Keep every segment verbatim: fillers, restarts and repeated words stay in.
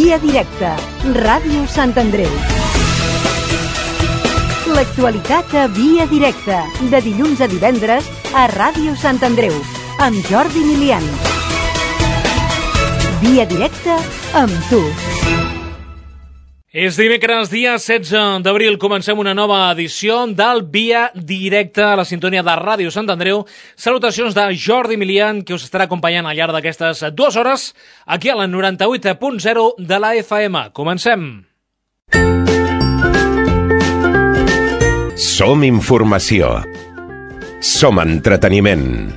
Via Directa, Ràdio Sant Andreu. L'actualitat a Via Directa, de dilluns a divendres a Ràdio Sant Andreu, amb Jordi Milian. Via Directa amb tu. És dimecres, dia setze d'abril, comencem una nova edició del Via Directa a la sintonia de Ràdio Sant Andreu. Salutacions de Jordi Milian, que us estarà acompanyant al llarg d'aquestes dues hores, aquí a la noranta-vuit punt zero de la F M. Comencem. Som informació. Som entreteniment.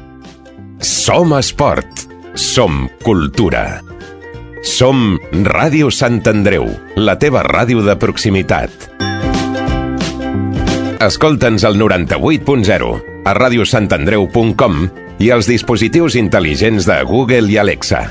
Som esport. Som cultura. Som Ràdio Sant Andreu, la teva ràdio de proximitat. Escolta'ns al noranta-vuit punt zero, a radiosantandreu punt com i als dispositius intel·ligents de Google i Alexa.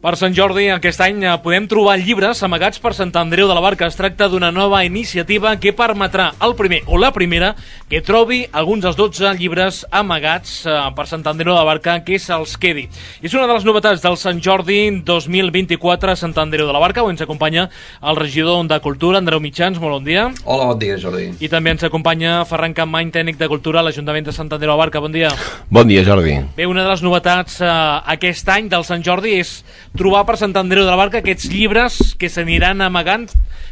Per Sant Jordi, aquest any, podem trobar llibres amagats per Sant Andreu de la Barca. Es tracta d'una nova iniciativa que permetrà al primer o la primera que trobi alguns dels dotze llibres amagats per Sant Andreu de la Barca que se'ls quedi. És una de les novetats del Sant Jordi dos mil vint-i-quatre a Sant Andreu de la Barca, on ens acompanya el regidor de Cultura, Andreu Mitjans. Molt bon dia. Hola, bon dia, Jordi. I també ens acompanya Ferran Campmany, tècnic de Cultura a l'Ajuntament de Sant Andreu de la Barca. Bon dia. Bon dia, Jordi. Bé, una de les novetats eh, aquest any del Sant Jordi és trobar per Sant Andreu de la Barca aquests llibres que s'aniran amagant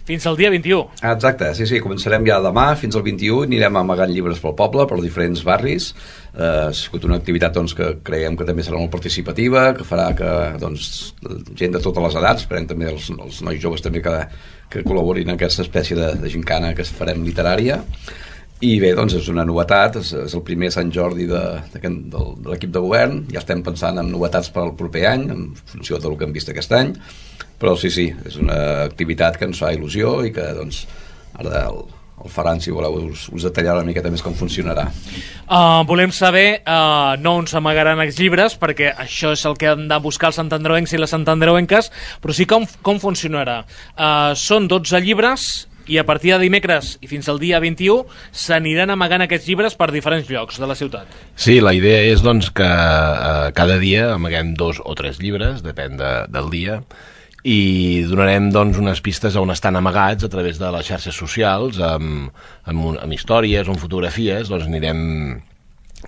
fins al dia vint-i-u. Exacte, sí, sí, començarem ja demà fins al vint-i-u, anirem amagant llibres pel poble, per diferents barris. Eh, ha sigut una activitat doncs, que creiem que també serà molt participativa, que farà que doncs, gent de totes les edats, esperem també els, els nois joves també que, que col·laborin en aquesta espècie de, de gincana que farem literària. I bé, doncs és una novetat, és, és el primer Sant Jordi de, de, de, de l'equip de govern, ja estem pensant en novetats per al proper any, en funció del que hem vist aquest any, però sí, sí, és una activitat que ens fa il·lusió i que, doncs, ara el, el Ferran, si voleu, us, us detallarà una miqueta més com funcionarà. Uh, volem saber uh, no on s'amagaran els llibres, perquè això és el que han de buscar els santandreuencs i les santandreuenques, però sí com, com funcionarà. Uh, són dotze llibres i a partir de dimecres i fins al dia vint-i-u s'aniran amagant aquests llibres per diferents llocs de la ciutat. Sí, la idea és doncs, que eh, cada dia amaguem dos o tres llibres, depèn de, del dia, i donarem doncs, unes pistes on estan amagats a través de les xarxes socials, amb, amb, amb històries o amb fotografies. Doncs anirem,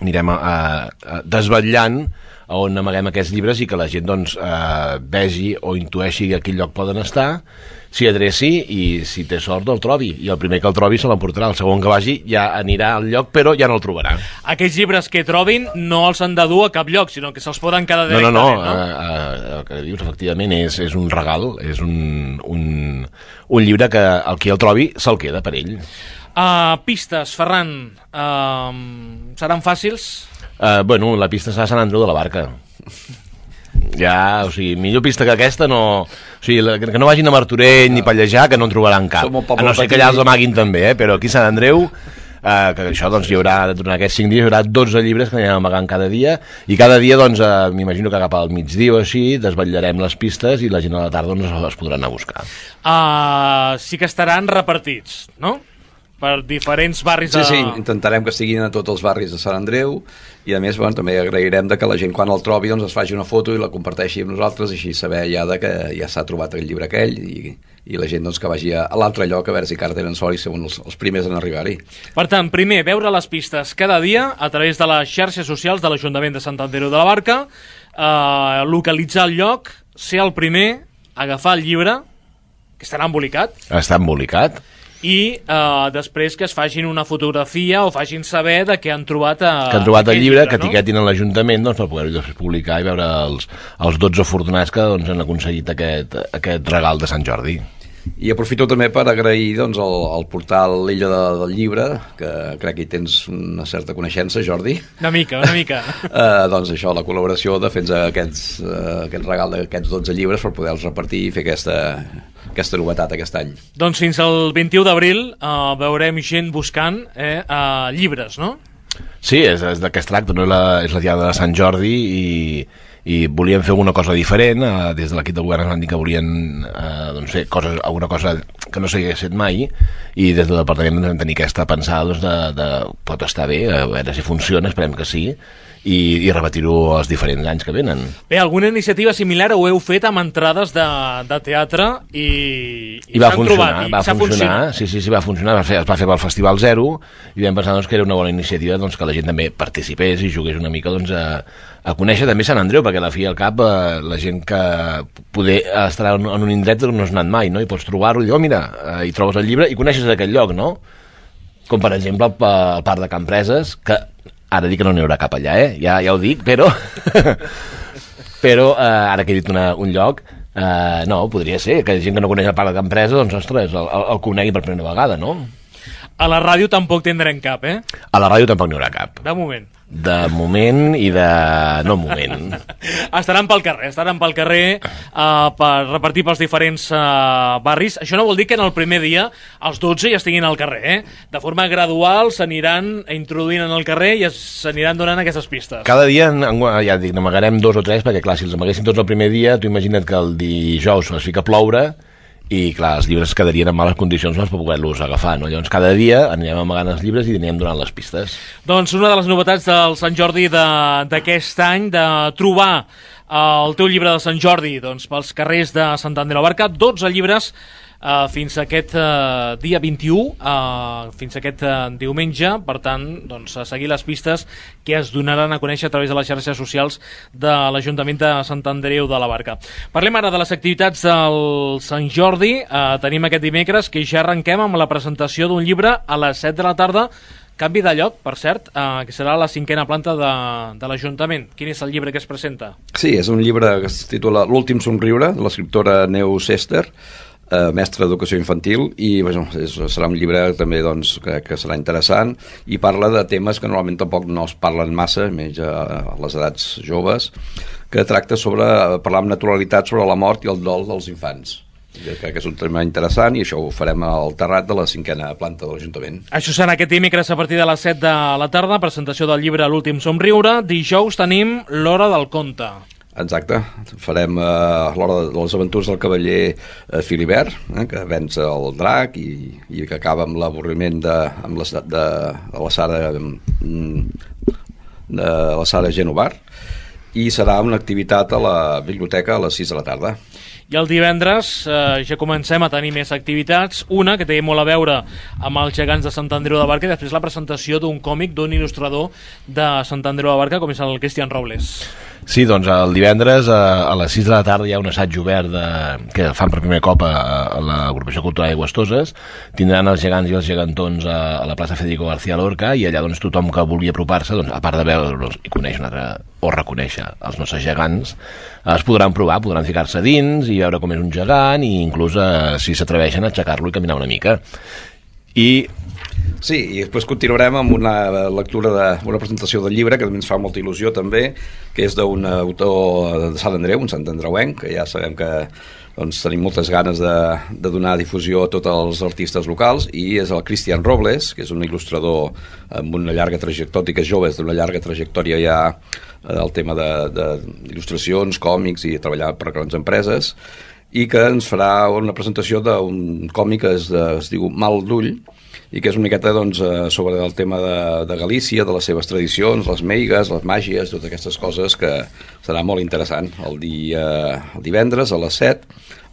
anirem a, a, desvetllant on amaguem aquests llibres i que la gent doncs, eh, vegi o intueixi a quin lloc poden estar, s'hi adreci i si té sort el trobi, i el primer que el trobi se l'emportarà, el segon que vagi ja anirà al lloc però ja no el trobarà. Aquests llibres que trobin no els han de dur a cap lloc, sinó que se'ls poden quedar directament, no? No, no, no? no. Uh, uh, el que dius efectivament és, és un regal, és un, un, un llibre que el qui el trobi se'l queda per ell. Uh, pistes, Ferran, uh, seran fàcils? Uh, bueno, la pista serà Sant Andreu de la Barca. Ja, o sigui, millor pista que aquesta no... O sigui, que no vagin a Martorell ni Pallejà, que no en trobaran cap. A no ser que allà els amaguin també, eh? Però aquí a Sant Andreu, eh, que això, doncs, hi haurà, durant aquests cinc dies, hi haurà dotze llibres que anirem amagant cada dia, i cada dia, doncs, eh, m'imagino que cap al migdia o així, desvetllarem les pistes i la gent a la tarda doncs, les podran anar a buscar. Uh, sí que estaran repartits, no? Per diferents barris de... Sí, sí, intentarem que siguin a tots els barris de Sant Andreu i a més bueno, també agrairem de que la gent quan el trobi doncs, es faci una foto i la comparteixi amb nosaltres i així saber ja de que ja s'ha trobat el llibre aquell i, i la gent doncs, que vagi a, a l'altre lloc a veure si encara tenen sort i són els, els primers en arribar-hi. Per tant, primer, veure les pistes cada dia a través de les xarxes socials de l'Ajuntament de Sant Andreu de la Barca, eh, localitzar el lloc, ser el primer, agafar el llibre, que estarà embolicat. Està embolicat. i eh, després que es facin una fotografia o facin saber de què han trobat, a, que han trobat el llibre, llibre, que no? etiquetin a l'Ajuntament doncs, per poder-ho després publicar i veure els, els dotze afortunats que doncs, han aconseguit aquest, aquest regal de Sant Jordi. I aprofito també per agrair doncs, el, el portal L'Illa de, del Llibre, que crec que hi tens una certa coneixença, Jordi. Una mica, una mica. eh, doncs això, la col·laboració de fer aquests, eh, aquest regal d'aquests dotze llibres per poder-los repartir i fer aquesta, aquesta novetat aquest any. Doncs fins al vint-i-u d'abril eh, veurem gent buscant eh, eh, llibres, no? Sí, és, és de què es tracta, no? La, és la diada de Sant Jordi i, i volíem fer alguna cosa diferent. Eh, des de l'equip del govern ens van dir que volien eh, doncs fer coses, alguna cosa que no s'hagués fet mai, i des del departament vam tenir aquesta pensada doncs, de, de pot estar bé, a veure si funciona, esperem que sí, i, i repetir-ho els diferents anys que venen. Bé, alguna iniciativa similar ho heu fet amb entrades de, de teatre i, i, I va s'han funcionar, trobat, i va s'ha funcionar, funcionat. sí, sí, sí, va funcionar, va fer, es va fer pel Festival Zero i vam pensar doncs, que era una bona iniciativa doncs, que la gent també participés i jugués una mica doncs, a, a conèixer també Sant Andreu, perquè a la fi i al cap eh, la gent que poder estar en, en un indret no has anat mai, no? I pots trobar-ho i dir, oh mira, eh, hi trobes el llibre i coneixes aquell lloc, no? Com per exemple el, el Parc de Campreses, que ara dic que no n'hi haurà cap allà, eh? Ja, ja ho dic, però... però eh, ara que he dit una, un lloc, eh, no, podria ser que gent que no coneix el Parc de Campreses, doncs, ostres, el, el, el conegui per primera vegada, no? A la ràdio tampoc tindrem cap, eh? A la ràdio tampoc n'hi haurà cap. De moment. De moment i de... no moment. Estaran pel carrer, estaran pel carrer uh, per repartir pels diferents uh, barris. Això no vol dir que en el primer dia els dotze ja estiguin al carrer, eh? De forma gradual s'aniran introduint en el carrer i s'aniran donant aquestes pistes. Cada dia, ja dic, n'amagarem dos o tres, perquè clar, si els amaguéssim tots el primer dia, tu imagina't que el dijous es fica a ploure i clar, els llibres quedarien en males condicions per poder-los agafar, no? Llavors cada dia anirem amagant els llibres i anirem donant les pistes. Doncs una de les novetats del Sant Jordi d'aquest any, de trobar el teu llibre de Sant Jordi doncs, pels carrers de Sant Andreu de la Barca, dotze llibres Uh, fins a aquest uh, dia vint-i-u, uh, fins a aquest uh, diumenge. Per tant, doncs, a seguir les pistes que es donaran a conèixer a través de les xarxes socials de l'Ajuntament de Sant Andreu de la Barca. Parlem ara de les activitats del Sant Jordi. Uh, tenim aquest dimecres que ja arrenquem amb la presentació d'un llibre a les set de la tarda. Canvi de lloc, per cert, uh, que serà a la cinquena planta de, de l'Ajuntament. Quin és el llibre que es presenta? Sí, és un llibre que es titula L'últim somriure, de l'escriptora Neus Ester, eh, mestra d'educació infantil, i bueno, és, serà un llibre també doncs, que, que serà interessant, i parla de temes que normalment tampoc no es parlen massa, menys a les edats joves, que tracta sobre parlar amb naturalitat sobre la mort i el dol dels infants. Jo crec que és un tema interessant i això ho farem al terrat de la cinquena planta de l'Ajuntament. Això serà aquest dimecres a partir de les set de la tarda, presentació del llibre L'últim somriure. Dijous tenim l'Hora del conte. Exacte, farem eh, l'hora de les aventures del cavaller eh, Filibert, eh, que venç el drac i, i que acaba amb l'avorriment de, amb la, de, de la Sara de la Sara Genovar, i serà una activitat a la biblioteca a les sis de la tarda. I el divendres eh, ja comencem a tenir més activitats, una que té molt a veure amb els gegants de Sant Andreu de la Barca i després la presentació d'un còmic d'un il·lustrador de Sant Andreu de la Barca com és el Cristian Robles. Sí, doncs el divendres a, a les sis de la tarda hi ha un assaig obert de, que fan per primer cop a, a l'Agrupació Cultural Aigües Toses. Tindran els gegants i els gegantons a, a la plaça Federico García Lorca, i allà doncs, tothom que vulgui apropar-se, doncs, a part de veure'ls i conèixer una altra, o reconèixer els nostres gegants, es podran provar, podran ficar-se dins i veure com és un gegant, i inclús eh, si s'atreveixen a aixecar-lo i caminar una mica. I Sí, i després continuarem amb una lectura de, una presentació del llibre que també ens fa molta il·lusió també, que és d'un autor de Sant Andreu, un santandreuenc, que ja sabem que doncs, tenim moltes ganes de, de donar difusió a tots els artistes locals, i és el Cristian Robles, que és un il·lustrador amb una llarga trajectòria, tot i que és jove, és d'una llarga trajectòria ja el tema d'il·lustracions, còmics i treballar per grans empreses, i que ens farà una presentació d'un còmic que es, es diu Mal d'ull, i que és una miqueta doncs, sobre el tema de, de Galícia, de les seves tradicions, les meigues, les màgies, totes aquestes coses, que serà molt interessant el, dia, el divendres a les set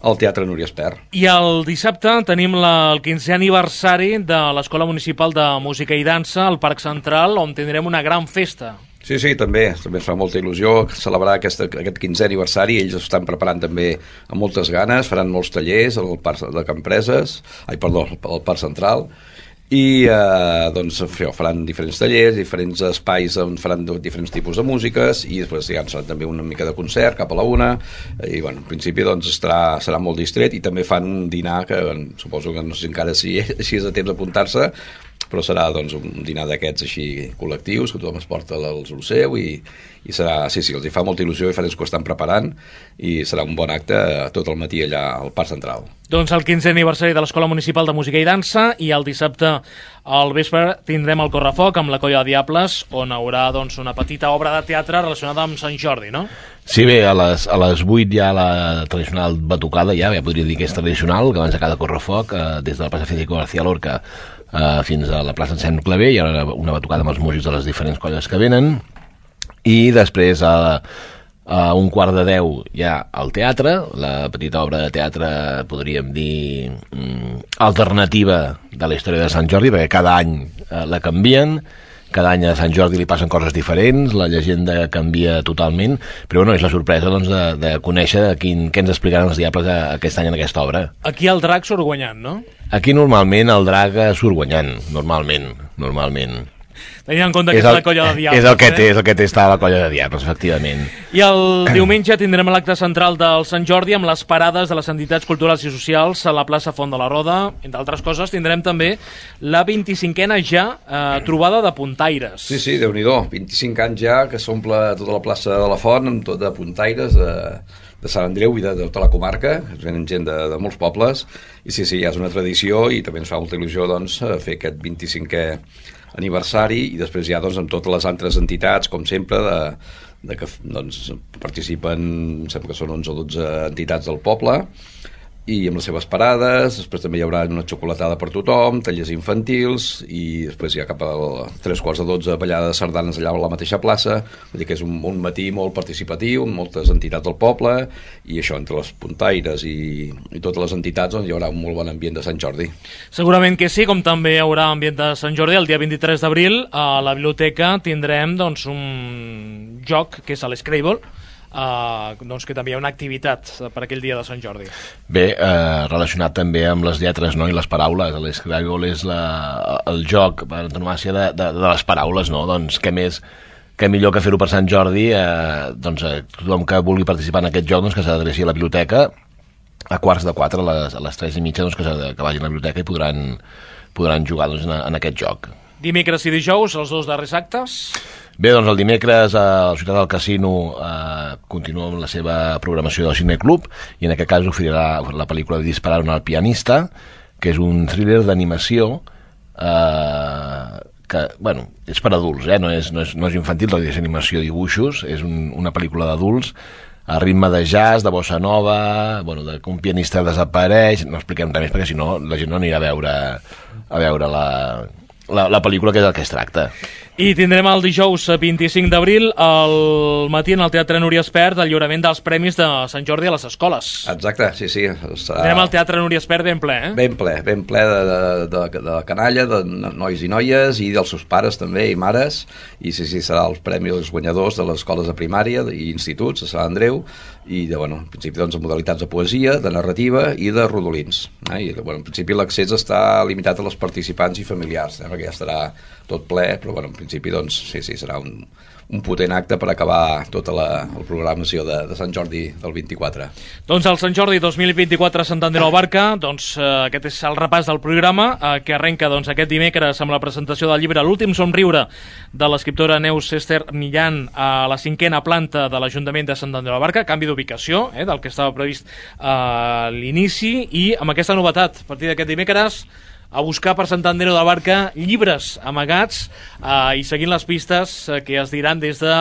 al Teatre Núria Espert. I el dissabte tenim la, el quinzè aniversari de l'Escola Municipal de Música i Dansa al Parc Central, on tindrem una gran festa. Sí, sí, també, també ens fa molta il·lusió celebrar aquesta, aquest quinzè aniversari. Ells estan preparant també amb moltes ganes, faran molts tallers al Parc de Campreses, ai, perdó, al Parc Central, i eh, doncs faran diferents tallers, diferents espais on faran diferents tipus de músiques i després ja seran també una mica de concert cap a la una i bueno, en principi doncs estarà, serà molt distret i també fan un dinar que suposo que no sé encara si, si és a temps d'apuntar-se, però serà doncs, un dinar d'aquests així col·lectius que tothom es porta el seu i, i serà, sí, sí, els hi fa molta il·lusió i farem que ho estan preparant i serà un bon acte tot el matí allà al Parc Central. Doncs el quinzè aniversari de l'Escola Municipal de Música i Dansa i el dissabte al vespre tindrem el Correfoc amb la Colla de Diables on haurà doncs, una petita obra de teatre relacionada amb Sant Jordi, no? Sí, bé, a les, a les vuit hi ha la tradicional batucada, ja, ja podria dir que és tradicional, que abans de cada Correfoc, eh, des de la plaça Federico García Lorca eh, fins a la plaça Sant Claver, hi ha una batucada amb els músics de les diferents colles que venen, i després a, a un quart de deu hi ha el teatre, la petita obra de teatre, podríem dir, mm, alternativa de la història de Sant Jordi, perquè cada any eh, la canvien, cada any a Sant Jordi li passen coses diferents, la llegenda canvia totalment, però bueno, és la sorpresa doncs, de, de conèixer quin, què ens explicaran els Diables aquest any en aquesta obra. Aquí el drac surt guanyant, no? Aquí normalment el drac surt guanyant, normalment, normalment. Tenint en compte que és, el, és la Colla de Diables. És el que té, eh? és el que té estar a la Colla de Diables, efectivament. I el diumenge tindrem l'acte central del Sant Jordi amb les parades de les entitats culturals i socials a la plaça Font de la Roda. Entre altres coses, tindrem també la vint-i-cinquena ja eh, trobada de puntaires. Sí, sí, Déu-n'hi-do. vint-i-cinc anys ja que s'omple tota la plaça de la Font amb tot de puntaires de, de Sant Andreu i de, de tota la comarca. Es venen gent de, de molts pobles. I sí, sí, ja és una tradició i també ens fa molta il·lusió doncs, fer aquest vint-i-cinquè aniversari i després ja doncs, amb totes les altres entitats, com sempre, de, de que doncs, participen, sembla que són onze o dotze entitats del poble, i amb les seves parades, després també hi haurà una xocolatada per tothom, tallers infantils, i després ja cap a tres quarts de dotze ballada de sardanes allà a la mateixa plaça, vull dir que és un, un matí molt participatiu, amb moltes entitats del poble, i això, entre les puntaires i, i totes les entitats, doncs hi haurà un molt bon ambient de Sant Jordi. Segurament que sí, com també hi haurà ambient de Sant Jordi, el dia vint-i-tres d'abril a la biblioteca tindrem doncs, un joc que és l'Scrabble, Uh, doncs que també hi ha una activitat per aquell dia de Sant Jordi. Bé, eh, relacionat també amb les lletres, no?, i les paraules. L'Scrabble és la, el joc per antonomàsia de, de, de les paraules, no? Doncs què més, què millor que fer-ho per Sant Jordi, eh, doncs eh, tothom que vulgui participar en aquest joc doncs, que s'adreci a la biblioteca a quarts de quatre, a les, a les tres i mitja, doncs, que, que vagin a la biblioteca i podran, podran jugar doncs, en, en aquest joc. Dimecres i dijous, els dos darrers actes. Bé, doncs el dimecres a la Ciutat del Casino eh, continua amb la seva programació del Cineclub i en aquest cas oferirà la pel·lícula de Disparar al pianista, que és un thriller d'animació eh, que, bueno, és per adults, eh? no, és, no, és, no és infantil, és animació i dibuixos, és un, una pel·lícula d'adults a ritme de jazz, de bossa nova, bueno, de que un pianista desapareix, no expliquem res més perquè si no la gent no anirà a veure, a veure la, la, la pel·lícula que és el que es tracta. I tindrem el dijous vint-i-cinc d'abril al matí en el Teatre Núria Espert el lliurament dels Premis de Sant Jordi a les escoles. Exacte, sí, sí. Serà... Tindrem el Teatre Núria Espert ben ple, eh? Ben ple, ben ple de, de, de, de canalla, de nois i noies i dels seus pares també i mares, i sí, sí, serà els premis dels guanyadors de les escoles de primària i instituts a Sant Andreu, i de, bueno, en principi doncs, en modalitats de poesia, de narrativa i de rodolins. Eh? I, bueno, en principi l'accés està limitat a les participants i familiars, eh? Perquè ja estarà tot ple, però bueno, en principi doncs, sí, sí, serà un, un potent acte per acabar tota la, la programació de, de Sant Jordi del vint-i-quatre. Doncs el Sant Jordi dos mil vint-i-quatre a Sant Andreu Abarca, doncs eh, aquest és el repàs del programa eh, que arrenca doncs, aquest dimecres amb la presentació del llibre L'últim somriure de l'escriptora Neus Esther Millán a la cinquena planta de l'Ajuntament de Sant Andreu Abarca, canvi d'ubicació eh, del que estava previst a eh, l'inici, i amb aquesta novetat, a partir d'aquest dimecres a buscar per Sant Andreu de la Barca llibres amagats eh, i seguint les pistes eh, que es diran des de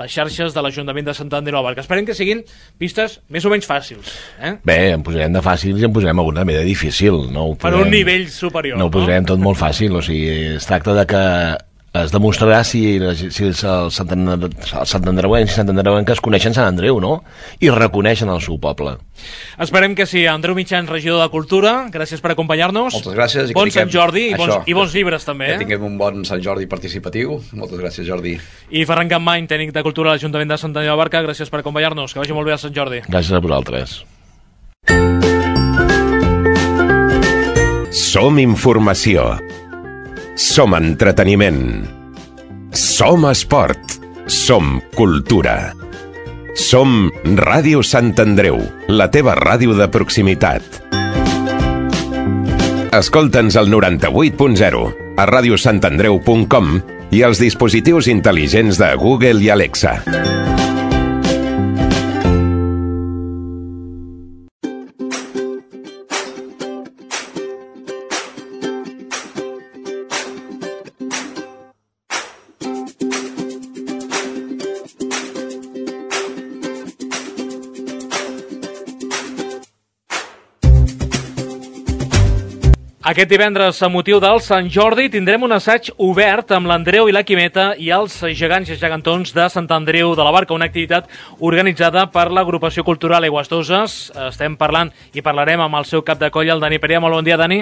les xarxes de l'Ajuntament de Sant Andreu de la Barca. Esperem que siguin pistes més o menys fàcils. Eh? Bé, en posarem de fàcils i en posarem alguna també de difícil. No ho posarem, per un nivell superior. No ho posarem no? tot molt fàcil, o sigui, es tracta de que es demostrarà si, si els santandreuencs i santandreuenques coneixen Sant Andreu, no? I reconeixen el seu poble. Esperem que sí. Andreu Mitjans, regidor de Cultura, gràcies per acompanyar-nos. Moltes gràcies. I bon Sant Jordi i bons, i bons llibres també. Que eh? tinguem un bon Sant Jordi participatiu. Moltes gràcies, Jordi. I Ferran Campmany, tècnic de Cultura a l'Ajuntament de Sant Andreu de la Barca, gràcies per acompanyar-nos. Que vagi molt bé a Sant Jordi. Gràcies a vosaltres. Som informació. Som entreteniment. Som esport. Som cultura. Som Ràdio Sant Andreu, la teva ràdio de proximitat. Escolta'ns al noranta-vuit punt zero, a ràdio sant andreu punt com i als dispositius intel·ligents de Google i Alexa. Aquest divendres, a motiu del Sant Jordi, tindrem un assaig obert amb l'Andreu i la Quimeta i els gegants i gegantons de Sant Andreu de la Barca, una activitat organitzada per l'Agrupació Cultural Aigües-Toses. Estem parlant i parlarem amb el seu cap de colla, el Dani Perea. Molt bon dia, Dani.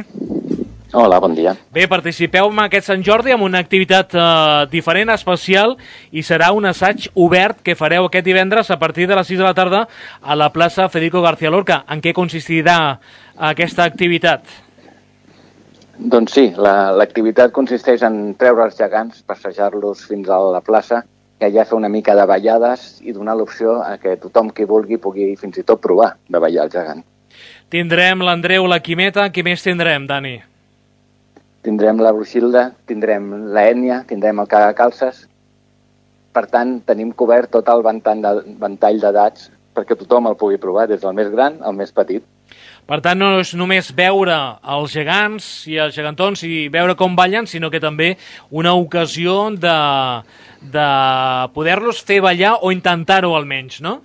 Hola, bon dia. Bé, participeu en aquest Sant Jordi amb una activitat eh, diferent, especial, i serà un assaig obert que fareu aquest divendres a partir de les sis de la tarda a la plaça Federico García Lorca. En què consistirà aquesta activitat? Doncs sí, l'activitat la, consisteix en treure els gegants, passejar-los fins a la plaça i allà fer una mica de ballades i donar l'opció a que tothom qui vulgui pugui fins i tot provar de ballar el gegant. Tindrem l'Andreu, la Quimeta, qui més tindrem, Dani? Tindrem la Bruixilda, tindrem l'Ètnia, tindrem el Cagacalces. Per tant, tenim cobert tot el ventall d'edats perquè tothom el pugui provar, des del més gran al més petit. Per tant, no és només veure els gegants i els gegantons i veure com ballen, sinó que també una ocasió de, de poder-los fer ballar o intentar-ho almenys, no?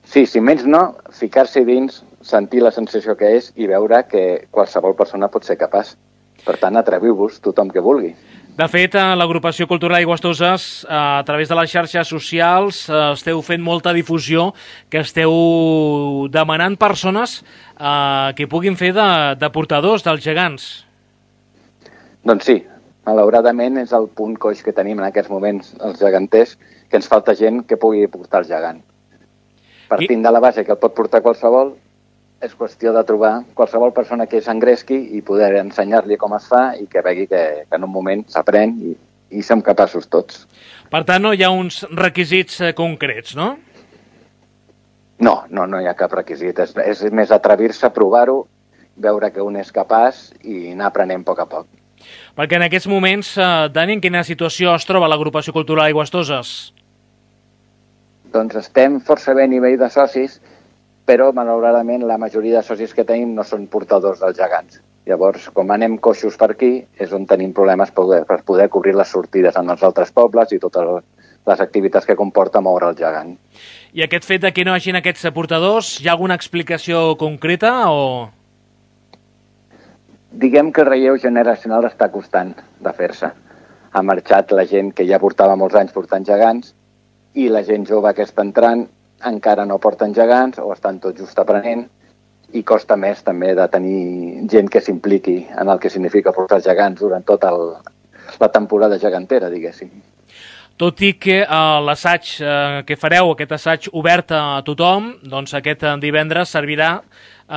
Sí, si menys no, ficar-s'hi dins, sentir la sensació que és i veure que qualsevol persona pot ser capaç. Per tant, atreviu-vos tothom que vulgui. De fet, l'Agrupació Cultural Aigües-Toses, a través de les xarxes socials, esteu fent molta difusió, que esteu demanant persones eh, que puguin fer de, de portadors dels gegants. Doncs sí, malauradament és el punt coix que tenim en aquests moments els geganters, que ens falta gent que pugui portar el gegant. Partint de la base que el pot portar qualsevol, és qüestió de trobar qualsevol persona que s'engresqui i poder ensenyar-li com es fa i que vegi que, que en un moment s'aprèn i, i som capaços tots. Per tant, no hi ha uns requisits concrets, no? No, no, no hi ha cap requisit. És, és més atrevir-se a provar-ho, veure que un és capaç i anar aprenent a poc a poc. Perquè en aquests moments, eh, Dani, en quina situació es troba l'Agrupació Cultural Aigües-Toses? Doncs estem força bé a nivell de socis, però malauradament la majoria de socis que tenim no són portadors dels gegants. Llavors, com anem coixos per aquí, és on tenim problemes per poder, per poder cobrir les sortides en els altres pobles i totes les activitats que comporta moure el gegant. I aquest fet de que no hi hagi aquests portadors, hi ha alguna explicació concreta o...? Diguem que el relleu generacional està costant de fer-se. Ha marxat la gent que ja portava molts anys portant gegants i la gent jove que està entrant encara no porten gegants o estan tot just aprenent i costa més també de tenir gent que s'impliqui en el que significa portar gegants durant tota el, la temporada gegantera, diguéssim. Tot i que eh, l'assaig eh, que fareu, aquest assaig obert a tothom, doncs aquest divendres servirà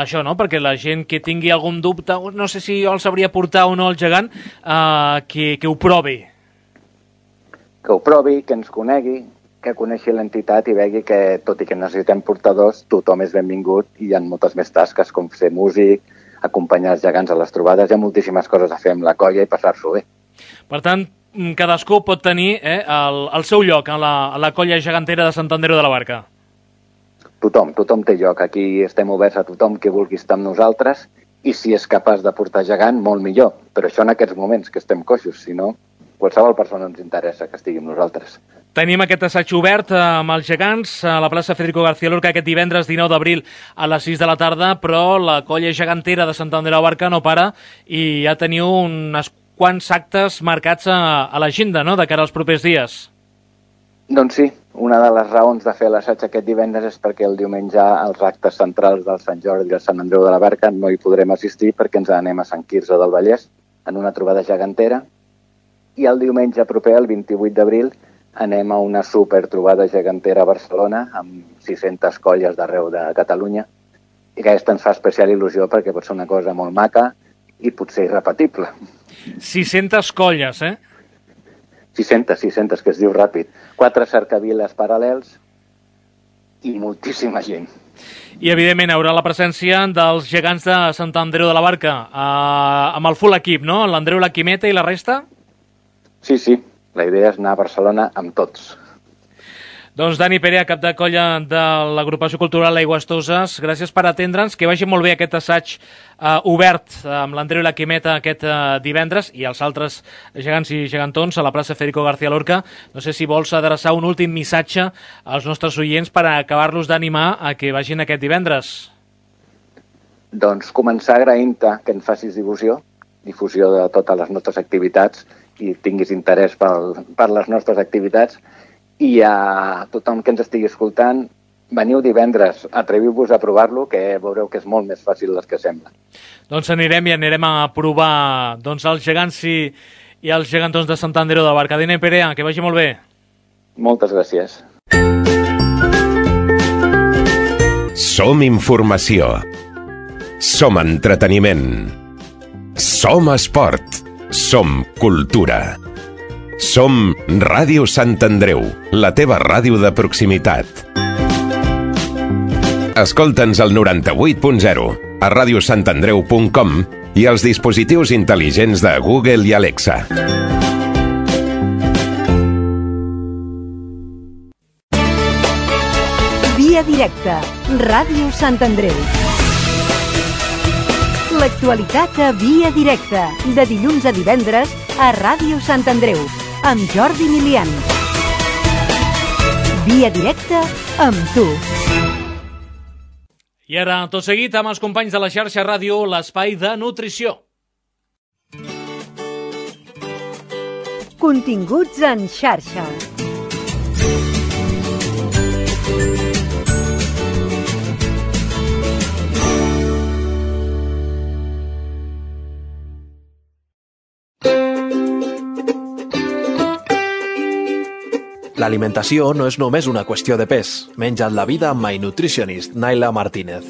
això, no? Perquè la gent que tingui algun dubte, no sé si jo el sabria portar o no el gegant, eh, que, que ho provi. Que ho provi, que ens conegui, que coneixi l'entitat i vegi que, tot i que necessitem portadors, tothom és benvingut i hi ha moltes més tasques com ser músic, acompanyar els gegants a les trobades. Hi ha moltíssimes coses a fer amb la colla i passar-s'ho bé. Per tant, cadascú pot tenir eh, el, el seu lloc a la, a la colla gegantera de Sant Andreu de la Barca. Tothom, tothom té lloc. Aquí estem oberts a tothom que vulgui estar amb nosaltres i si és capaç de portar gegant, molt millor. Però això en aquests moments que estem coixos, si no, qualsevol persona ens interessa que estigui amb nosaltres. Tenim aquest assaig obert amb els gegants a la plaça Federico García Lorca aquest divendres dinou d'abril a les sis de la tarda, però la colla gegantera de Sant Andreu de la Barca no para i ja teniu uns quants actes marcats a, a l'agenda, no?, de cara als propers dies. Doncs sí, una de les raons de fer l'assaig aquest divendres és perquè el diumenge als actes centrals del Sant Jordi i del Sant Andreu de la Barca no hi podrem assistir perquè ens anem a Sant Quirze del Vallès en una trobada gegantera i el diumenge proper, el vint-i-vuit d'abril, anem a una super trobada gegantera a Barcelona amb sis-centes colles d'arreu de Catalunya i aquesta ens fa especial il·lusió perquè pot ser una cosa molt maca i potser irrepetible. sis-centes colles, eh? sis-centes, sis-centes, que es diu ràpid. Quatre cercaviles paral·lels i moltíssima gent. I, evidentment, hi haurà la presència dels gegants de Sant Andreu de la Barca, eh, amb el full equip, no? L'Andreu, la Quimeta i la resta? Sí, sí. La idea és anar a Barcelona amb tots. Doncs Dani Perea, cap de colla de l'agrupació cultural Aigües Toses, gràcies per atendre'ns, que vagi molt bé aquest assaig eh, obert amb l'Andreu i la Quimeta aquest eh, divendres i els altres gegants i gegantons a la plaça Federico García Lorca. No sé si vols adreçar un últim missatge als nostres oients per acabar-los d'animar a que vagin aquest divendres. Doncs començar agraint-te que en facis difusió, difusió de totes les nostres activitats i tinguis interès per, per les nostres activitats. I a tothom que ens estigui escoltant, veniu divendres, atreviu-vos a provar-lo, que veureu que és molt més fàcil del que sembla. Doncs anirem i anirem a provar doncs, els gegants i, i els gegantons de Sant Andreu de la Barca. Dani Perea, que vagi molt bé. Moltes gràcies. Som informació. Som entreteniment. Som esport. Som cultura. Som Ràdio Sant Andreu, la teva ràdio de proximitat. Escolta'ns al noranta-vuit punt zero, a ràdio sant andreu punt com i als dispositius intel·ligents de Google i Alexa. Via directa, Ràdio Sant Andreu. L'actualitat a Via directa, de dilluns a divendres a Ràdio Sant Andreu, amb Jordi Milian. Via directa amb tu. I ara, tot seguit, amb els companys de la xarxa ràdio, l'espai de nutrició. Continguts en xarxa. L'alimentació no és només una qüestió de pes. Menja't la vida amb My Nutritionist, Naila Martínez.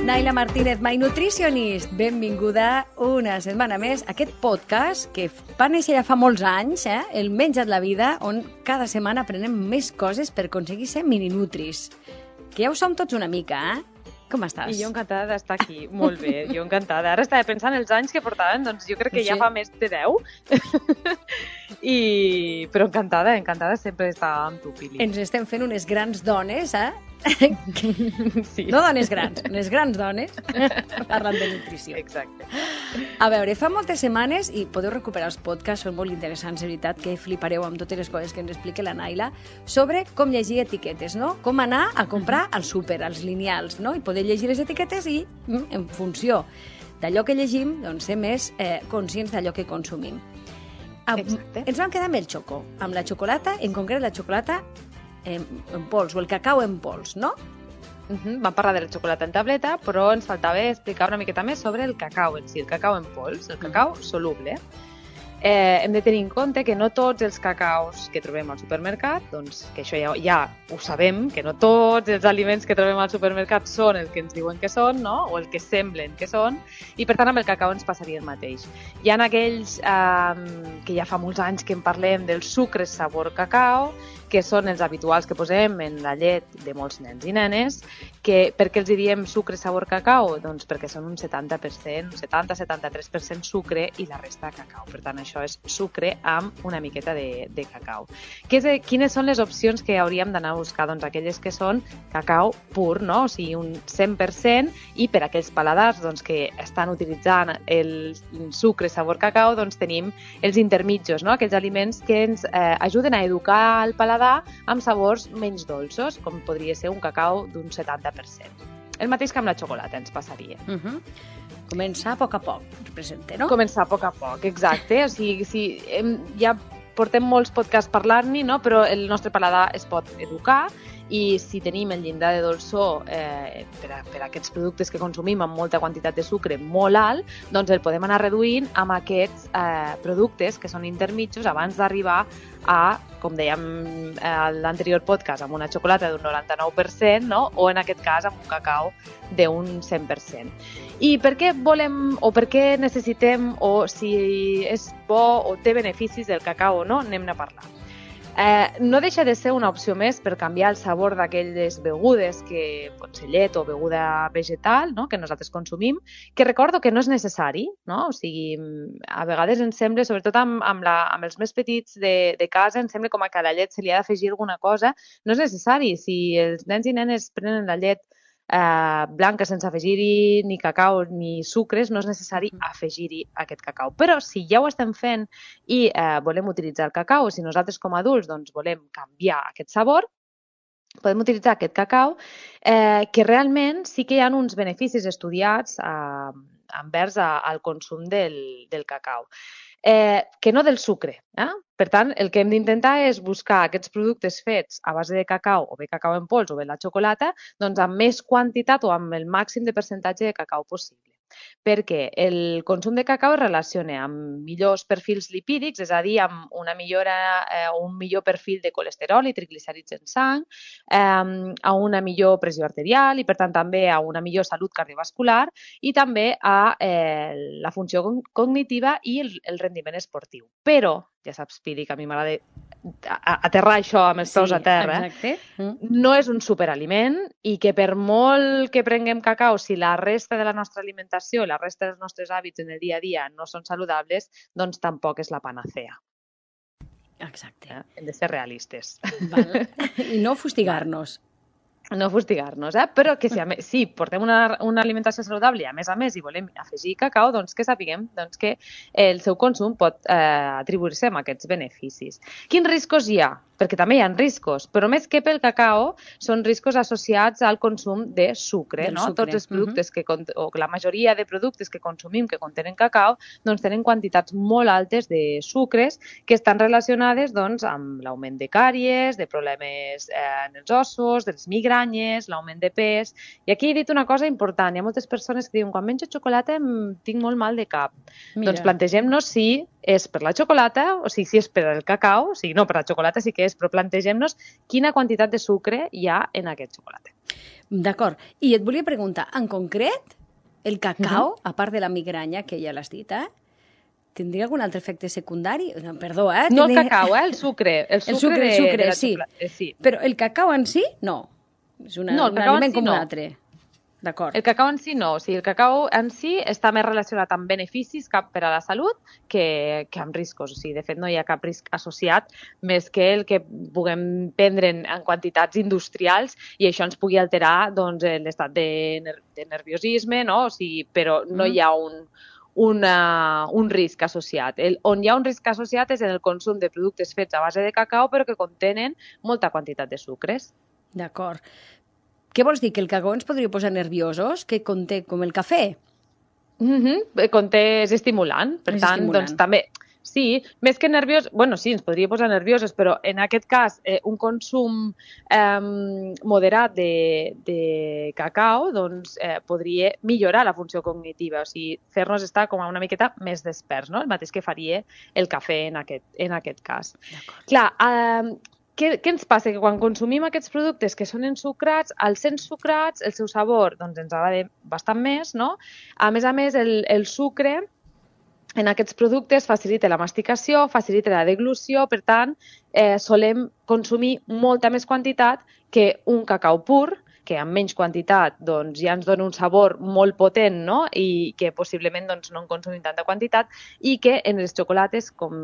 Naila Martínez, My Nutritionist. Benvinguda una setmana més a aquest podcast que va néixer ja fa molts anys, eh? el Menja't la vida, on cada setmana aprenem més coses per aconseguir ser mininutris. Que ja ho som tots una mica, eh? Com estàs? I jo encantada d'estar aquí. Molt bé, jo encantada. Ara estava pensant els anys que portaven, doncs jo crec que sí. Ja fa més de deu. I... Però encantada, encantada sempre estar amb tu, Pili. Ens estem fent unes grans dones, eh? Sí. No dones grans, unes grans dones parlant de nutrició. Exacte. A veure, fa moltes setmanes, i podeu recuperar els podcasts, són molt interessants, de veritat, que flipareu amb totes les coses que ens explica la Naila, sobre com llegir etiquetes, no? Com anar a comprar al súper, als lineals, no? I poder llegir les etiquetes i, en funció d'allò que llegim, doncs ser més eh, conscients d'allò que consumim. Exacte. Ens vam quedar amb el xoco, amb la xocolata, en concret la xocolata en, en pols, o el cacau en pols, no? Uh-huh. Vam parlar de la xocolata en tableta, però ens faltava explicar una miqueta més sobre el cacau en si, el cacau en pols, el cacau soluble. Eh, hem de tenir en compte que no tots els cacaus que trobem al supermercat, doncs que això ja, ja ho sabem, que no tots els aliments que trobem al supermercat són el que ens diuen que són, no? O el que semblen que són, i per tant amb el cacau ens passaria el mateix. Hi ha aquells eh, que ja fa molts anys que en parlem del sucre sabor cacau, que són els habituals que posem en la llet de molts nens i nenes, que per què els diem sucre sabor cacau? Doncs perquè són un setanta per cent, setanta a setanta-tres per cent sucre i la resta cacau. Per tant, això és sucre amb una miqueta de, de cacau. Que és, quines són les opcions que hauríem d'anar a buscar? Doncs aquelles que són cacau pur, no? O sigui, un cent per cent, i per aquells paladars doncs, que estan utilitzant el sucre sabor cacau, doncs tenim els intermitjos, no? Aquells aliments que ens eh, ajuden a educar el paladar amb sabors menys dolços, com podria ser un cacau d'un setanta per cent. El mateix que amb la xocolata ens passaria. Uh-huh. Començar a poc a poc, representa, no? Començar a poc a poc, exacte. O sigui, si hem, ja portem molts podcasts parlant-ne, no? Però el nostre paladar es pot educar, i si tenim el llindar de dolçor eh, per, a, per a aquests productes que consumim amb molta quantitat de sucre molt alt, doncs el podem anar reduint amb aquests eh, productes que són intermitjos abans d'arribar a, com dèiem a l'anterior podcast, amb una xocolata d'un noranta-nou per cent, no? O en aquest cas amb un cacau d'un cent per cent. I per què volem o per què necessitem o si és bo o té beneficis del cacau o no, anem a parlar. Eh, no deixa de ser una opció més per canviar el sabor d'aquelles begudes, que pot ser llet o beguda vegetal, no?, que nosaltres consumim, que recordo que no és necessari, no? O sigui, a vegades ens sembla, sobretot amb, amb, la, amb els més petits de, de casa, ens sembla com que a la llet se li ha d'afegir alguna cosa. No és necessari. Si els nens i nenes prenen la llet Eh, blanca sense afegir-hi ni cacau ni sucres, no és necessari afegir-hi aquest cacau. Però si ja ho estem fent i eh, volem utilitzar el cacau, o si nosaltres com a adults doncs, volem canviar aquest sabor, podem utilitzar aquest cacau, eh, que realment sí que hi ha uns beneficis estudiats eh, envers a, al consum del, del cacau. Eh, que no del sucre. Eh? Per tant, el que hem d'intentar és buscar aquests productes fets a base de cacau, o bé cacau en pols, o bé la xocolata, doncs amb més quantitat o amb el màxim de percentatge de cacau possible. Perquè el consum de cacau es relaciona amb millors perfils lipídics, és a dir, amb una millora, eh, un millor perfil de colesterol i triglicèrids en sang, eh, a una millor pressió arterial i, per tant, també a una millor salut cardiovascular i també a eh, la funció cognitiva i el, el rendiment esportiu. Però, ja saps, Pili, que a mi m'agrada aterrar això amb els peus Sí, a terra, exacte. Mm. no és un superaliment i que per molt que prenguem cacau, si la resta de la nostra alimentació, la resta dels nostres hàbits en el dia a dia no són saludables, doncs tampoc és la panacea. Exacte. Eh? Hem de ser realistes. Val. I no fustigar-nos. No fustigar-nos, eh? Però que si, a més, si portem una, una alimentació saludable i a més a més hi volem afegir cacau, doncs que sapiguem doncs que el seu consum pot eh, atribuir-se amb aquests beneficis. Quins riscos hi ha? Perquè també hi ha riscos, però més que pel cacau són riscos associats al consum de sucre. Del No? sucre. Tots els productes, que, o la majoria de productes que consumim que contenen cacau, doncs tenen quantitats molt altes de sucres que estan relacionades doncs, amb l'augment de càries, de problemes eh, en els ossos, de les migranyes, l'augment de pes. I aquí he dit una cosa important. Hi ha moltes persones que diuen quan menjo xocolata em tinc molt mal de cap. Mira. Doncs plantegem-nos si és per la xocolata, o sigui, si és per el cacau, o sigui, no, per la xocolata sí que és, però plantegem-nos quina quantitat de sucre hi ha en aquest xocolata. D'acord. I et volia preguntar, en concret, el cacau, uh-huh. a part de la migranya, que ja l'has dit, eh? Tindria algun altre efecte secundari? No, perdó, eh? No el Tindria... cacau, eh? El sucre. El sucre, el sucre, de, el sucre de la sí. xocolata. Eh, sí. Però el cacau en si, no. És una, No, el un cacau en aliment si com no. un altre. D'acord. El cacau en si no, o sigui, el cacau en si està més relacionat amb beneficis cap per a la salut que, que amb riscos. O sigui, de fet, no hi ha cap risc associat més que el que puguem prendre en, en quantitats industrials i això ens pugui alterar doncs, l'estat de, ner de nerviosisme, no? O sigui, però no Mm. hi ha un, una, un risc associat. El, on hi ha un risc associat és en el consum de productes fets a base de cacau però que contenen molta quantitat de sucres. D'acord. Què vols dir? Que el cacau ens podria posar nerviosos? Que conté com el cafè? Mm-hmm. Conté, és estimulant, per És tant, estimulant. doncs també... Sí, més que nerviós, bueno, sí, ens podria posar nerviosos, però en aquest cas eh, un consum eh, moderat de, de cacau doncs, eh, podria millorar la funció cognitiva, o sigui, fer-nos estar com a una miqueta més desperts, no? El mateix que faria el cafè en aquest, en aquest cas. Clar, eh, què, què ens passa? Que quan consumim aquests productes que són ensucrats, al ser ensucrats, el seu sabor doncs, ens agrada bastant més, no? A més a més, el, el sucre en aquests productes facilita la masticació, facilita la deglució, per tant, eh, solem consumir molta més quantitat que un cacau pur, que amb menys quantitat doncs, ja ens dona un sabor molt potent, no? I que possiblement doncs, no en consumim tanta quantitat i que en les xocolates, com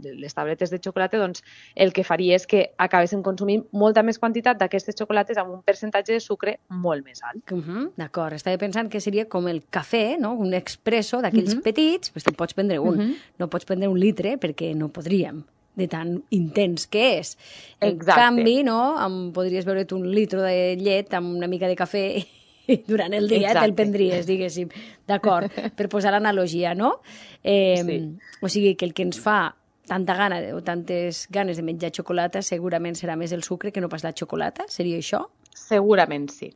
les tabletes de xocolata, doncs, el que faria és que acabéssim consumint molta més quantitat d'aquestes xocolates amb un percentatge de sucre molt més alt. Uh -huh. D'acord. Estava pensant que seria com el cafè, no? Un expresso d'aquells uh -huh. petits, doncs te'n pots prendre un. Uh -huh. No pots prendre un litre perquè no podríem, de tan intens que és. En Exacte. canvi, no, em podries beure't un litre de llet amb una mica de cafè i durant el dia Exacte. te'l prendries, diguéssim. D'acord, per posar l'analogia, no? Eh, Sí. O sigui que el que ens fa tanta gana o tantes ganes de menjar xocolata segurament serà més el sucre que no pas la xocolata? Seria això? Segurament sí.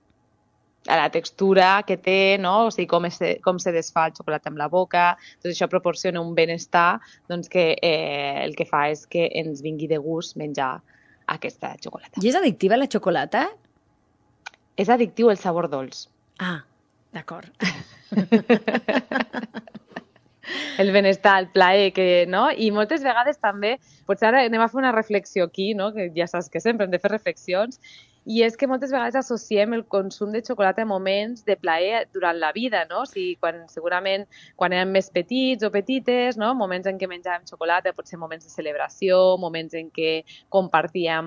La textura que té, no? O sigui, com, es, com se desfà el xocolata amb la boca, tot això proporciona un benestar doncs, que eh, el que fa és que ens vingui de gust menjar aquesta xocolata. I és addictiva la xocolata? És addictiu el sabor dolç. Ah, d'acord. el benestar, el plaer, que, no? I moltes vegades també, potser ara anem a fer una reflexió aquí, no? Que ja saps que sempre hem de fer reflexions, i és que moltes vegades associem el consum de xocolata a moments de plaer durant la vida, no? O sigui, quan, segurament quan érem més petits o petites, no? Moments en què menjàvem xocolata, potser moments de celebració, moments en què compartíem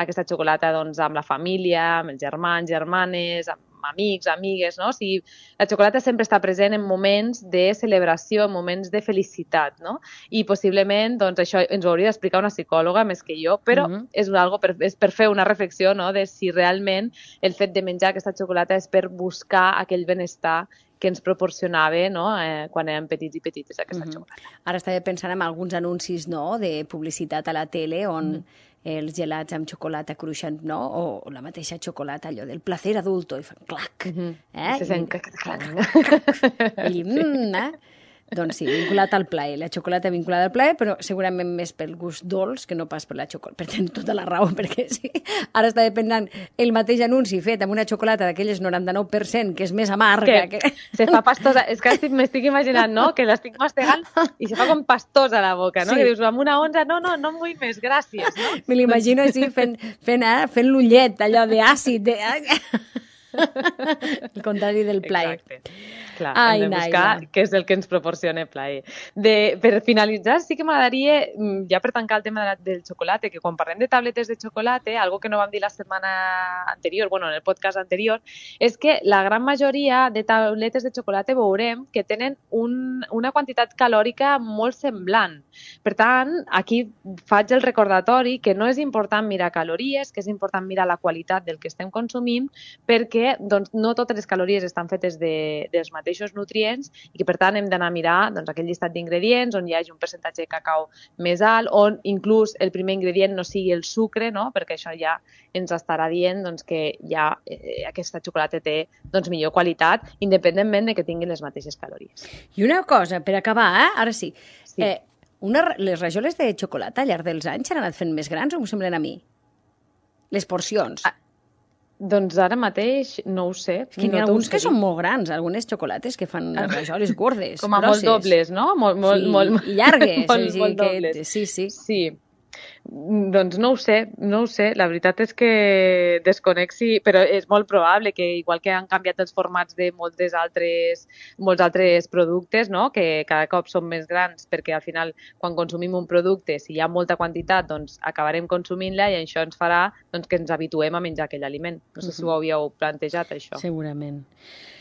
aquesta xocolata doncs, amb la família, amb els germans, germanes, amb amics, amigues, no? O sigui, la xocolata sempre està present en moments de celebració, en moments de felicitat, no? I possiblement, doncs, això ens ho hauria d'explicar una psicòloga més que jo, però mm-hmm. és algo per, és per fer una reflexió, no?, de si realment el fet de menjar aquesta xocolata és per buscar aquell benestar que ens proporcionava, no?, eh, quan érem petits i petites aquesta mm-hmm. xocolata. Ara estava pensant en alguns anuncis, no?, de publicitat a la tele on mm. els gelats amb xocolata cruixent, no?, o la mateixa xocolata, allò del placer adulto, i fan clac, mm-hmm. eh? Se sent clac, clac. I, mm, eh? Doncs sí, vinculat al plaer. La xocolata vinculada al plaer, però segurament més pel gust dolç que no pas per la xocolata. Per tenir tota la raó, perquè sí. Ara estava pensant el mateix anunci fet amb una xocolata d'aquelles noranta-nou per cent, que és més amarga. Que, que... se fa pastosa. És que m'estic imaginant, no?, que l'estic mastegant i se fa com pastosa a la boca, no? Sí. Que dius, amb una onza, no, no, no em vull més, gràcies, no? Me l'imagino així, fent, fent, eh, fent l'ullet, allò d'àcid, de... el contrari del plaer. Exacte. Clar, Ai, hem de buscar Naila. Què és el que ens proporciona plaer. De, per finalitzar, sí que m'agradaria, ja per tancar el tema de la, del xocolata, que quan parlem de tabletes de xocolata, algo que no vam dir la setmana anterior, bueno, en el podcast anterior, és que la gran majoria de tabletes de xocolata veurem que tenen un, una quantitat calòrica molt semblant. Per tant, aquí faig el recordatori que no és important mirar calories, que és important mirar la qualitat del que estem consumint, perquè doncs, no totes les calories estan fetes de, dels mateixos nutrients i que, per tant, hem d'anar a mirar doncs, aquell llistat d'ingredients on hi hagi un percentatge de cacau més alt, on inclús el primer ingredient no sigui el sucre, no? Perquè això ja ens estarà dient doncs, que ja eh, aquesta xocolata té doncs, millor qualitat, independentment de que tingui les mateixes calories. I una cosa, per acabar, eh? Ara sí, sí. Eh, una, les rajoles de xocolata al llarg dels anys s'han anat fent més grans o m'ho semblen a mi? Les porcions. Ah. Doncs ara mateix no ho sé. És que n'hi ha alguns que són molt grans, algunes xocolates que fan les rajoles gordes, com a grosses. molt dobles, no? Molt, molt, sí, molt, i llargues. molt, sí, molt que, dobles. Sí, sí. Sí. Doncs no ho sé, no ho sé. La veritat és que desconec si... Però és molt probable que, igual que han canviat els formats de moltes altres, molts altres productes, no?, que cada cop són més grans, perquè al final, quan consumim un producte, si hi ha molta quantitat, doncs acabarem consumint-la i això ens farà doncs, que ens habituem a menjar aquell aliment. No sé uh-huh. si ho havíeu plantejat, això. Segurament.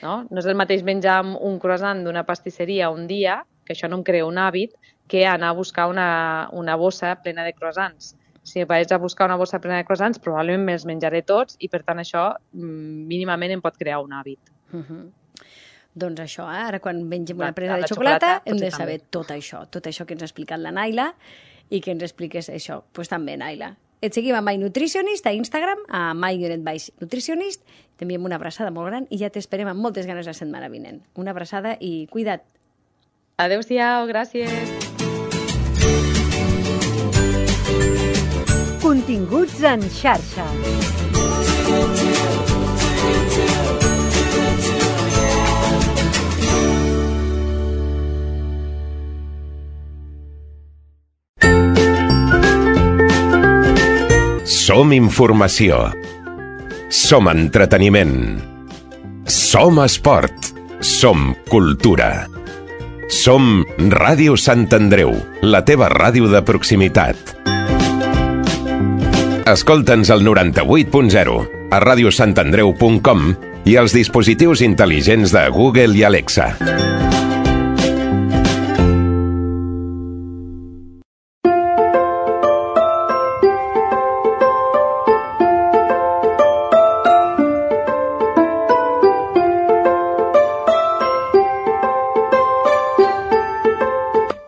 No? No és el mateix menjar un croissant d'una pastisseria un dia, que això no em crea un hàbit, que anar a buscar una, una bossa plena de croissants. Si vaig a buscar una bossa plena de croissants, probablement me'ls menjaré tots i, per tant, això mínimament em pot crear un hàbit. Uh-huh. Doncs això, eh? Ara quan mengem una presa de xocolata, xocolata hem de saber també. tot això, tot això que ens ha explicat la Naila i que ens expliques això. Doncs pues també, Naila. Et seguim a My Nutritionist, a Instagram, a My-Nutritionist, també amb una abraçada molt gran i ja t'esperem amb moltes ganes la setmana vinent. Una abraçada i cuida't. Adéu-siau, gràcies. Continguts en xarxa. Som informació. Som entreteniment. Som esport. Som cultura. Som Ràdio Sant Andreu, la teva ràdio de proximitat. Escolta'ns al noranta-vuit punt zero, a ràdio sant andreu punt com i als dispositius intel·ligents de Google i Alexa.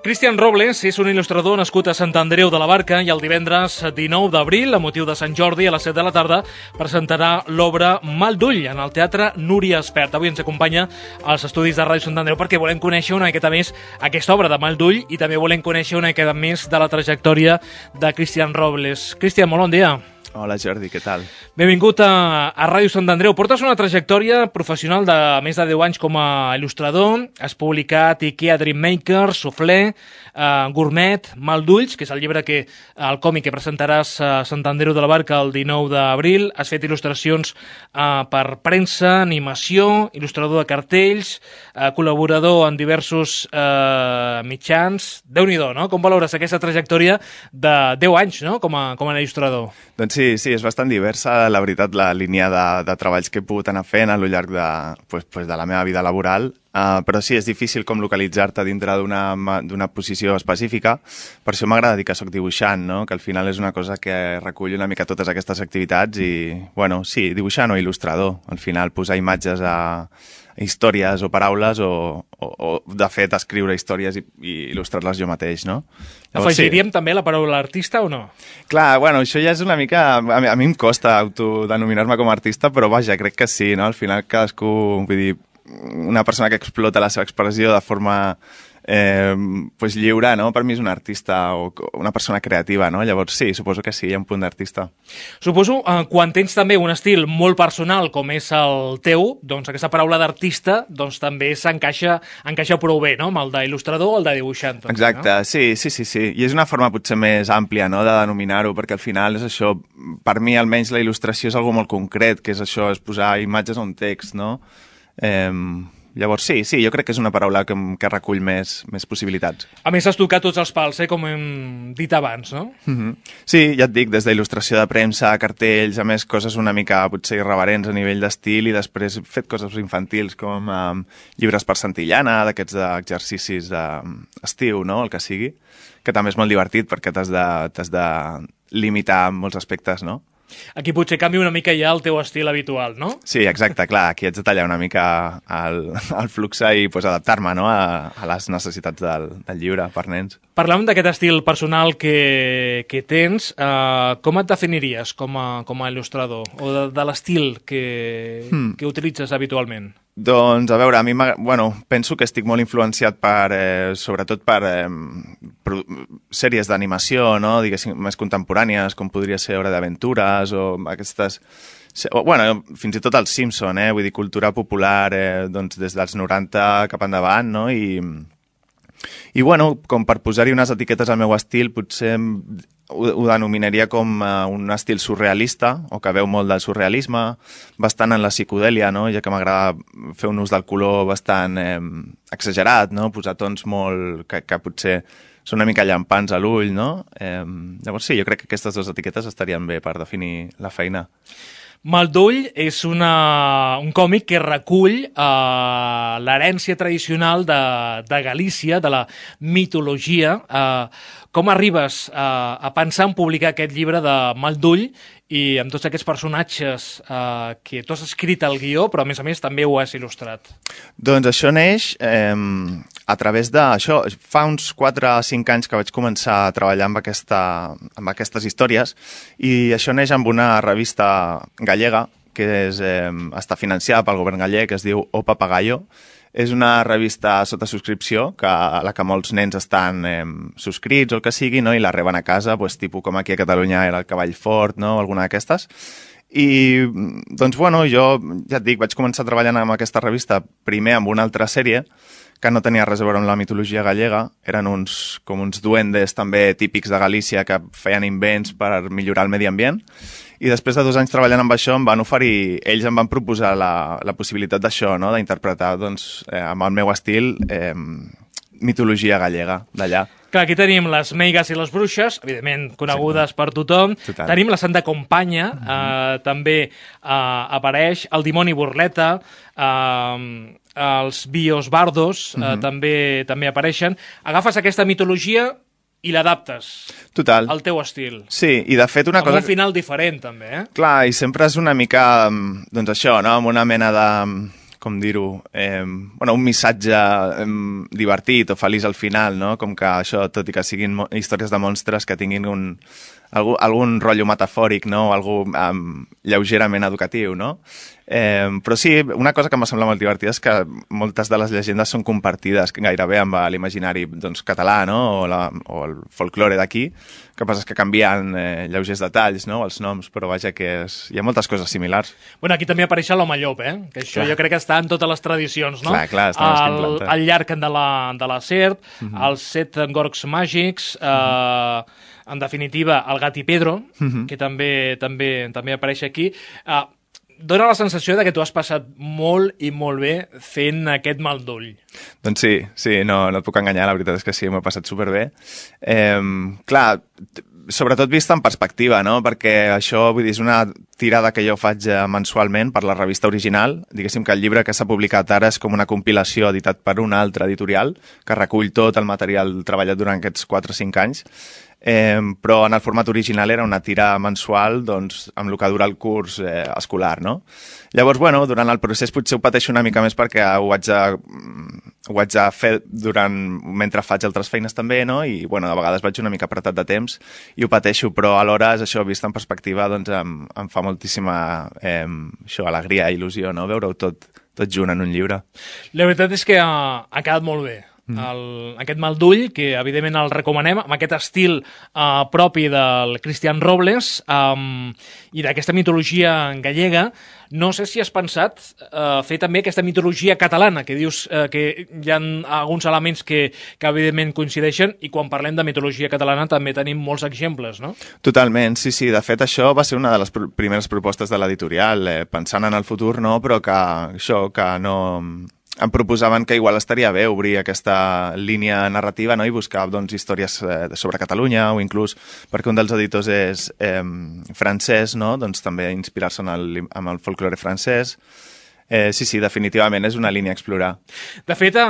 Cristian Robles és un il·lustrador nascut a Sant Andreu de la Barca i el divendres dinou d'abril, a motiu de Sant Jordi, a les set de la tarda, presentarà l'obra Mal d'ull en el Teatre Núria Espert. Avui ens acompanya als estudis de Ràdio Sant Andreu perquè volem conèixer una miqueta més aquesta obra de Mal d'ull i també volem conèixer una miqueta més de la trajectòria de Cristian Robles. Cristian, molt bon dia. Hola Jordi, què tal? Benvingut a, a Ràdio Sant Andreu. Portes una trajectòria professional de més de deu anys com a il·lustrador. Has publicat Ikea Dreammaker, Soufflé, uh, Gourmet, Mal d'ulls, que és el llibre que el còmic que presentaràs a Sant Andreu de la Barca el dinou d'abril. Has fet il·lustracions uh, per premsa, animació, il·lustrador de cartells, uh, col·laborador en diversos uh, mitjans. Déu-n'hi-do, no? Com valores aquesta trajectòria de deu anys, no? Com a, com a il·lustrador? Doncs sí, sí, és bastant diversa, la veritat, la línia de, de treballs que he pogut anar fent a lo llarg de, pues, pues de la meva vida laboral, uh, però sí, és difícil com localitzar-te dintre d'una posició específica. Per això m'agrada dir que sóc dibuixant, no? Que al final és una cosa que recull una mica totes aquestes activitats i, bueno, sí, dibuixant o il·lustrador. Al final, posar imatges a històries o paraules o, o, o de fet, escriure històries i, i il·lustrar-les jo mateix, no? Llavors, afegiríem sí. també la paraula artista o no? Clar, bueno, això ja és una mica... A mi, a mi em costa autodenominar-me com a artista, però vaja, crec que sí, no? Al final cadascú, vull dir, una persona que explota la seva expressió de forma eh, pues lliure, no? Per mi és un artista o una persona creativa, no? Llavors sí, suposo que sí, hi ha un punt d'artista. Suposo, eh, quan tens també un estil molt personal com és el teu, doncs aquesta paraula d'artista doncs també s'encaixa encaixa prou bé, no? Amb el d'il·lustrador o el de dibuixant. Doncs, exacte, no? sí, sí, sí, sí. I és una forma potser més àmplia, no?, de denominar-ho, perquè al final és això, per mi almenys la il·lustració és algo molt concret, que és això, és posar imatges a un text, no? Eh... Llavors sí, sí, jo crec que és una paraula que, que recull més, més possibilitats. A més, has tocat tots els pals, eh, com hem dit abans, no? Mm-hmm. Sí, ja et dic, des d'il·lustració de premsa, cartells, a més coses una mica potser irreverents a nivell d'estil i després he fet coses infantils com um, llibres per Santillana, d'aquests exercicis d'estiu, no?, el que sigui, que també és molt divertit perquè t'has de, t'has de limitar en molts aspectes, no? Aquí potser canvia una mica ja el teu estil habitual, no? Sí, exacte, clar, aquí haig de tallar una mica el, el flux i pues, adaptar-me, no?, a, a les necessitats del, del llibre per nens. Parlàvem d'aquest estil personal que, que tens. Uh, com et definiries com a, com a il·lustrador? O de, de l'estil que, hmm. que utilitzes habitualment? Doncs, a veure, a mi bueno, penso que estic molt influenciat per, eh, sobretot per eh, sèries d'animació, no?, diguéssim, més contemporànies, com podria ser Hora d'Aventures o aquestes... O, bueno, fins i tot els Simpson, eh? Vull dir, cultura popular, eh, doncs des dels noranta cap endavant, no?, i... I, bueno, com per posar-hi unes etiquetes al meu estil, potser ho, ho denominaria com uh, un estil surrealista, o que veu molt del surrealisme, bastant en la psicodèlia, no?, ja que m'agrada fer un ús del color bastant eh, exagerat, no?, posar tons molt... que, que potser són una mica llampants a l'ull, no? Eh, llavors sí, jo crec que aquestes dues etiquetes estarien bé per definir la feina. Mal d'ull és una, un còmic que recull uh, l'herència tradicional de, de Galícia, de la mitologia. Uh, com arribes uh, a pensar en publicar aquest llibre de Mal d'ull i amb tots aquests personatges uh, que tu has escrit el guió, però a més a més també ho has il·lustrat? Doncs això neix eh, a través de... Això, fa uns quatre o cinc anys que vaig començar a treballar amb, aquesta, amb aquestes històries i això neix amb una revista gallega que és, eh, està financiada pel govern gallec, que es diu O Papagayo. És una revista sota subscripció que, a la que molts nens estan eh, subscrits o el que sigui, no?, i la reben a casa, pues, tipus com aquí a Catalunya era el Cavall Fort, no?, alguna d'aquestes. I, doncs, bueno, jo, ja et dic, vaig començar treballant amb aquesta revista primer amb una altra sèrie que no tenia res a veure amb la mitologia gallega, eren uns, com uns duendes també típics de Galícia que feien invents per millorar el medi ambient. I després de dos anys treballant amb això em van oferir, ells em van proposar la, la possibilitat d'això, no?, d'interpretar, doncs, eh, amb el meu estil, eh, mitologia gallega d'allà. Clar, aquí tenim les meigas i les bruixes, evidentment conegudes sí, per tothom. Total. Tenim la Santa Companya, mm-hmm. eh, també eh, apareix, el dimoni Burleta, eh, els bios bardos eh, mm-hmm. també, també apareixen. Agafes aquesta mitologia i l'adaptes al teu estil. Sí, i de fet una amb cosa... Amb un final diferent, també, eh? Clar, i sempre és una mica, doncs això, no?, amb una mena de... com dir-ho, eh, bueno, un missatge eh, divertit o feliç al final, no? Com que això, tot i que siguin històries de monstres, que tinguin un, algú, algun rotllo metafòric, no? O algú um, lleugerament educatiu, no? Eh, però sí, una cosa que m'ha semblat molt divertida és que moltes de les llegendes són compartides gairebé amb l'imaginari doncs, català, no? O, la, o el folklore d'aquí. El que passa és que canvien eh, lleugers detalls, no? Els noms, però vaja que és... hi ha moltes coses similars. Bueno, aquí també apareix l'home llop, eh? Que això clar. Jo crec que està en totes les tradicions, no? Clar, clar, està més el, el llarg de la, de la serp, uh -huh. els set gorgs màgics, eh, uh -huh. en definitiva, el gat i Pedro, uh -huh. que també, també, també apareix aquí. Eh, Dóna la sensació de que tu has passat molt i molt bé fent aquest mal d'ull. Doncs sí, sí, no, no et puc enganyar, la veritat és que sí, m'ho he passat superbé. Eh, clar, sobretot vista en perspectiva, no? Perquè això, vull dir, és una tirada que jo faig mensualment per la revista original. Diguéssim que el llibre que s'ha publicat ara és com una compilació editat per una altra editorial que recull tot el material treballat durant aquests quatre o cinc anys. Eh, però en el format original era una tira mensual doncs, amb el que dura el curs eh, escolar, no? Llavors, bueno, durant el procés potser ho pateixo una mica més perquè ho haig de, ho haig de fer durant, mentre faig altres feines també, no? I, bueno, de vegades vaig una mica apretat de temps i ho pateixo, però alhora, és això, vist en perspectiva, doncs em, em fa moltíssima eh, això, alegria i il·lusió, no? Veure-ho tot, tot junt en un llibre. La veritat és que ha, ha quedat molt bé. El, aquest mal d'ull, que evidentment el recomanem, amb aquest estil uh, propi del Cristian Robles um, i d'aquesta mitologia gallega. No sé si has pensat uh, fer també aquesta mitologia catalana, que dius uh, que hi ha alguns elements que, que evidentment coincideixen, i quan parlem de mitologia catalana també tenim molts exemples, no? Totalment, sí, sí. De fet, això va ser una de les pr primeres propostes de l'editorial, eh, pensant en el futur, no? Però que això, que no... em proposaven que igual estaria bé obrir aquesta línia narrativa, no? I buscar doncs, històries eh, sobre Catalunya, o inclús perquè un dels editors és eh, francès, no? Doncs també inspirar-se en, el, en el folklore francès. Eh, sí, sí, definitivament és una línia a explorar. De fet, eh,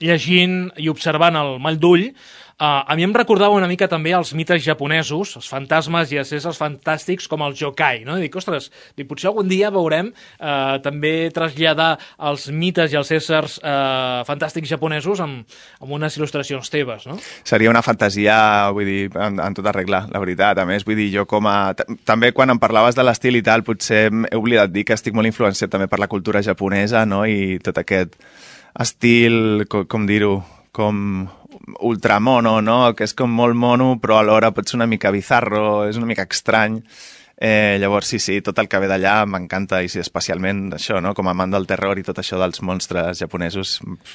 llegint i observant el mal d'ull, Uh, a mi em recordava una mica també els mites japonesos, els fantasmes i els éssers fantàstics com el yokai, no? I dic, ostres, dic, potser algun dia veurem uh, també traslladar els mites i els éssers uh, fantàstics japonesos amb, amb unes il·lustracions teves, no? Seria una fantasia, vull dir, en, en tota regla, la veritat. A més, vull dir, jo com a... També quan em parlaves de l'estil i tal, potser he oblidat dir que estic molt influenciat també per la cultura japonesa, no? I tot aquest estil, com, com dir-ho, com ultramono, no? Que és com molt mono, però alhora pot ser una mica bizarro, és una mica estrany. Eh, llavors, sí, sí, tot el que ve d'allà m'encanta, i sí, especialment això, no? Com a amant del terror i tot això dels monstres japonesos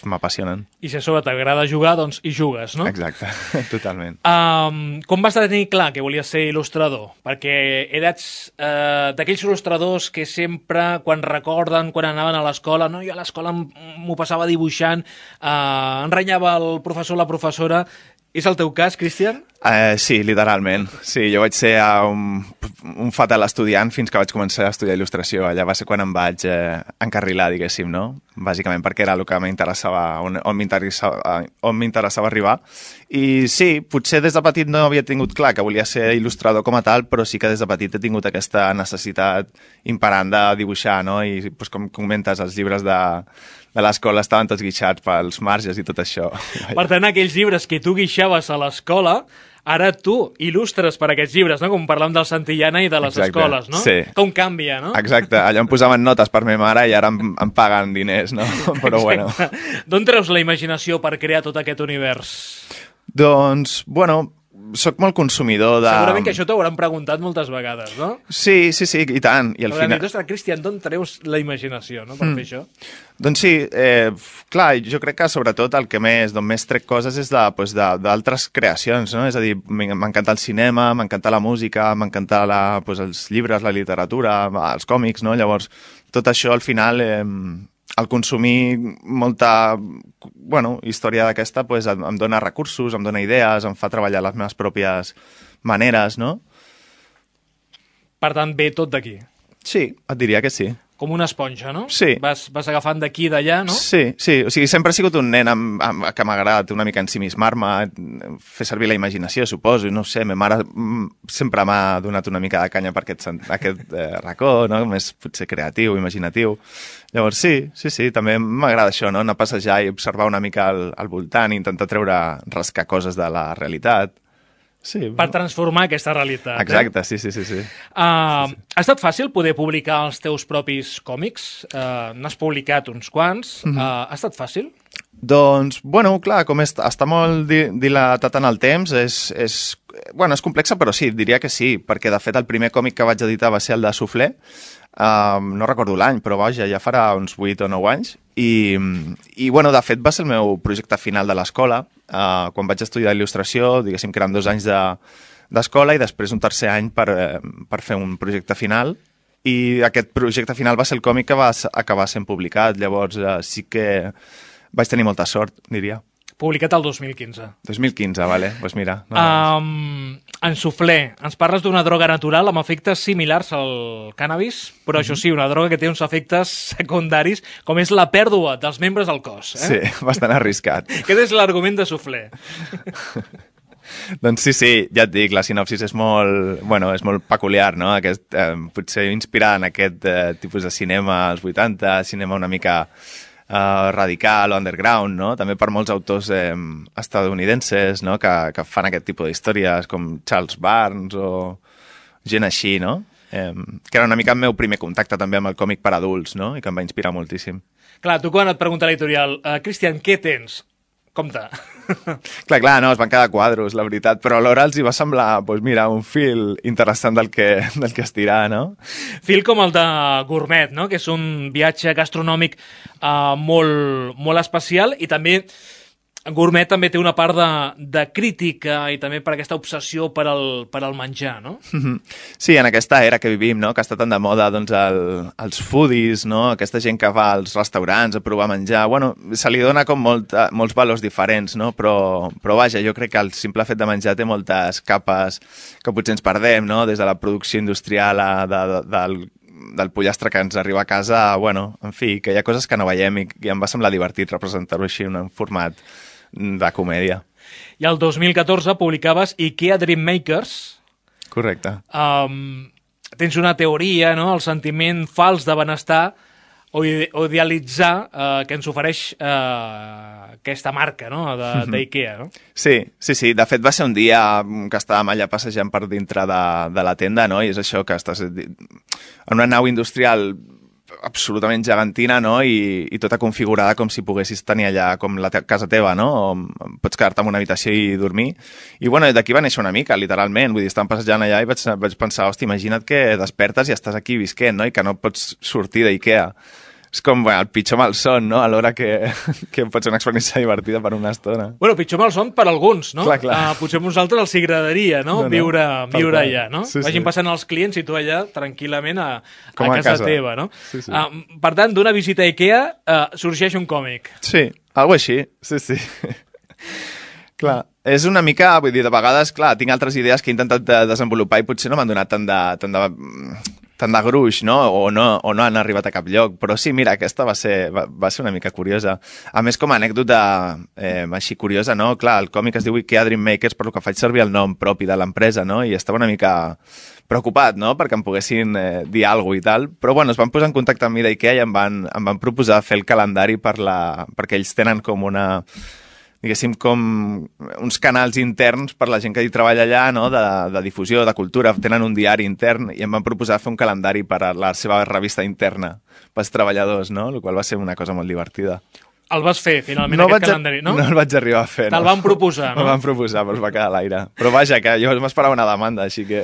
m'apassionen. I si a sobre t'agrada jugar, doncs hi jugues, no? Exacte, totalment. Um, com vas tenir clar que volies ser il·lustrador? Perquè eres uh, d'aquells il·lustradors que sempre, quan recorden, quan anaven a l'escola, no, jo a l'escola m'ho passava dibuixant, uh, enrenyava el professor o la professora. És el teu cas, Cristian? Uh, sí, literalment. Sí, jo vaig ser un, un fatal estudiant fins que vaig començar a estudiar il·lustració. Allà va ser quan em vaig eh, encarrilar, diguéssim, no? Bàsicament perquè era el que m'interessava, on, on m'interessava on m'interessava arribar. I sí, potser des de petit no havia tingut clar que volia ser il·lustrador com a tal, però sí que des de petit he tingut aquesta necessitat imperant de dibuixar, no? I doncs, com comentes, els llibres de... de l'escola estaven tots guixats pels marges i tot això. Per tant, aquells llibres que tu guixaves a l'escola, ara tu il·lustres per aquests llibres, no? Com parlàvem del Santillana i de les Exacte. escoles, no? Sí. Com canvia, no? Exacte, allà em posaven notes per ma mare i ara em, em paguen diners, no? Però bueno. D'on treus la imaginació per crear tot aquest univers? Doncs, bueno, soc molt consumidor de... Segurament que això t'ho hauran preguntat moltes vegades, no? Sí, sí, sí, i tant. I al Hauran final... dit, ostres, Cristian, d'on treus la imaginació, no?, per mm. fer això. Doncs sí, eh, clar, jo crec que sobretot el que més, d'on més trec coses és d'altres pues, creacions, no? És a dir, m'encanta el cinema, m'encanta la música, m'encanta pues, els llibres, la literatura, els còmics, no? Llavors, tot això al final... Eh, el consumir molta bueno, història d'aquesta pues, em, em dona recursos, em dona idees, em fa treballar les meves pròpies maneres, no? Per tant, ve tot d'aquí. Sí, et diria que sí. Com una esponja, no? Sí. Vas, vas agafant d'aquí i d'allà, no? Sí, sí. O sigui, sempre he sigut un nen amb, amb, que m'ha agradat una mica ensimismar-me, fer servir la imaginació, suposo, i no sé, ma mare sempre m'ha donat una mica de canya per aquest, aquest eh, racó, no? Més potser creatiu, imaginatiu. Llavors sí, sí, sí, també m'agrada això, no? Anar a passejar i observar una mica al, al voltant i intentar treure, rascar coses de la realitat. Sí, per transformar aquesta realitat. Exacte, eh? sí, sí, sí. sí. Uh, sí, sí. Ha estat fàcil poder publicar els teus propis còmics? Uh, N'has publicat uns quants. Uh, ha estat fàcil? Doncs, bueno, clar, com està, està molt di dilatat en el temps, és, és, bueno, és complexa, però sí, diria que sí, perquè de fet el primer còmic que vaig editar va ser el de Soufflé, uh, no recordo l'any, però vaja, ja farà uns vuit o nou anys, i, i bueno, de fet va ser el meu projecte final de l'escola, uh, quan vaig estudiar il·lustració, diguéssim que eren dos anys d'escola de, i després un tercer any per, per fer un projecte final, i aquest projecte final va ser el còmic que va acabar sent publicat, llavors uh, sí que vaig tenir molta sort, diria. Publicat el dos mil quinze. dos mil quinze, vale. Pues mira. No, um, en Soufflé, ens parles d'una droga natural amb efectes similars al cànnabis, però mm -hmm. això sí, una droga que té uns efectes secundaris, com és la pèrdua dels membres del cos. Eh? Sí, bastant arriscat. Aquest és l'argument de Soufflé. Doncs sí, sí, ja et dic, la sinopsis és molt, bueno, és molt peculiar, no? Aquest, eh, potser inspirada en aquest eh, tipus de cinema als vuitanta, cinema una mica Uh, radical o underground, no? També per molts autors eh, estadounidenses, no? que, que fan aquest tipus d'històries, com Charles Barnes o gent així, no? Eh, que era una mica el meu primer contacte també amb el còmic per adults, no? I que em va inspirar moltíssim. Clar, tu quan et pregunta l'editorial, uh, Cristian, què tens? Compte. Clar, clar, no, es van quedar quadros, la veritat, però alhora els hi va semblar, doncs mira, un fil interessant del que, del que estirar, no? Fil com el de Gourmet, no? Que és un viatge gastronòmic uh, molt, molt especial i també Gourmet també té una part de, de crítica i també per aquesta obsessió per al, per al menjar, no? Sí, en aquesta era que vivim, no? Que està tan de moda doncs, el, els foodies, no? Aquesta gent que va als restaurants a provar menjar. Bueno, se li dona com molt, molts valors diferents, no? Però, però vaja, jo crec que el simple fet de menjar té moltes capes que potser ens perdem, no? Des de la producció industrial a, de, de, del del pollastre que ens arriba a casa, bueno, en fi, que hi ha coses que no veiem i, i em va semblar divertit representar-ho així en un format de comèdia. I el dos mil catorze publicaves IKEA Dreammakers. Correcte. Um, tens una teoria, no?, el sentiment fals de benestar o, ide o idealitzar uh, que ens ofereix uh, aquesta marca, no?, d'IKEA, no? Sí, sí, sí. De fet, va ser un dia que estàvem allà passejant per dintre de, de la tenda, no?, i és això, que estàs en una nau industrial absolutament gegantina, no? I, i tota configurada com si poguessis tenir allà com la te casa teva, no? O pots quedar-te en una habitació i dormir. I bueno, d'aquí va néixer una mica, literalment. Vull dir, estàvem passejant allà i vaig, vaig pensar, hòstia, imagina't que despertes i estàs aquí visquent, no? I que no pots sortir d'IKEA. És com, bueno, el pitjor malson, no? Alhora que, que pot ser una experiència divertida per una estona. Bueno, pitjor malson per alguns, no? Clar, clar. Uh, potser a nosaltres els agradaria, no? no, no. Viure, viure allà, no? Sí, Vagin sí. passant els clients i tu allà tranquil·lament a, a, a casa, casa teva, no? Sí, sí. Uh, per tant, d'una visita a IKEA uh, sorgeix un còmic. Sí, algo així, sí, sí. Clar, és una mica, vull dir, de vegades, clar, tinc altres idees que he intentat de desenvolupar i potser no m'han donat tant de, tant de, tant de gruix, no? O, no? o no han arribat a cap lloc, però sí, mira, aquesta va ser, va, va ser una mica curiosa. A més, com a anècdota eh, així curiosa, no? Clar, el còmic es diu IKEA Dreammakers, per lo que faig servir el nom propi de l'empresa, no? I estava una mica preocupat, no?, perquè em poguessin eh, dir alguna cosa i tal, però bueno, es van posar en contacte amb mi d'IKEA i em van, em van proposar fer el calendari per la, perquè ells tenen com una, diguéssim, com uns canals interns per la gent que hi treballa allà, no?, de, de difusió, de cultura, tenen un diari intern i em van proposar fer un calendari per a la seva revista interna pels treballadors, no?, el qual va ser una cosa molt divertida. El vas fer, finalment, no aquest vaig, calendari, no? No el vaig arribar a fer, no. Te'l van proposar, no? Me'l van proposar, però es va quedar a l'aire. Però vaja, que jo m'esperava una demanda, així que...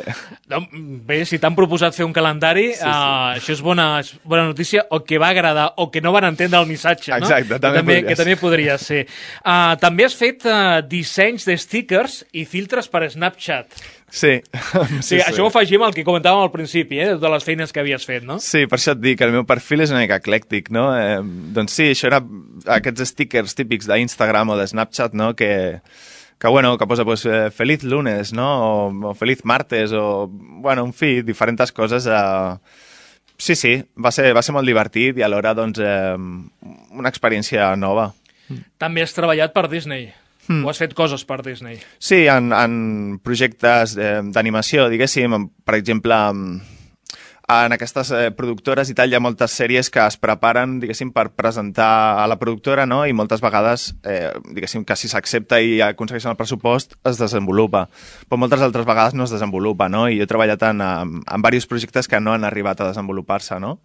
No, bé, si t'han proposat fer un calendari, sí, sí. Uh, això és bona, és bona notícia, o que va agradar, o que no van entendre el missatge, no? Exacte, també, que també, podria que també podria ser. Uh, també has fet uh, dissenys de stickers i filtres per Snapchat. Sí. sí, sí. Això ho afegim al que comentàvem al principi, eh, de les feines que havies fet, no? Sí, per això et dic, el meu perfil és una mica eclèctic, no? Eh, doncs sí, això era aquests stickers típics d'Instagram o de Snapchat, no?, que, que, bueno, que posa pues, eh, feliz lunes, no?, o, o feliz martes, o, bueno, en fi, diferents coses. Eh... Sí, sí, va ser, va ser molt divertit i alhora, doncs, eh, una experiència nova. També has treballat per Disney. Mm. O has fet coses per Disney? Sí, en, en projectes eh, d'animació, diguéssim, per exemple, en aquestes eh, productores i tal, hi ha moltes sèries que es preparen, diguéssim, per presentar a la productora, no? I moltes vegades, eh, diguéssim, que si s'accepta i aconsegueixen el pressupost, es desenvolupa. Però moltes altres vegades no es desenvolupa, no? I jo he treballat en, en, en diversos projectes que no han arribat a desenvolupar-se, no?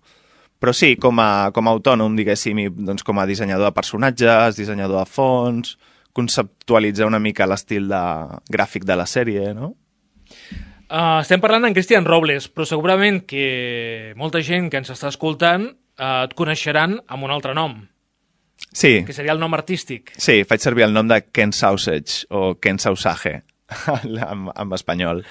Però sí, com a, com a autònom, diguéssim, i, doncs, com a dissenyador de personatges, dissenyador de fons, conceptualitzar una mica l'estil de, gràfic de la sèrie, no? Uh, estem parlant en Cristian Robles, però segurament que molta gent que ens està escoltant uh, et coneixeran amb un altre nom. Sí. Que seria el nom artístic. Sí, faig servir el nom de Ken Sausage o Ken Sausage en, en espanyol.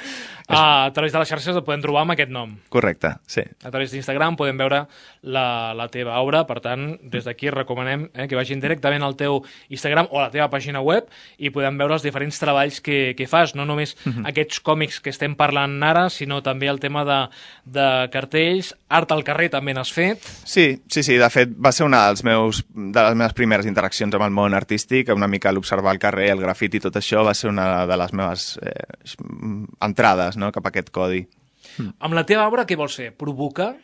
Uh, a través de les xarxes el podem trobar amb aquest nom. Correcte, sí. A través d'Instagram podem veure la, la teva obra, per tant, des d'aquí recomanem eh, que vagin directament al teu Instagram o a la teva pàgina web i podem veure els diferents treballs que, que fas, no només uh-huh. aquests còmics que estem parlant ara, sinó també el tema de, de cartells, art al carrer també n'has fet. Sí, sí, sí, de fet va ser una dels meus, de les meves primeres interaccions amb el món artístic, una mica l'observar el carrer, el grafiti i tot això va ser una de les meves eh, entrades, no? Cap a aquest codi. Mm. Amb la teva obra què vols fer? Provocar?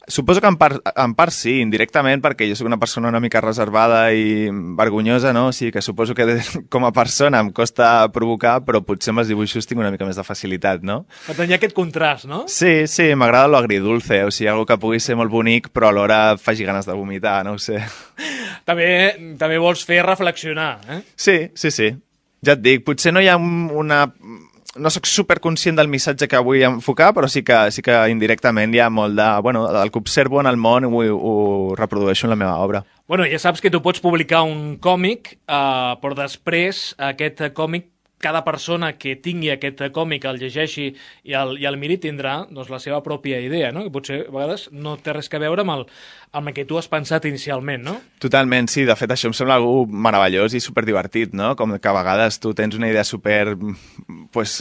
Suposo que en part, en part sí, indirectament, perquè jo soc una persona una mica reservada i vergonyosa, no? O sigui que suposo que de, com a persona em costa provocar, però potser amb els dibuixos tinc una mica més de facilitat, no? Per tant, hi ha aquest contrast, no? Sí, sí, m'agrada lo agridulce, o sigui, algo que pugui ser molt bonic, però alhora faci ganes de vomitar, no ho sé. També, també vols fer reflexionar, eh? Sí, sí, sí. Ja et dic, potser no hi ha una... No sóc superconscient del missatge que vull enfocar, però sí que, sí que indirectament hi ha molt de... Bueno, el que observo en el món ho, ho reprodueixo en la meva obra. Bueno, ja saps que tu pots publicar un còmic, eh, però després aquest còmic, cada persona que tingui aquest còmic, el llegeixi i el, i el miri, tindrà doncs, la seva pròpia idea, no? Que potser a vegades no té res a veure amb el, amb el que tu has pensat inicialment, no? Totalment, sí. De fet, això em sembla algú meravellós i superdivertit, no? Com que a vegades tu tens una idea super pues,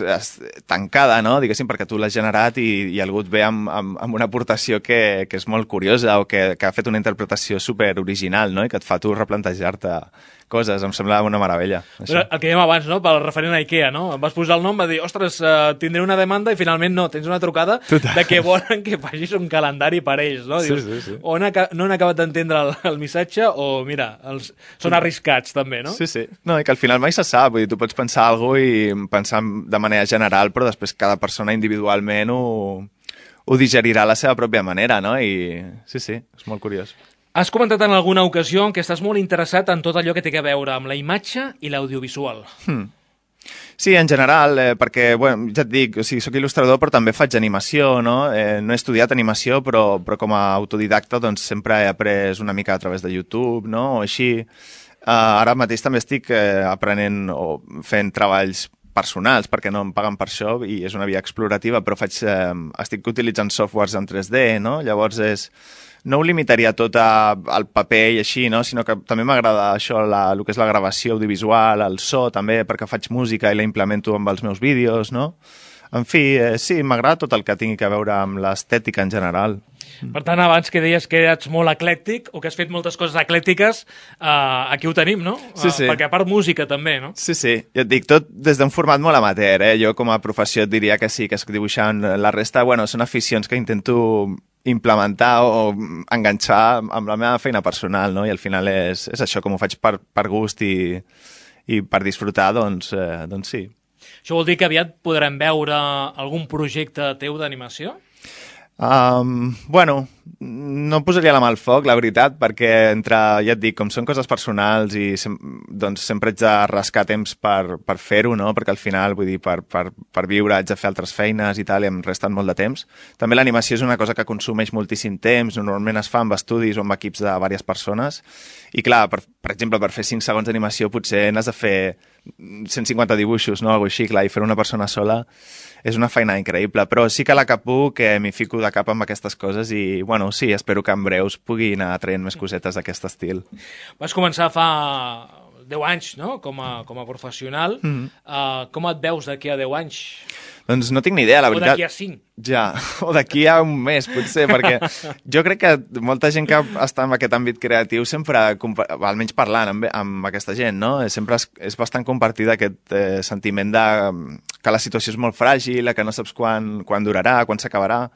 tancada, no? Diguéssim, perquè tu l'has generat i, i algú et ve amb, amb, amb una aportació que, que és molt curiosa o que, que ha fet una interpretació super original, no? I que et fa tu replantejar-te coses, em sembla una meravella. Però el que dèiem abans, no? Pel referent a Ikea, no? Em vas posar el nom, va dir, ostres, uh, tindré una demanda i finalment no, tens una trucada Total. De que volen que facis un calendari per ells, no? Dius, sí, sí, sí. O no, no han acabat d'entendre el, el missatge o, mira, els, són arriscats també, no? Sí, sí. No, i que al final mai se sap, vull dir, tu pots pensar alguna cosa i pensar de manera general, però després cada persona individualment ho, ho digerirà a la seva pròpia manera, no? I sí, sí, és molt curiós. Has comentat en alguna ocasió que estàs molt interessat en tot allò que té a veure amb la imatge i l'audiovisual. Hmm. Sí, en general, eh, perquè, bueno, ja et dic, o sigui, soc il·lustrador però també faig animació, no? Eh, no he estudiat animació, però, però com a autodidacta doncs sempre he après una mica a través de YouTube, no? O així. Uh, ara mateix també estic eh, aprenent o fent treballs personals, perquè no em paguen per això i és una via explorativa, però faig, eh, estic utilitzant softwares en tres D, no? Llavors és... No ho limitaria tot a, al paper i així, no? Sinó que també m'agrada això, la, el que és la gravació audiovisual, el so també, perquè faig música i la implemento amb els meus vídeos, no? En fi, eh, sí, m'agrada tot el que tingui a veure amb l'estètica en general. Per tant, abans que deies que ets molt eclèctic o que has fet moltes coses eclèctiques, eh, aquí ho tenim, no? Sí, sí. Perquè a part música també, no? Sí, sí. Jo et dic, tot des d'un format molt amateur, eh? Jo com a professió et diria que sí, que estic dibuixant. La resta, bueno, són aficions que intento implementar o enganxar amb la meva feina personal, no? I al final és, és això, com ho faig per, per gust i, i per disfrutar, doncs, eh, doncs sí. Això vol dir que aviat podrem veure algun projecte teu d'animació? Um, bueno, no posaria la mà al foc, la veritat, perquè entre, ja et dic, com són coses personals i sem doncs sempre haig de rascar temps per, per fer-ho, no? Perquè al final, vull dir, per, per, per viure haig de fer altres feines i tal, i em resten molt de temps. També l'animació és una cosa que consumeix moltíssim temps, normalment es fa amb estudis o amb equips de diverses persones, i clar, per, per exemple, per fer cinc segons d'animació potser n'has de fer cent cinquanta dibuixos, no? Algo així, clar, i fer una persona sola és una feina increïble, però sí que la que puc, que m'hi fico de cap amb aquestes coses i, bueno, sí, espero que en breus pugui anar traient més cosetes d'aquest estil. Vas començar fa deu anys, no?, com a, com a professional. Mm-hmm. uh, com et veus d'aquí a deu anys? Doncs no tinc ni idea, la veritat. O d'aquí a cinc. Ja, o d'aquí a un mes, potser, perquè jo crec que molta gent que està en aquest àmbit creatiu sempre, almenys parlant amb, amb aquesta gent, no? Sempre és, és bastant compartit aquest eh, sentiment de que la situació és molt fràgil, que no saps quan, quan durarà, quan s'acabarà.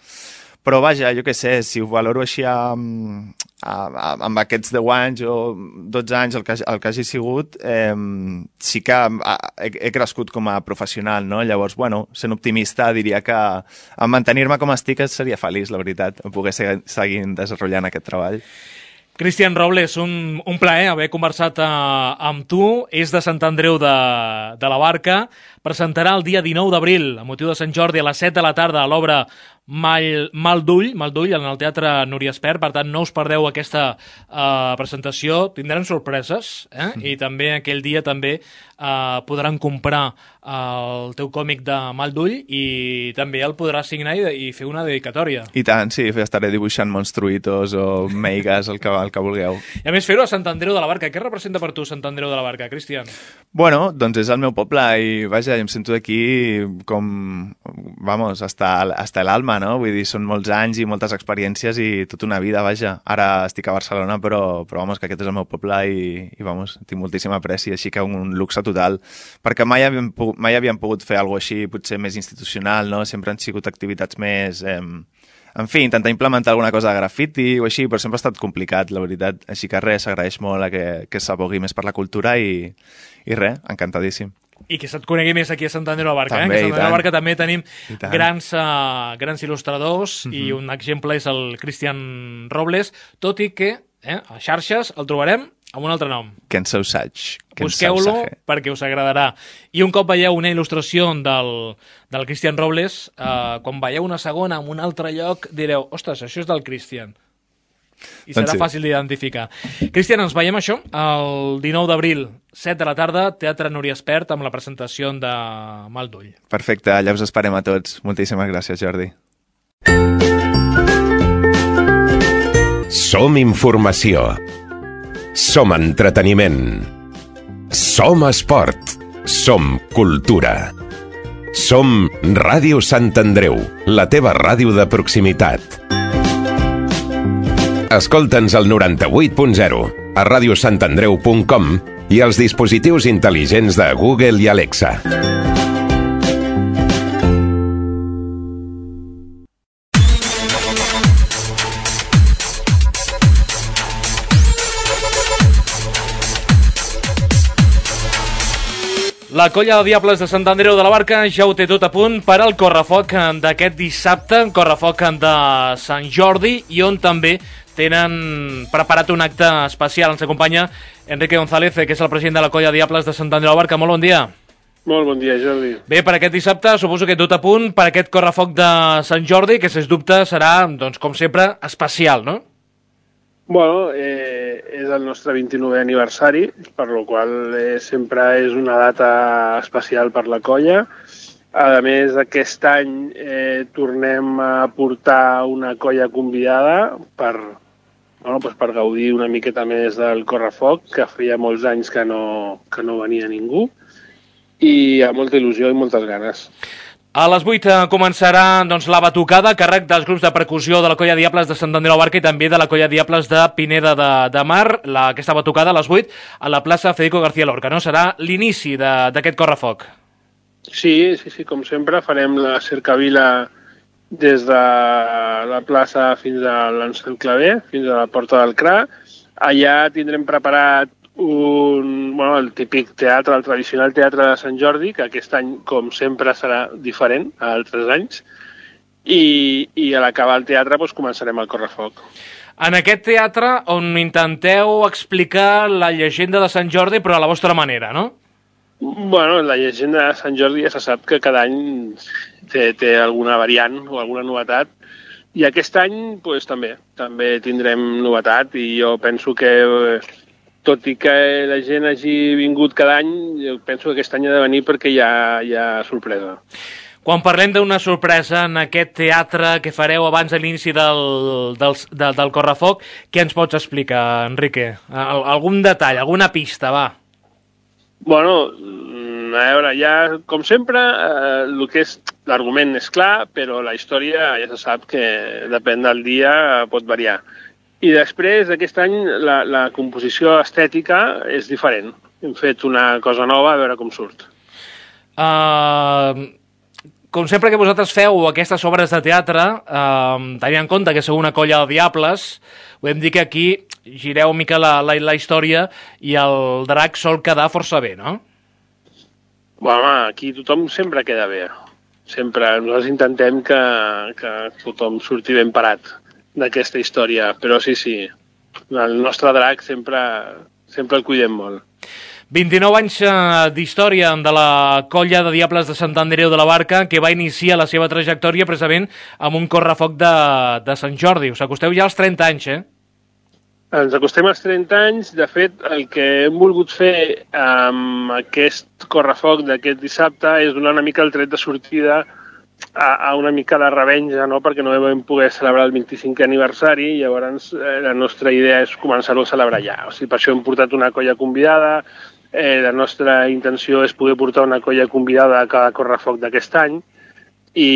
Però vaja, jo què sé, si ho valoro així amb, amb aquests deu anys o dotze anys, el que, el que hagi sigut, eh, sí que he, he crescut com a professional, no? Llavors, bueno, sent optimista, diria que en mantenir-me com estic seria feliç, la veritat, en poder seguir, seguir desenvolupant aquest treball. Cristian Robles, un, un plaer haver conversat uh, amb tu. És de Sant Andreu de, de la Barca. Presentarà el dia dinou d'abril, a motiu de Sant Jordi, a les set de la tarda, a l'obra Mal, Mal d'Ull, Mal d'Ull, en el Teatre Núria Espert. Per tant, no us perdeu aquesta uh, presentació. Tindran sorpreses, eh? Mm. I també aquell dia també uh, podran comprar el teu còmic de Mal d'Ull i també el podràs signar i, i fer una dedicatòria. I tant, sí, estaré dibuixant monstruitos o meigas, el que, el que vulgueu. I a més, fer-ho a Sant Andreu de la Barca. Què representa per tu Sant Andreu de la Barca, Cristian? Bueno, doncs és el meu poble i, vaja, em sento aquí com, vamos, hasta, hasta l'alma, no? Vull dir, són molts anys i moltes experiències i tota una vida, vaja. Ara estic a Barcelona, però, però vamos, que aquest és el meu poble i, i vamos, tinc moltíssima apreci, així que un luxe total. Perquè mai havíem, mai havíem pogut fer alguna cosa així, potser més institucional, no? Sempre han sigut activitats més... Eh, en fi, intentar implementar alguna cosa de grafiti o així, però sempre ha estat complicat, la veritat. Així que res, s'agraeix molt a que, que s'abogui més per la cultura i, i res, encantadíssim. I que se't conegui més aquí a Sant Andreu de la Barca. També, eh? Que a Sant Andreu de la Barca també tenim grans, uh, grans il·lustradors mm-hmm. i un exemple és el Cristian Robles, tot i que eh, a xarxes el trobarem amb un altre nom. Kenzo Sach. Busqueu-lo perquè us agradarà. I un cop veieu una il·lustració del, del Cristian Robles, eh, quan veieu una segona en un altre lloc, direu, ostres, això és del Cristian. I serà doncs sí. Fàcil d'identificar. Cristian, ens veiem això el dinou d'abril, set de la tarda, Teatre Núria Espert, amb la presentació de Mal d'Ull. Perfecte, allà us esperem a tots. Moltíssimes gràcies, Jordi. Som informació. Som entreteniment. Som esport. Som cultura. Som Ràdio Sant Andreu, la teva ràdio de proximitat. Escolta'ns al noranta-vuit punt zero, a ràdio sant andreu punt com i als dispositius intel·ligents de Google i Alexa. La colla de Diables de Sant Andreu de la Barca ja ho té tot a punt per al correfoc d'aquest dissabte, correfoc de Sant Jordi, i on també tenen preparat un acte especial. Ens acompanya Enrique González, que és el president de la colla de Diables de Sant Andreu de la Barca. Molt bon dia. Molt bon dia, Jordi. Bé, per aquest dissabte suposo que tot a punt per aquest correfoc de Sant Jordi, que sens dubte serà, doncs, com sempre, especial, no? Bueno, eh, és el nostre vint-i-novè aniversari, per la qual eh, sempre és una data especial per la colla. A més, aquest any eh, tornem a portar una colla convidada per, bueno, pues per gaudir una miqueta més del correfoc, que feia molts anys que no, que no venia ningú, i amb molta il·lusió i moltes ganes. A les vuit començarà doncs, la batucada a càrrec dels grups de percussió de la colla Diables de Sant Andreu de la Barca i també de la colla Diables de Pineda de, de Mar. La, aquesta batucada a les vuit a la plaça Federico García Lorca, no? Serà l'inici d'aquest correfoc. Sí, sí, sí, com sempre farem la cercavila des de la plaça fins a l'Ansel Clavé, fins a la Porta del Cra. Allà tindrem preparat un, bueno, el típic teatre, el tradicional teatre de Sant Jordi, que aquest any, com sempre, serà diferent a altres anys, i, i a l'acabar el teatre doncs, començarem el correfoc. En aquest teatre on intenteu explicar la llegenda de Sant Jordi, però a la vostra manera, no? Bueno, la llegenda de Sant Jordi ja se sap que cada any té, té alguna variant o alguna novetat, i aquest any doncs, també, també tindrem novetat, i jo penso que tot i que la gent hagi vingut cada any, jo penso que aquest any ha de venir perquè hi ha, hi ha sorpresa. Quan parlem d'una sorpresa en aquest teatre que fareu abans de l'inici del, del, del, del correfoc, què ens pots explicar, Enrique? Al, algun detall, alguna pista, va? Bueno, a veure, ja, com sempre, eh, el que és l'argument és clar, però la història ja se sap que depèn del dia, pot variar. I després, aquest any, la, la composició estètica és diferent. Hem fet una cosa nova, a veure com surt. Uh, com sempre que vosaltres feu aquestes obres de teatre, eh, tenint en compte que sou una colla de diables, podem dir que aquí gireu una mica la, la, la història i el drac sol quedar força bé, no? Bueno, home, aquí tothom sempre queda bé. Sempre. Nosaltres intentem que, que tothom surti ben parat d'aquesta història, però sí, sí, el nostre drac sempre, sempre el cuidem molt. vint-i-nou anys d'història de la colla de Diables de Sant Andreu de la Barca, que va iniciar la seva trajectòria precisament amb un correfoc de, de Sant Jordi. Us acosteu ja als trenta anys, eh? Ens acostem als trenta anys. De fet, el que hem volgut fer amb aquest correfoc d'aquest dissabte és donar una mica el tret de sortida a, a una mica de revenja, no? Perquè no vam poder celebrar el vint-i-cinquè aniversari i llavors eh, la nostra idea és començar-ho a celebrar ja. O sigui, per això hem portat una colla convidada. Eh, la nostra intenció és poder portar una colla convidada a cada correfoc d'aquest any i,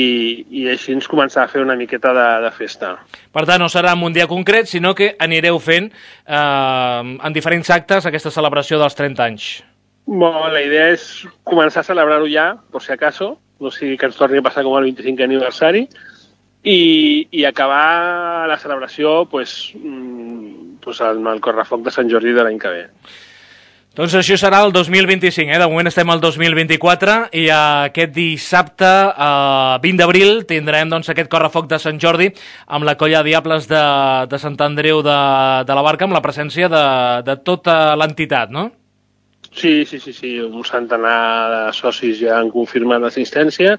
i així ens començar a fer una miqueta de, de festa. Per tant, no serà en un dia concret, sinó que anireu fent eh, en diferents actes aquesta celebració dels trenta anys. Bueno, la idea és començar a celebrar-ho ja, per si acaso, no sigui que ens torni a passar com el vint-i-cinquè aniversari, i, i acabar la celebració pues, pues, amb el correfoc de Sant Jordi de l'any que ve. Doncs això serà el dos mil vint-i-cinc, eh? De moment estem al dos mil vint-i-quatre i aquest dissabte, eh, vint d'abril, tindrem doncs, aquest correfoc de Sant Jordi amb la colla de Diables de, de Sant Andreu de, de la Barca, amb la presència de, de tota l'entitat, no? Sí, sí, sí, sí, un centenar de socis ja han confirmat l'assistència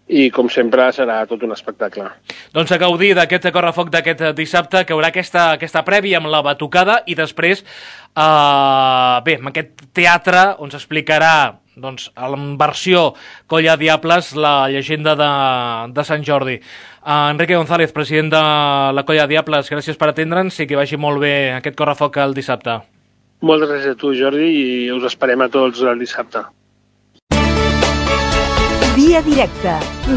i, com sempre, serà tot un espectacle. Doncs a gaudir d'aquest correfoc d'aquest dissabte, que haurà aquesta, aquesta prèvia amb la batucada i després, eh, bé, amb aquest teatre on s'explicarà, doncs, en versió Colla Diables, la llegenda de, de Sant Jordi. Uh, Enrique González, president de la Colla Diables, gràcies per atendre'ns i que vagi molt bé aquest correfoc el dissabte. Moltes gràcies a tu, Jordi, i us esperem a tots el dissabte. Via directa,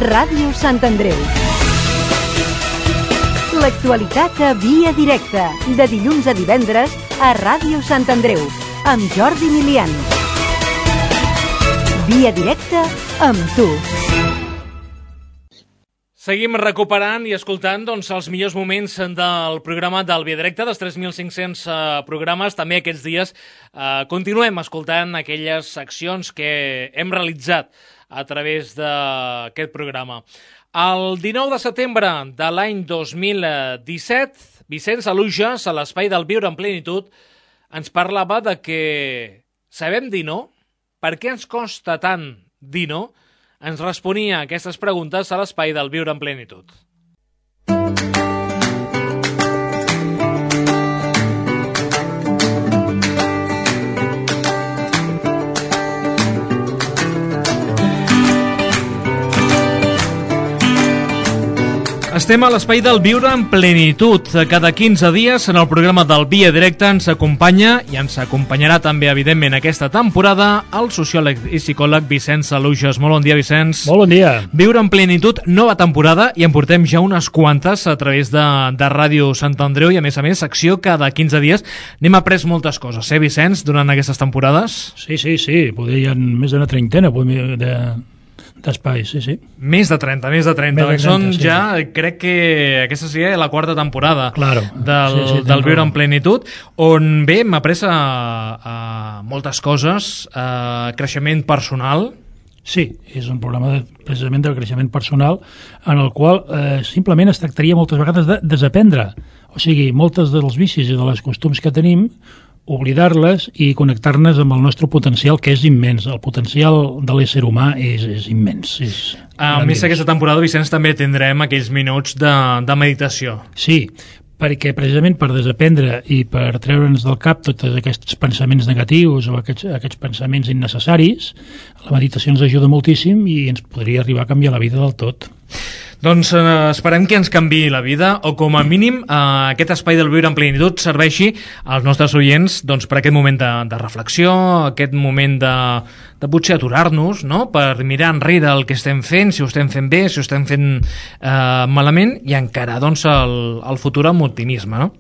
Ràdio Sant Andreu. L'actualitat a Via directa, de dilluns a divendres a Ràdio Sant Andreu, amb Jordi Milian. Via directa amb tu. Seguim recuperant i escoltant doncs, els millors moments del programa del Via Directa, dels tres mil cinc-cents eh, programes. També aquests dies eh, continuem escoltant aquelles seccions que hem realitzat a través d'aquest programa. El dinou de setembre de l'any dos mil disset, Vicenç Alujas, a l'Espai del Viure en Plenitud, ens parlava de que sabem dir no? Per què ens costa tant dir no? Ens responia aquestes preguntes a l'Espai del Viure en Plenitud. Estem a l'Espai del Viure en Plenitud. Cada quinze dies en el programa del Via Directa ens acompanya i ens acompanyarà també, evidentment, aquesta temporada el sociòleg i psicòleg Vicenç Alujas. Molt bon dia, Vicenç. Molt bon dia. Viure en Plenitud, nova temporada, i en portem ja unes quantes a través de, de Ràdio Sant Andreu i, a més a més, secció cada quinze dies. N'hem après moltes coses, eh, Vicenç, durant aquestes temporades? Sí, sí, sí. Poder hi ha més d'una trentena de... d'espais, sí, sí. Més de trenta, més de trenta. Més de trenta, Són sí, ja, sí. crec que aquesta seria la quarta temporada claro. del, sí, sí, del Viure en Plenitud, on bé, m'ha pres a, a moltes coses, a creixement personal. Sí, és un programa de, precisament del creixement personal en el qual eh, simplement es tractaria moltes vegades de desaprendre. O sigui, moltes dels vicis i de les costums que tenim, oblidar-les i connectar-nos amb el nostre potencial, que és immens. El potencial de l'ésser humà és, és immens. És a més, aquesta temporada, Vicenç, també tindrem aquells minuts de, de meditació. Sí, perquè precisament per desaprendre i per treure'ns del cap tots aquests pensaments negatius o aquests, aquests pensaments innecessaris, la meditació ens ajuda moltíssim i ens podria arribar a canviar la vida del tot. Doncs eh, esperem que ens canviï la vida, o com a mínim eh, aquest espai del Viure en Plenitud serveixi als nostres oients doncs, per aquest moment de, de reflexió, aquest moment de, de potser aturar-nos, no? Per mirar enrere el que estem fent, si ho estem fent bé, si ho estem fent eh, malament, i encarar doncs, el, el futur amb optimisme, no?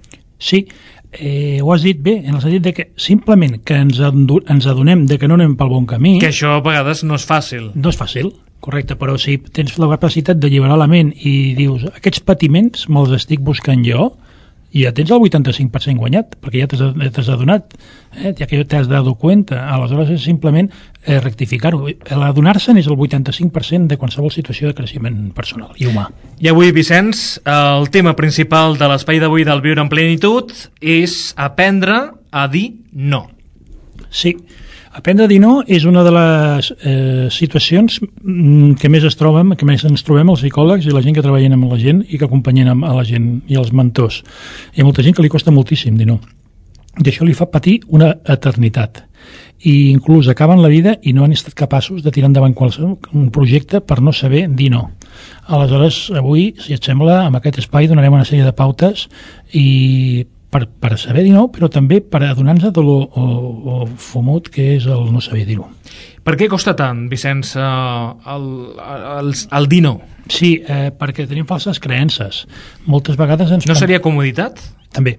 Sí, eh, ho has dit bé, en el sentit de que simplement que ens, ens adonem de que no anem pel bon camí... Que això a vegades no és fàcil. No és fàcil, Correcte, però si tens la capacitat d'alliberar la ment i dius, aquests patiments me'ls estic buscant jo, i ja tens el vuitanta-cinc per cent guanyat, perquè ja t'has adonat, eh? Ja que t'has dado cuenta. Aleshores és simplement eh, rectificar-ho. L'adonar-se'n és el vuitanta-cinc per cent de qualsevol situació de creixement personal i humà. I avui, Vicenç, el tema principal de l'espai d'avui del Viure en Plenitud és aprendre a dir no. Sí, aprendre a dir no és una de les eh, situacions que més es troben, que més ens trobem els psicòlegs i la gent que treballen amb la gent i que acompanyen a la gent i els mentors. Hi ha molta gent que li costa moltíssim dir no. I això li fa patir una eternitat. I inclús acaben la vida i no han estat capaços de tirar endavant qualsevol un projecte per no saber dir no. Aleshores, avui, si et sembla, amb aquest espai donarem una sèrie de pautes i Per, per saber dir no, però també per adonar-nos de lo o, o fumut que és el no saber dir-ho. Per què costa tant, Vicenç, el, el, el dir no? Sí, eh, perquè tenim falses creences. Moltes vegades ens... No seria comoditat? També.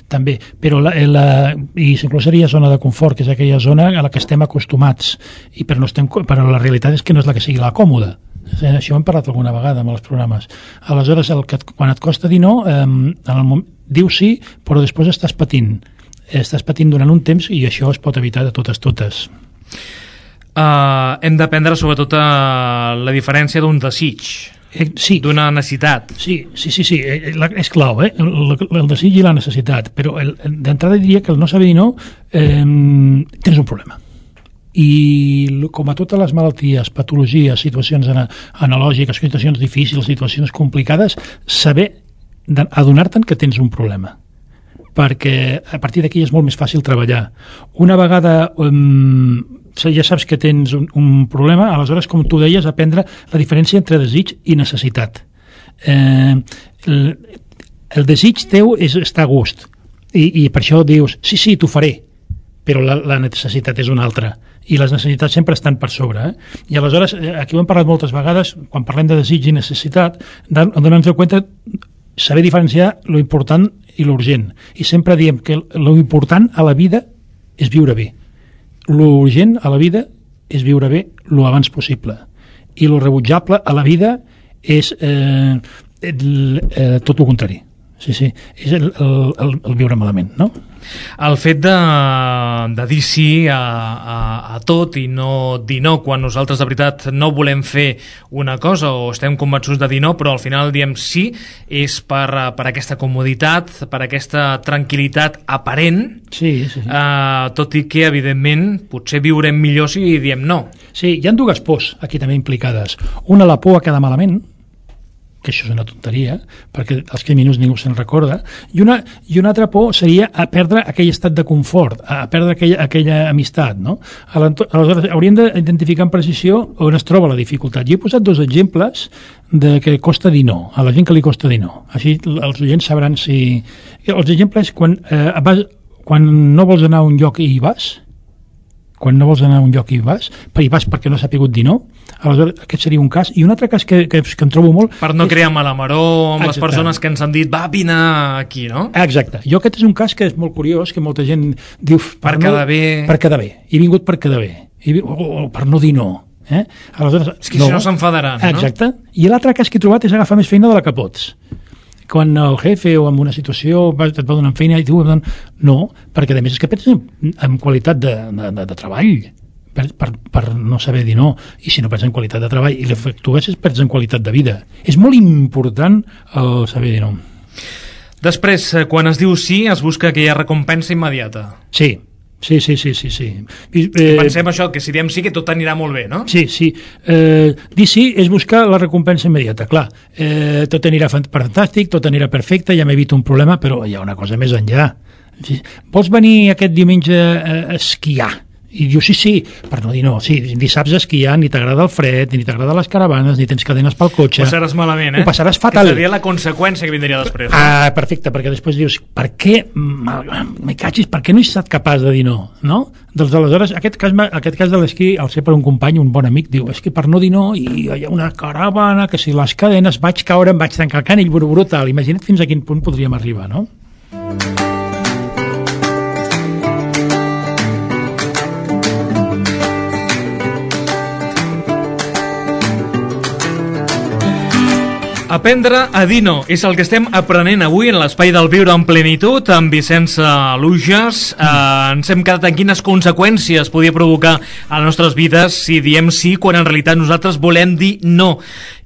També, però la, la, i inclús seria zona de confort, que és aquella zona a la que estem acostumats, i però, no estem, però la realitat és que no és la que sigui la còmoda. Això ho hem parlat alguna vegada amb els programes. Aleshores, el que, quan et costa dir no, eh, en el moment, dius sí, però després estàs patint. Estàs patint durant un temps i això es pot evitar de totes totes. Uh, hem d'aprendre sobretot a la diferència d'un desig, eh, sí. d'una necessitat. Sí, sí, sí, sí. És clau, eh? el, el desig i la necessitat, però d'entrada diria que el no saber dir no eh, tens un problema. I com a totes les malalties, patologies, situacions analògiques, situacions difícils, situacions complicades, saber adonar-te'n que tens un problema, perquè a partir d'aquí és molt més fàcil treballar. Una vegada um, ja saps que tens un, un problema, aleshores, com tu deies, aprendre la diferència entre desig i necessitat. Eh, el, el desig teu és estar a gust, i, i per això dius, sí, sí, t'ho faré, però la, la necessitat és una altra, i les necessitats sempre estan per sobre. Eh? I aleshores, aquí ho hem parlat moltes vegades, quan parlem de desig i necessitat, donar-nos compte, saber diferenciar lo important i l'urgent. I sempre diem que lo important a la vida és viure bé. Lo urgent a la vida és viure bé lo abans possible. I lo rebutjable a la vida és eh, el, eh, tot el contrari. Sí, sí, és el, el, el viure malament, no? El fet de, de dir sí a, a, a tot i no dir no quan nosaltres de veritat no volem fer una cosa o estem convençuts de dir no, però al final diem sí, és per, per aquesta comoditat, per aquesta tranquil·litat aparent, sí, sí, sí. Eh, tot i que, evidentment, potser viurem millor si diem no. Sí, hi ha dues pors aquí també implicades. Una, la por a quedar malament, que això és una tonteria, perquè els criminals ningú se'n recorda, i una, i una altra por seria a perdre aquell estat de confort, a perdre aquella, aquella amistat, no? Aleshores, hauríem d'identificar amb precisió on es troba la dificultat. Jo he posat dos exemples de que costa dir no, a la gent que li costa dir no. Així els oients sabran si... Els exemples, quan, eh, vas, quan no vols anar a un lloc i hi vas, quan no vols anar a un lloc i hi vas, hi vas perquè no s'ha pogut dir no, aleshores aquest seria un cas. I un altre cas que, que, que em trobo molt... Per no és... crear mala maror amb Exacte. Les persones que ens han dit va, vine aquí, no? Exacte. Jo aquest és un cas que és molt curiós, que molta gent diu... Per, per no, quedar bé... Per quedar bé. He vingut per quedar bé. I, o, o per no dir no. Eh? Aleshores, és que no. Si no s'enfadaran, no? Exacte. I l'altre cas que he trobat és agafar més feina de la que pots. Quan el jefe o en una situació et va donar feina i tu... No, perquè a més és que perds en qualitat de, de, de, de treball. Per, per, per no saber dir no, i si no perds en qualitat de treball i l'efectues perds en qualitat de vida. És molt important el saber dir no. Després, quan es diu sí, es busca aquella recompensa immediata. Sí, sí, sí, sí, sí, sí. I, eh, pensem això, que si diem sí que tot anirà molt bé, no? Sí, sí. Eh, dir sí és buscar la recompensa immediata, clar. Eh, tot anirà fantàstic, tot anirà perfecte, ja m'evito un problema, però hi ha una cosa més enllà. Vols venir aquest diumenge a esquiar? I diu sí, sí, per no dir no, sí, ni saps esquiar, ni t'agrada el fred, ni t'agrada les caravanes, ni tens cadenes pel cotxe. Ho passaràs malament, eh? Ho passaràs fatal. Que seria la conseqüència que vindria després. No? Ah, perfecte, perquè després dius, per què, me cachis, per què no he estat capaç de dir no? No? Doncs aleshores, aquest cas, aquest cas de l'esquí, al ser per un company, un bon amic, diu, és que per no dir no, i hi ha una caravana, que si les cadenes vaig caure, em vaig tancar el canill, brutal. Imagina't fins a quin punt podríem arribar, no? Aprendre a dir no és el que estem aprenent avui en l'espai del Viure en Plenitud amb Vicenç Luges. Eh, ens hem quedat en quines conseqüències podia provocar a les nostres vides si diem sí quan en realitat nosaltres volem dir no.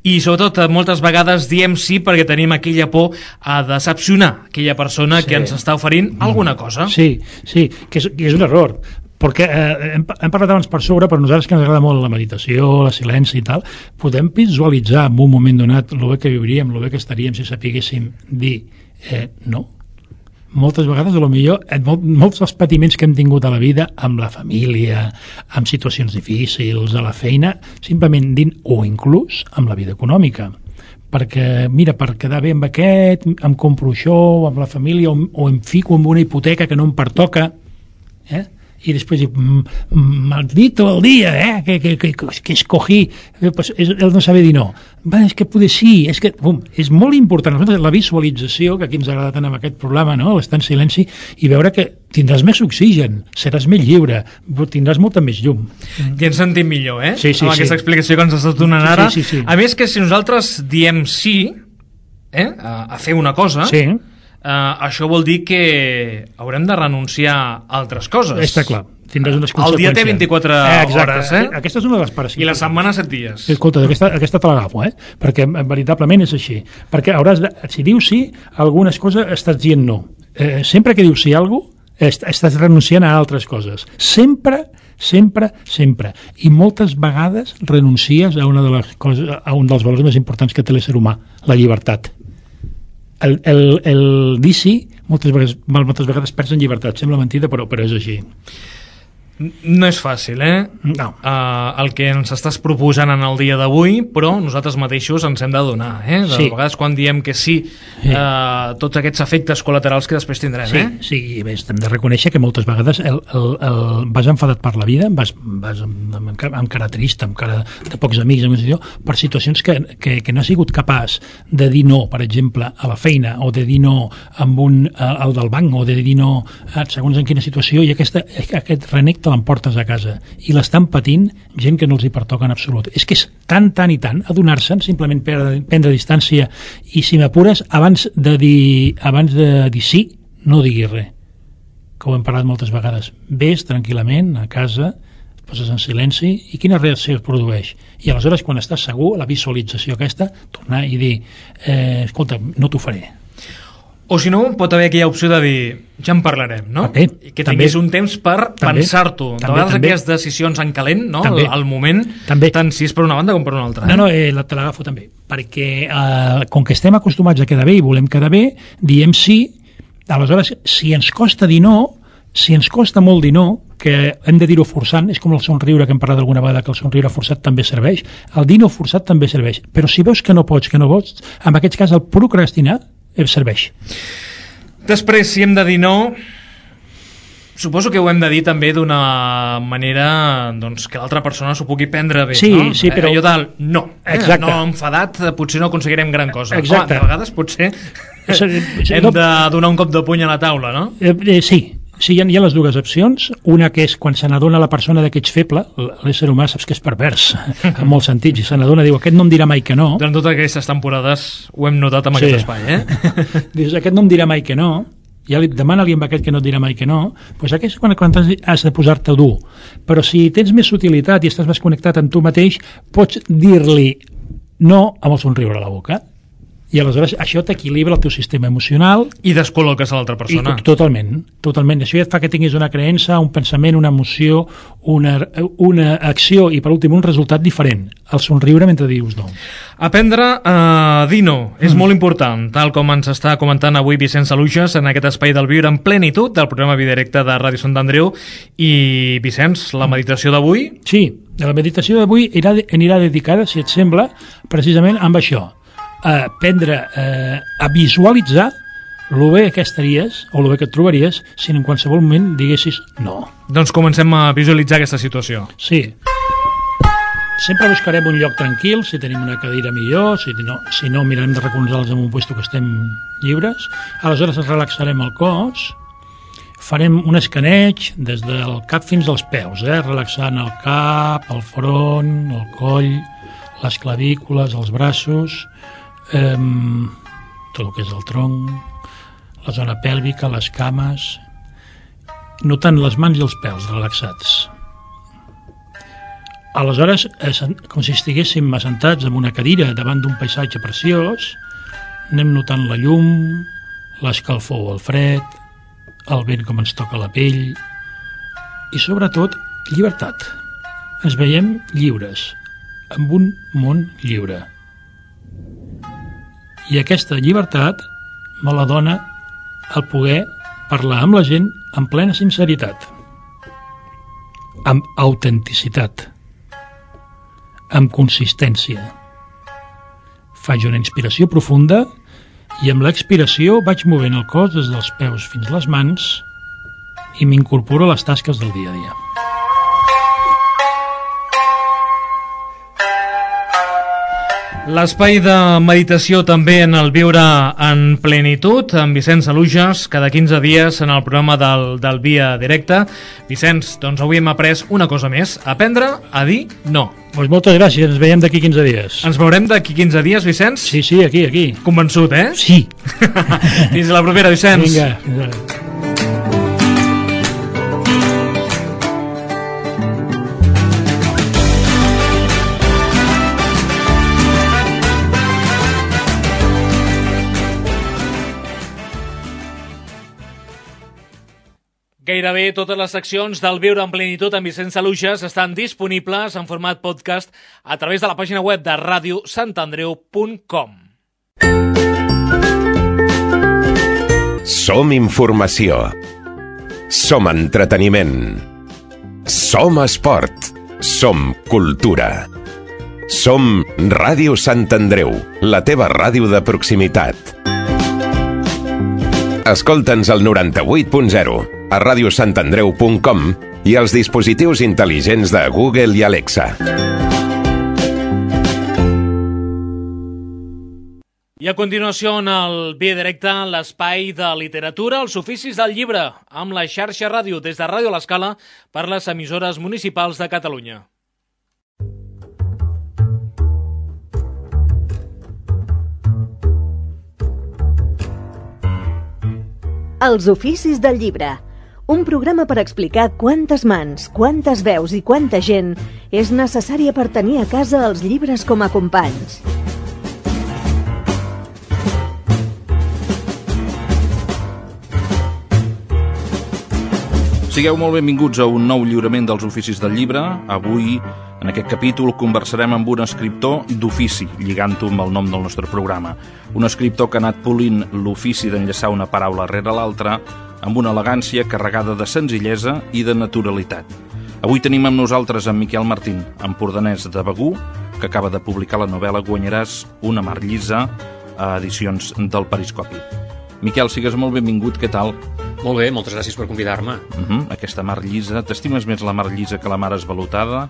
I sobretot moltes vegades diem sí perquè tenim aquella por a decepcionar aquella persona sí. que ens està oferint alguna cosa. Sí, sí, que és, que és un error. Perquè eh, hem, hem parlat abans per sobre, però nosaltres que ens agrada molt la meditació, la silenci i tal, podem visualitzar en un moment donat el bé que viuríem, el bé que estaríem si sapiguéssim dir eh, no. Moltes vegades, a lo millor, molt, molts dels patiments que hem tingut a la vida, amb la família, amb situacions difícils, a la feina, simplement dint, o inclús amb la vida econòmica. Perquè, mira, per quedar bé amb aquest, em compro això, amb la família, o, o em fico en una hipoteca que no em pertoca, eh? I després maldito el dia eh? que, que, que, que escogí eh, pues, és el no saber dir no. Va, és que poder sí, és que bum, és molt important la visualització, que aquí ens agrada tant amb aquest programa, no? L'estar en silenci i veure que tindràs més oxigen, seràs més lliure, tindràs molta més llum. I ens sentim millor, eh? Sí, sí, amb sí. aquesta explicació que ens estàs donant ara. Sí, sí, sí. A més que si nosaltres diem sí eh? a, a fer una cosa, sí. Uh, això vol dir que haurem de renunciar a altres coses. Està clar, tindràs unes conseqüències. El dia té vint-i-quatre eh, hores, eh? Aquesta és una de les parts. I la setmana set dies. Escolta, aquesta, aquesta te l'agafo, eh? Perquè veritablement és així. Perquè hauràs de, si dius sí, algunes coses estàs dient no. Eh, sempre que dius sí a alguna cosa, estàs renunciant a altres coses. Sempre, sempre, sempre. I moltes vegades renuncies a una de les coses, a un dels valors més importants que té l'ésser humà, la llibertat. El, el, el dir sí moltes vegades, moltes vegades perds en llibertat, sembla mentida però, però és així. No és fàcil, eh? No. Uh, el que ens estàs proposant en el dia d'avui, però nosaltres mateixos ens hem de donar, eh? De sí. vegades quan diem que sí, sí. Uh, tots aquests efectes col·laterals que després tindrem, sí, eh? Sí, i bé, hem de reconèixer que moltes vegades el, el, el, vas enfadat per la vida, vas, vas amb, amb, amb cara trista, amb cara de pocs amics, amb situació, per situacions que, que, que no has sigut capaç de dir no, per exemple, a la feina, o de dir no amb un, al del banc, o de dir no segons en quina situació, i aquesta, aquest renec te l'emportes a casa i l'estan patint gent que no els hi pertoca en absolut. És que és tan, tan i tant adonar-se'n, simplement prendre, prendre distància i si m'apures, abans de dir abans de dir sí, no diguis res. Que ho hem parlat moltes vegades. Ves tranquil·lament a casa, et poses en silenci i quina reacció es produeix. I aleshores, quan estàs segur, la visualització aquesta, tornar i dir eh, escolta, no t'ho faré. O si no, pot haver aquella opció de dir ja en parlarem, no? També, que tinguis també, un temps per pensar-t'ho. De vegades aquelles decisions en calent, no? També, al, al moment, també. Tant si és per una banda com per una altra. Eh? No, no, eh, te l'agafo també. Perquè eh, com que estem acostumats a quedar bé i volem quedar bé, diem sí, aleshores, si ens costa dir no, si ens costa molt dir no, que hem de dir-ho forçant, és com el somriure que hem parlat alguna vegada, que el somriure forçat també serveix, el dir no forçat també serveix, però si veus que no pots, que no pots, en aquest cas el procrastinar serveix. Després, si hem de dir no, suposo que ho hem de dir també d'una manera doncs, que l'altra persona s'ho pugui prendre bé, sí, no? Sí, però... Allò del no, eh? Exacte. No enfadat, potser no aconseguirem gran cosa. Exacte. Home, de vegades potser hem de donar un cop de puny a la taula, no? Eh, eh, sí, sí, hi ha, hi ha les dues opcions. Una que és quan se n'adona la persona que ets feble, l'ésser humà saps que és pervers en molts sentits, i se n'adona, diu, aquest no em dirà mai que no. Durant totes aquestes temporades ho hem notat amb sí. aquest espai, eh? Dius, aquest no em dirà mai que no, ja li demana-li amb aquest que no et dirà mai que no, doncs aquest és quan, quan has de posar-te dur. Però si tens més sutilitat i estàs més connectat amb tu mateix, pots dir-li no amb el somriure a la boca. I aleshores això t'equilibra el teu sistema emocional i descol·loques a l'altra persona. I, totalment, totalment. Això ja et fa que tinguis una creença, un pensament, una emoció, una, una acció i per últim un resultat diferent, el somriure mentre dius no. Aprendre a dir no és mm. molt important, tal com ens està comentant avui Vicenç Luges en aquest espai del Viure en Plenitud del programa Videodirecte de Ràdio Sant Andreu. I Vicenç, la meditació d'avui? Sí, la meditació d'avui anirà dedicada, si et sembla, precisament amb això, a aprendre eh, a visualitzar el bé que estaries o el bé que et trobaries si en qualsevol moment diguessis no. Doncs comencem a visualitzar aquesta situació. Sí. Sempre buscarem un lloc tranquil, si tenim una cadira millor, si no, si no mirarem de recolzar-los en un puesto que estem lliures. Aleshores relaxarem el cos, farem un escaneig des del cap fins als peus, eh? Relaxant el cap, el front, el coll, les clavícules, els braços. eh, tot el que és el tronc, la zona pèlvica, les cames, notant les mans i els pèls relaxats. Aleshores, com si estiguéssim assentats en una cadira davant d'un paisatge preciós, anem notant la llum, l'escalfor o el fred, el vent com ens toca la pell i, sobretot, llibertat. Ens veiem lliures, amb un món lliure. I aquesta llibertat me la dona el poder parlar amb la gent amb plena sinceritat, amb autenticitat, amb consistència. Faig una inspiració profunda i amb l'expiració vaig movent el cos des dels peus fins a les mans i m'incorporo a les tasques del dia a dia. L'espai de meditació també en el Viure en Plenitud, amb Vicenç Alujas, cada quinze dies en el programa del, del Via Directe. Vicenç, doncs avui hem après una cosa més, aprendre a dir no. Pues moltes gràcies, ens veiem d'aquí quinze dies. Ens veurem d'aquí quinze dies, Vicenç? Sí, sí, aquí, aquí. Convençut, eh? Sí. Fins la propera, Vicenç. Vinga, fins ara. Gairebé totes les seccions del Viure en Plenitud amb Vicenç Alujas estan disponibles en format podcast a través de la pàgina web de ràdio sant andreu punt com. Som informació. Som entreteniment. Som esport. Som cultura. Som Ràdio Sant Andreu, la teva ràdio de proximitat. Escolta'ns al noranta-vuit punt zero, a ràdio sant andreu punt com i als dispositius intel·ligents de Google i Alexa. I a continuació, en el Via Directe, l'espai de literatura, els oficis del llibre, amb la xarxa ràdio des de Ràdio l'Escala per les emissores municipals de Catalunya. Els oficis del llibre. Un programa per explicar quantes mans, quantes veus i quanta gent és necessària per tenir a casa els llibres com a companys. Sigueu molt benvinguts a un nou lliurament dels oficis del llibre. Avui, en aquest capítol, conversarem amb un escriptor d'ofici, lligant-ho amb el nom del nostre programa. Un escriptor que ha anat polint l'ofici d'enllaçar una paraula rere l'altra amb una elegància carregada de senzillesa i de naturalitat. Avui tenim amb nosaltres en Miquel Martín, empordanès de Begur, que acaba de publicar la novel·la Guanyaràs una mar llisa a edicions del Periscopi. Miquel, sigues molt benvingut, què tal? Molt bé, moltes gràcies per convidar-me. Uh -huh. Aquesta mar llisa, t'estimes més la mar llisa que la mar esvalotada?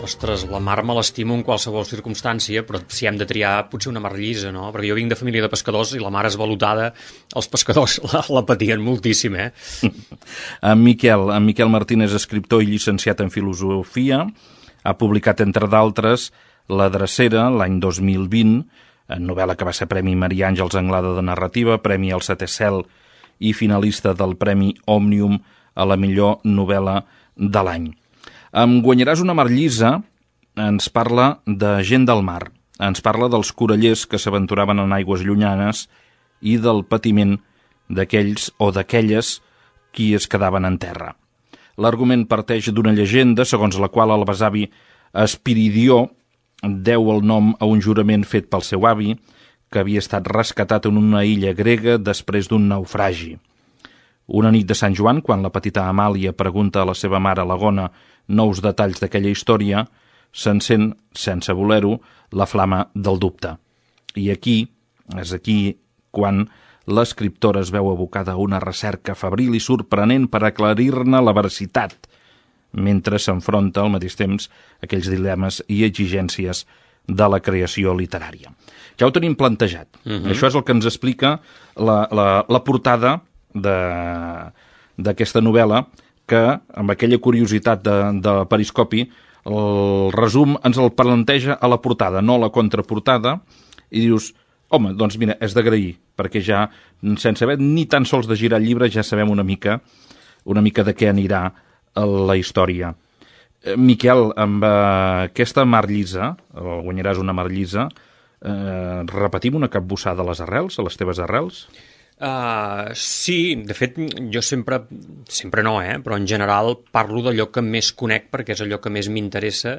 Ostres, la mar me l'estimo en qualsevol circumstància, però si hem de triar, potser una mar llisa, no? Perquè jo vinc de família de pescadors i la mar esvalotada, els pescadors la, la patien moltíssim, eh? En Miquel, en Miquel Martín és escriptor i llicenciat en filosofia. Ha publicat, entre d'altres, La Drecera, l'any dos mil vint, novel·la que va ser Premi Maria Àngels Anglada de Narrativa, Premi al Setè Cel i finalista del Premi Òmnium a la millor novel·la de l'any. Em Guanyaràs una mar llisa ens parla de gent del mar, ens parla dels corallers que s'aventuraven en aigües llunyanes i del patiment d'aquells o d'aquelles qui es quedaven en terra. L'argument parteix d'una llegenda segons la qual el besavi Espiridió deu el nom a un jurament fet pel seu avi, que havia estat rescatat en una illa grega després d'un naufragi. Una nit de Sant Joan, quan la petita Amàlia pregunta a la seva mare Lagona nous detalls d'aquella història, s'encén, sense voler-ho, la flama del dubte. I aquí, és aquí, quan l'escriptora es veu abocada a una recerca febril i sorprenent per aclarir-ne la veracitat, mentre s'enfronta al mateix temps aquells dilemes i exigències de la creació literària. Ja ho tenim plantejat. Uh-huh. Això és el que ens explica la, la, la portada d'aquesta novel·la, que, amb aquella curiositat de, de Periscopi, el resum ens el planteja a la portada, no a la contraportada, i dius, Home, doncs mira, és d'agrair, perquè ja, sense haver ni tan sols de girar el llibre, ja sabem una mica, una mica de què anirà la història. Miquel, amb aquesta mar llisa, o guanyaràs una mar llisa, eh, repetim una capbussada a les arrels, a les teves arrels? Uh, sí, de fet, jo sempre, sempre no, eh? Però en general parlo d'allò que més conec perquè és allò que més m'interessa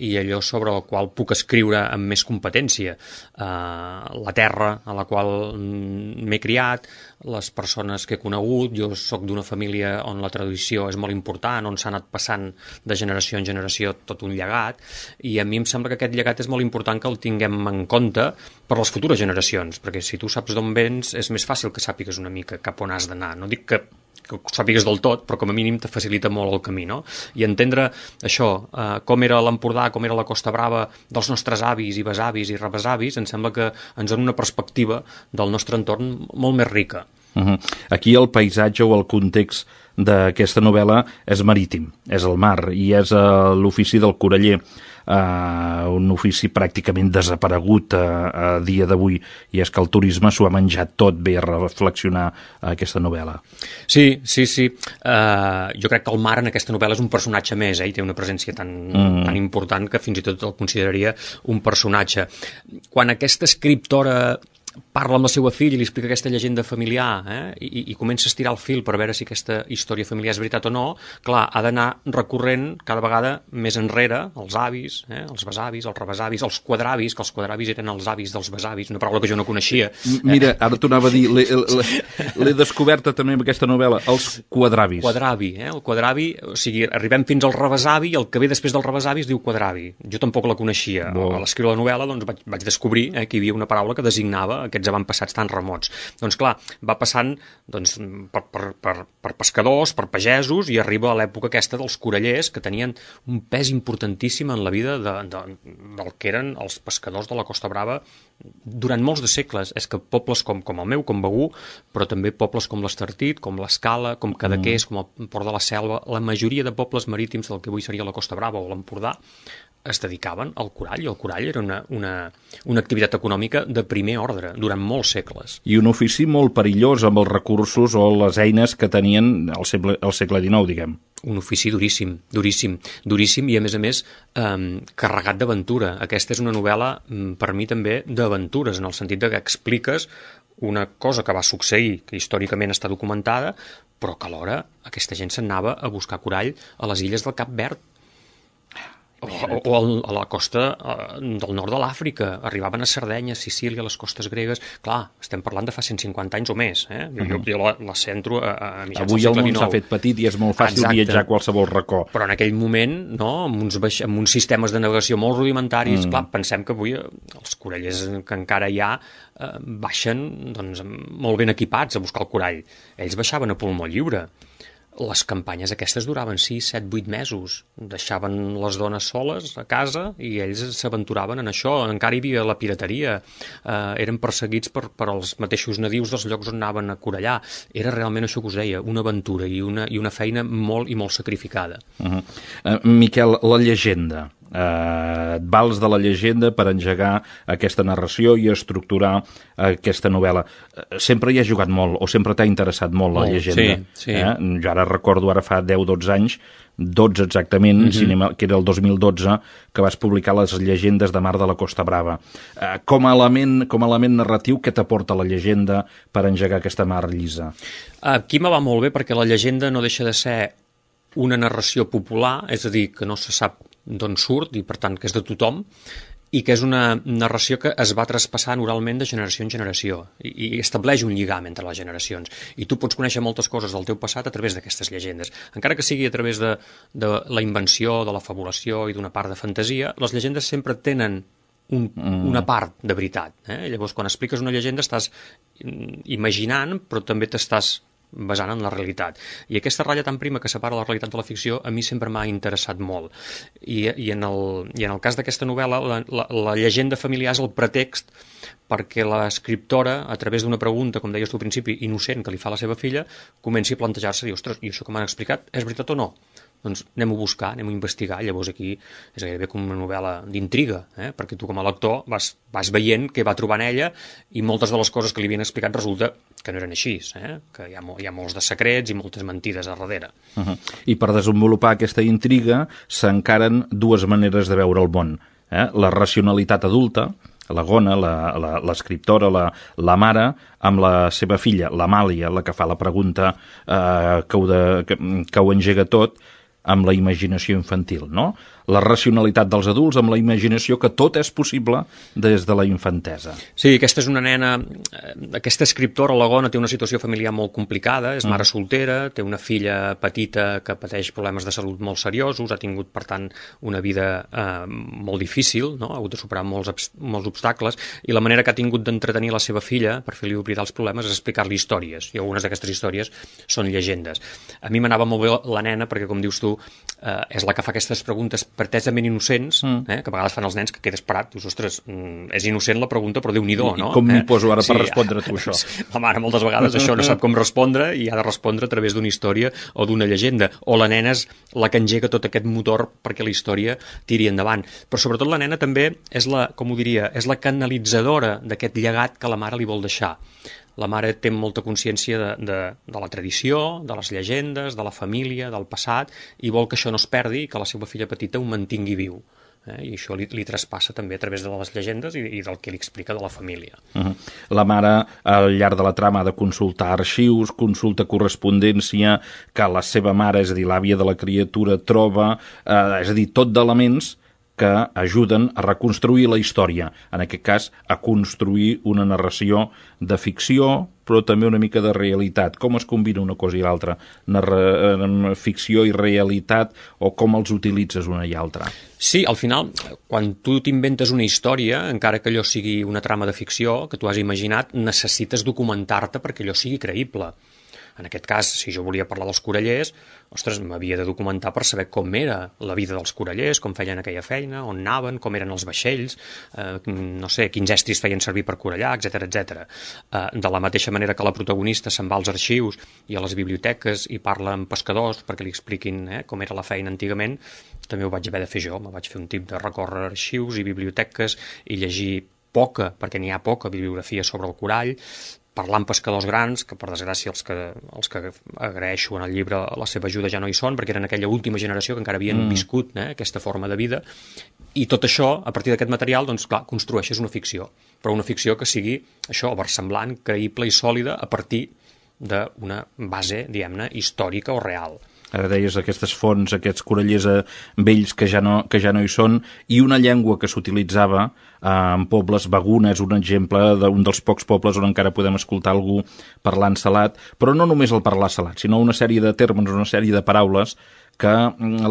i allò sobre el qual puc escriure amb més competència. Uh, la terra a la qual m'he criat, les persones que he conegut, jo sóc d'una família on la tradició és molt important, on s'ha anat passant de generació en generació tot un llegat, i a mi em sembla que aquest llegat és molt important que el tinguem en compte per les futures generacions, perquè si tu saps d'on vens és més fàcil que sàpigues una mica cap on has d'anar. No dic que, que ho sàpigues del tot, però com a mínim te facilita molt el camí, no? I entendre això, eh, com era l'Empordà, com era la Costa Brava dels nostres avis i besavis i rebesavis, em sembla que ens dona una perspectiva del nostre entorn molt més rica. Uh-huh. Aquí el paisatge o el context d'aquesta novel·la és marítim, és el mar, i és uh, l'ofici del coraller, uh, un ofici pràcticament desaparegut uh, a dia d'avui, i és que el turisme s'ho ha menjat tot. Bé a reflexionar uh, aquesta novel·la. Sí, sí, sí. Uh, jo crec que el mar en aquesta novel·la és un personatge més, eh? I té una presència tan, mm. tan important que fins i tot el consideraria un personatge. Quan aquesta escriptora parla amb la seva filla i li explica aquesta llegenda familiar, eh? I, i comença a estirar el fil per veure si aquesta història familiar és veritat o no, clar, ha d'anar recorrent cada vegada més enrere els avis, eh? Els besavis, els rebesavis, els quadravis, que els quadravis eren els avis dels besavis, una paraula que jo no coneixia. Mira, ara t'ho anava a dir, l'he descoberta també amb aquesta novel·la, els quadravis. Quadravi, eh? El quadravi, o sigui, arribem fins al rebesavi i el que ve després del rebesavi es diu quadravi. Jo tampoc la coneixia. Bo. A l'escriure la novel·la doncs, vaig, vaig descobrir eh, que hi havia una paraula que designava aquests avantpassats tan remots. Doncs clar, va passant doncs, per, per, per, per pescadors, per pagesos, i arriba a l'època aquesta dels corallers, que tenien un pes importantíssim en la vida de, de, del que eren els pescadors de la Costa Brava durant molts de segles. És que pobles com, com el meu, com Begur, però també pobles com l'Estartit, com l'Escala, com Cadaqués, mm. com el Port de la Selva, la majoria de pobles marítims del que avui seria la Costa Brava o l'Empordà, es dedicaven al corall, i el corall era una, una, una activitat econòmica de primer ordre durant molts segles. I un ofici molt perillós amb els recursos o les eines que tenien al segle, al segle dinou, diguem. Un ofici duríssim, duríssim, duríssim i a més a més eh, carregat d'aventura. Aquesta és una novel·la per mi també d'aventures, en el sentit de que expliques una cosa que va succeir, que històricament està documentada, però que alhora aquesta gent s'anava a buscar corall a les illes del Cap Verd, O, o a la costa del nord de l'Àfrica. Arribaven a Sardenya, a Sicília, a les costes gregues. Clar, estem parlant de fa cent cinquanta anys o més. Eh? Jo, uh-huh. jo la, la centro a, a mitjans Avui del segle el món dinou. s'ha fet petit i és molt fàcil Exacte. viatjar a qualsevol racó. Però en aquell moment, no, amb, uns baix... amb uns sistemes de navegació molt rudimentaris, mm. clar, pensem que avui els corallers que encara hi ha eh, baixen doncs, molt ben equipats a buscar el corall. Ells baixaven a pulmó lliure. Les campanyes aquestes duraven sis, set, vuit mesos. Deixaven les dones soles a casa i ells s'aventuraven en això. Encara hi havia la pirateria. Eh, eren perseguits per, per els mateixos nadius dels llocs on anaven a corallar. Era realment això que us deia, una aventura i una, i una feina molt i molt sacrificada. Uh-huh. uh, Miquel, la llegenda. Uh, et vals de la llegenda per engegar aquesta narració i estructurar aquesta novel·la. Uh, sempre hi has jugat molt, o sempre t'ha interessat molt la molt, llegenda. Sí, sí. Eh? Jo ara recordo, ara fa deu dotze anys, dotze exactament, mm-hmm. cinema, que era el dos mil dotze, que vas publicar les llegendes de Mar de la Costa Brava. Uh, com, a element, com a element narratiu, què t'aporta la llegenda per engegar aquesta mar llisa? Aquí me va molt bé perquè la llegenda no deixa de ser una narració popular, és a dir, que no se sap d'on surt i per tant que és de tothom, i que és una narració que es va traspassant oralment de generació en generació i, i estableix un lligam entre les generacions, i tu pots conèixer moltes coses del teu passat a través d'aquestes llegendes, encara que sigui a través de, de la invenció, de la fabulació i d'una part de fantasia. Les llegendes sempre tenen un, mm. una part de veritat, eh? Llavors quan expliques una llegenda estàs imaginant però també t'estàs basant en la realitat. I aquesta ratlla tan prima que separa la realitat de la ficció a mi sempre m'ha interessat molt. I, i, en, el, i en el cas d'aquesta novel·la, la, la, la llegenda familiar és el pretext perquè l'escriptora, a través d'una pregunta, com deies tu al principi, innocent, que li fa a la seva filla, comenci a plantejar-se, dir, ostres, i això que m'han explicat és veritat o no? doncs anem a buscar, anem a investigar. Llavors aquí és gairebé com una novel·la d'intriga, eh? perquè tu com a lector vas, vas veient què va trobar en ella i moltes de les coses que li havien explicat resulta que no eren així, eh? que hi ha, hi ha molts de secrets i moltes mentides a darrere. Uh -huh. I per desenvolupar aquesta intriga s'encaren dues maneres de veure el món. Eh? La racionalitat adulta, la Gona, l'escriptora, la, la, la mare, amb la seva filla, l'Amàlia, la que fa la pregunta eh, que, ho de, que, que ho engega tot, amb la imaginació infantil, no? La racionalitat dels adults amb la imaginació que tot és possible des de la infantesa. Sí, aquesta és una nena... Aquesta escriptora, la Gona, té una situació familiar molt complicada, és mare soltera, té una filla petita que pateix problemes de salut molt seriosos, ha tingut, per tant, una vida eh, molt difícil, no? Ha hagut de superar molts, molts obstacles, i la manera que ha tingut d'entretenir la seva filla per fer-li oblidar els problemes és explicar-li històries, i algunes d'aquestes històries són llegendes. A mi m'anava molt bé la nena perquè, com dius tu, eh, és la que fa aquestes preguntes pretesament innocents, mm. eh, que a vegades fan els nens que quedes parat, dius, ostres, mm, és innocent la pregunta, però Déu-n'hi-do, no? I com m'hi eh? poso ara sí, per respondre a tu, això? La mare moltes vegades això no sap com respondre i ha de respondre a través d'una història o d'una llegenda, o la nena és la que engega tot aquest motor perquè la història tiri endavant. Però sobretot la nena també és la, com ho diria, és la canalitzadora d'aquest llegat que la mare li vol deixar. La mare té molta consciència de, de, de la tradició, de les llegendes, de la família, del passat, i vol que això no es perdi i que la seva filla petita ho mantingui viu. Eh? I això li, li traspassa també a través de les llegendes i, i del que li explica de la família. Uh-huh. La mare, al llarg de la trama, ha de consultar arxius, consulta correspondència que la seva mare, és a dir, l'àvia de la criatura, troba, eh, és a dir, tot d'elements que ajuden a reconstruir la història, en aquest cas a construir una narració de ficció, però també una mica de realitat. Com es combina una cosa i l'altra? Narra... Ficció i realitat, o com els utilitzes una i altra? Sí, al final, quan tu t'inventes una història, encara que allò sigui una trama de ficció que tu has imaginat, necessites documentar-te perquè allò sigui creïble. En aquest cas, si jo volia parlar dels corallers, ostres, m'havia de documentar per saber com era la vida dels corallers, com feien aquella feina, on anaven, com eren els vaixells, eh, no sé, quins estris feien servir per corallar, etcètera, etcètera. Eh, de la mateixa manera que la protagonista se'n va als arxius i a les biblioteques i parla amb pescadors perquè li expliquin eh, com era la feina antigament, també ho vaig haver de fer jo. Me vaig fer un tip de recórrer arxius i biblioteques i llegir poca, perquè n'hi ha poca bibliografia sobre el corall, parlar amb pescadors grans, que per desgràcia els que, els que agraeixo en el llibre la seva ajuda ja no hi són, perquè eren aquella última generació que encara havien mm. viscut eh, aquesta forma de vida, i tot això, a partir d'aquest material, doncs clar, construeixes una ficció, però una ficció que sigui això, versemblant, creïble i sòlida a partir d'una base, diguem-ne, històrica o real. Ara deies aquestes fonts, aquests corallers eh, vells que ja, no, que ja no hi són, i una llengua que s'utilitzava eh, en pobles. Baguna és un exemple d'un dels pocs pobles on encara podem escoltar algú parlant salat, però no només el parlar salat, sinó una sèrie de termes, una sèrie de paraules que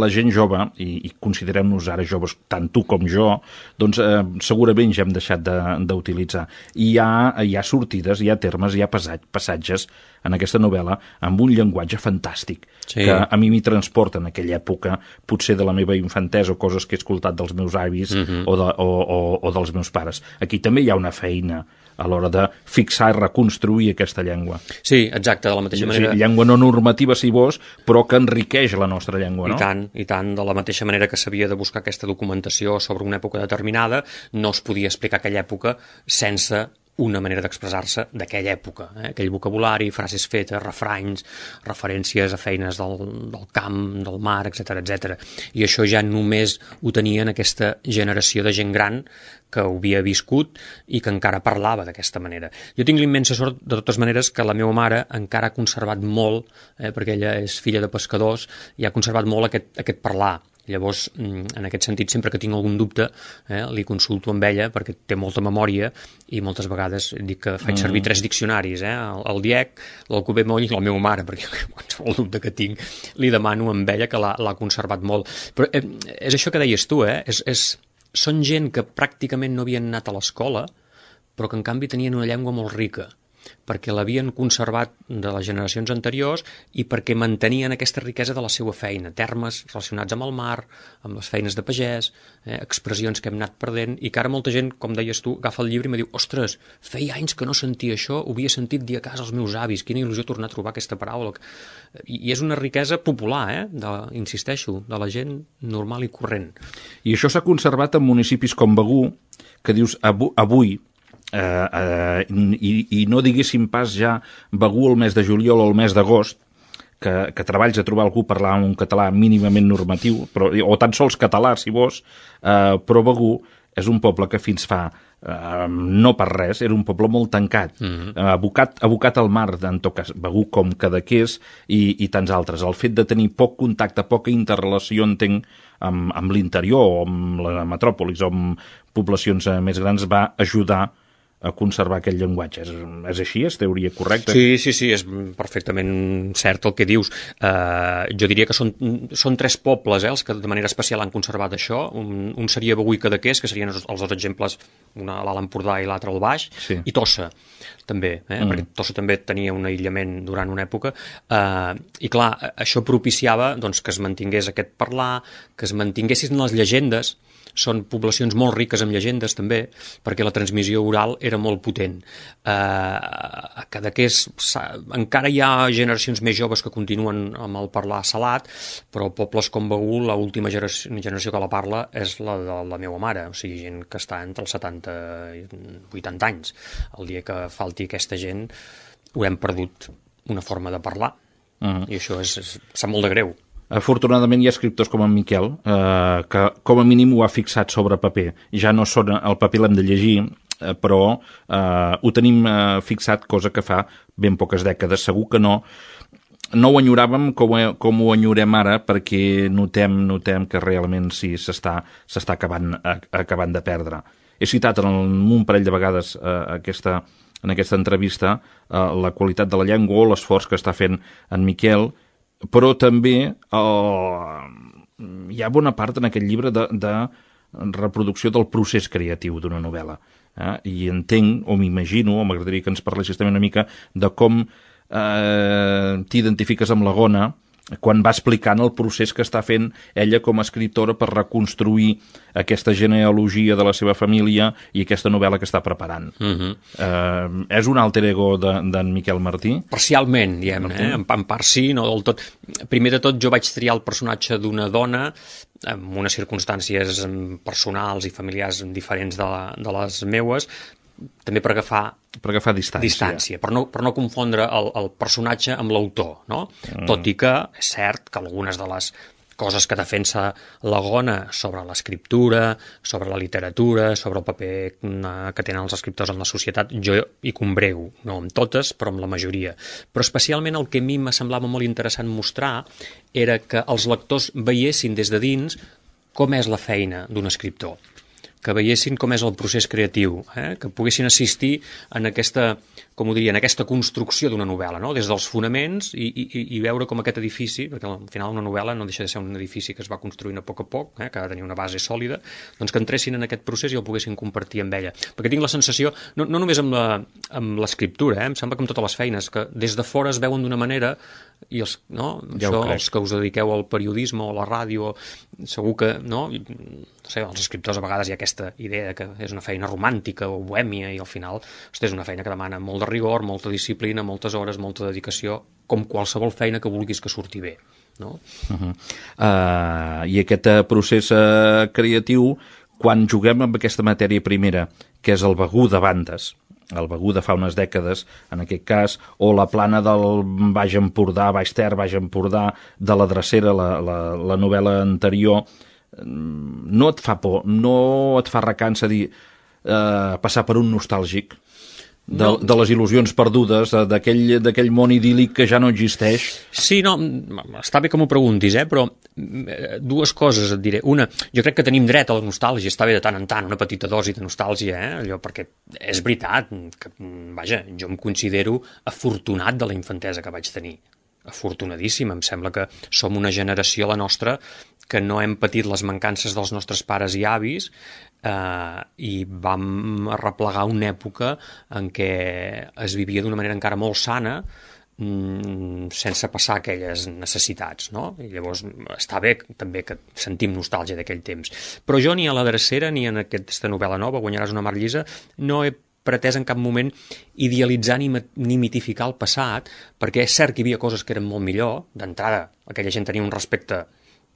la gent jove, i, i considerem-nos ara joves, tant tu com jo, doncs eh, segurament ja hem deixat d'utilitzar. I hi ha, hi ha sortides, hi ha termes, hi ha passatges en aquesta novel·la amb un llenguatge fantàstic, sí. que a mi m'hi transporta en aquella època, potser de la meva infantesa, o coses que he escoltat dels meus avis uh-huh. o, de, o, o, o dels meus pares. Aquí també hi ha una feina a l'hora de fixar i reconstruir aquesta llengua. Sí, exacte, de la mateixa manera... Sí, llengua no normativa, si vols, però que enriqueix la nostra llengua, no? I tant, i tant, de la mateixa manera que s'havia de buscar aquesta documentació sobre una època determinada, no es podia explicar aquella època sense una manera d'expressar-se d'aquella època, eh? Aquell vocabulari, frases fetes, refranys, referències a feines del, del camp, del mar, etcètera, etcètera. I això ja només ho tenien aquesta generació de gent gran que ho havia viscut i que encara parlava d'aquesta manera. Jo tinc l'immensa sort, de totes maneres, que la meva mare encara ha conservat molt, eh, perquè ella és filla de pescadors, i ha conservat molt aquest, aquest parlar. Llavors, en aquest sentit, sempre que tinc algun dubte, eh, li consulto amb ella, perquè té molta memòria, i moltes vegades dic que faig servir mm. tres diccionaris, eh, el, el Diec, l'Alcover Moll i la meva mare, perquè qualsevol dubte que tinc li demano amb ella, que l'ha conservat molt. Però eh, és això que deies tu, eh? És, és, són gent que pràcticament no havien anat a l'escola, però que en canvi tenien una llengua molt rica. perquè l'havien conservat de les generacions anteriors i perquè mantenien aquesta riquesa de la seva feina, termes relacionats amb el mar, amb les feines de pagès, eh, expressions que hem anat perdent, i que ara molta gent, com deies tu, agafa el llibre i me diu, ostres, feia anys que no sentia això, ho havia sentit dir a casa als meus avis, quina il·lusió tornar a trobar aquesta paraula. I, i és una riquesa popular, eh, de, insisteixo, de la gent normal i corrent. I això s'ha conservat en municipis com Begur, que dius, avui, avui eh, eh, i, i no diguéssim pas ja Begur el mes de juliol o el mes d'agost, que, que treballs a trobar algú parlar un català mínimament normatiu, però, o tan sols català, si vols, eh, però Begur és un poble que fins fa Uh, no per res, era un poble molt tancat, mm-hmm. uh, abocat, abocat al mar, en tot cas, Begur com Cadaqués i, i tants altres. El fet de tenir poc contacte, poca interrelació, entenc, amb, amb l'interior o amb la metròpolis o amb poblacions uh, més grans, va ajudar a conservar aquest llenguatge. És, és així? És teoria correcta? Sí, sí, sí, és perfectament cert el que dius. Uh, jo diria que són, són tres pobles eh, els que de manera especial han conservat això. Un, un seria Begur i Cadaqués, que serien els, els dos exemples, una a l'Alt Empordà i l'altre al Baix, sí. I Tossa, també, eh? mm. perquè Tossa també tenia un aïllament durant una època. Uh, I clar, això propiciava doncs, que es mantingués aquest parlar, que es mantinguessin les llegendes. Són poblacions molt riques en llegendes també, perquè la transmissió oral era molt potent. Eh, a Cadaqués encara hi ha generacions més joves que continuen amb el parlar salat, però pobles com Begur, l'última generació, generació que la parla és la de la meva mare, o sigui, gent que està entre els setanta i vuitanta anys. El dia que falti aquesta gent haurem perdut una forma de parlar, uh-huh. I això és, és, sap molt de greu. Afortunadament hi ha escriptors com en Miquel eh, que com a mínim ho ha fixat sobre paper. Ja no són, el paper l'hem de llegir, eh, però eh, ho tenim eh, fixat, cosa que fa ben poques dècades. Segur que no no ho enyoràvem com, com ho enyorem ara, perquè notem, notem que realment sí, s'està s'està acabant, acabant de perdre. He citat en un parell de vegades eh, aquesta, en aquesta entrevista eh, la qualitat de la llengua o l'esforç que està fent en Miquel, però també eh, hi ha bona part en aquest llibre de, de reproducció del procés creatiu d'una novel·la. Eh? I entenc, o m'imagino, o m'agradaria que ens parlessis també una mica de com eh, t'identifiques amb la Gona quan va explicant el procés que està fent ella com a escriptora per reconstruir aquesta genealogia de la seva família i aquesta novel·la que està preparant. Uh-huh. Eh, és un alter ego d'en de, Miquel Martí? Parcialment, diguem, eh? en, en part sí, no del tot. Primer de tot, jo vaig triar el personatge d'una dona amb unes circumstàncies personals i familiars diferents de, la, de les meues, també per agafar, per agafar distància, distància per, no, per no confondre el, el personatge amb l'autor, no? Mm. Tot i que és cert que algunes de les coses que defensa la Gona sobre l'escriptura, sobre la literatura, sobre el paper que tenen els escriptors en la societat, jo hi combrego, no amb totes, però amb la majoria. Però especialment el que a mi me semblava molt interessant mostrar era que els lectors veiessin des de dins com és la feina d'un escriptor, que veiessin com és el procés creatiu, eh? que poguessin assistir en aquesta, com ho diria, en aquesta construcció d'una novel·la, no? Des dels fonaments i, i, i veure com aquest edifici, perquè al final una novel·la no deixa de ser un edifici que es va construint a poc a poc, eh? que ha de tenir una base sòlida, doncs que entressin en aquest procés i el poguessin compartir amb ella. Perquè tinc la sensació, no, no només amb l'escriptura, eh? Em sembla que amb totes les feines, que des de fora es veuen d'una manera i els, no? Ja això, els que us dediqueu al periodisme o a la ràdio, segur que, no? No sé, els escriptors a vegades hi ha aquesta idea que és una feina romàntica o bohèmia i al final, hosti, és una feina que demana molt de rigor, molta disciplina, moltes hores, molta dedicació, com qualsevol feina que vulguis que surti bé, no? Uh-huh. uh, I aquest uh, procés uh, creatiu, quan juguem amb aquesta matèria primera, que és el Begur de bandes, el Begur de fa unes dècades, en aquest cas, o la plana del Baix Empordà, Baix Ter, Baix Empordà, de la Drecera, la, la, la novel·la anterior, no et fa por, no et fa recança dir, eh, passar per un nostàlgic de, no. de les il·lusions perdudes, d'aquell món idíl·lic que ja no existeix? Sí, no, està bé que m'ho preguntis, eh, però dues coses et diré. Una, jo crec que tenim dret a la nostàlgia, està bé de tant en tant, una petita dosi de nostàlgia, eh, allò, perquè és veritat que, vaja, jo em considero afortunat de la infantesa que vaig tenir. afortunadíssima. Em sembla que som una generació, la nostra, que no hem patit les mancances dels nostres pares i avis eh, i vam arreplegar una època en què es vivia d'una manera encara molt sana, sense passar aquelles necessitats, no? I llavors està bé també que sentim nostàlgia d'aquell temps. Però jo ni a la drecera ni en aquesta novel·la nova, Guanyaràs una mar llisa, no he pretès en cap moment idealitzar ni, ni mitificar el passat, perquè és cert que hi havia coses que eren molt millor. D'entrada, aquella gent tenia un respecte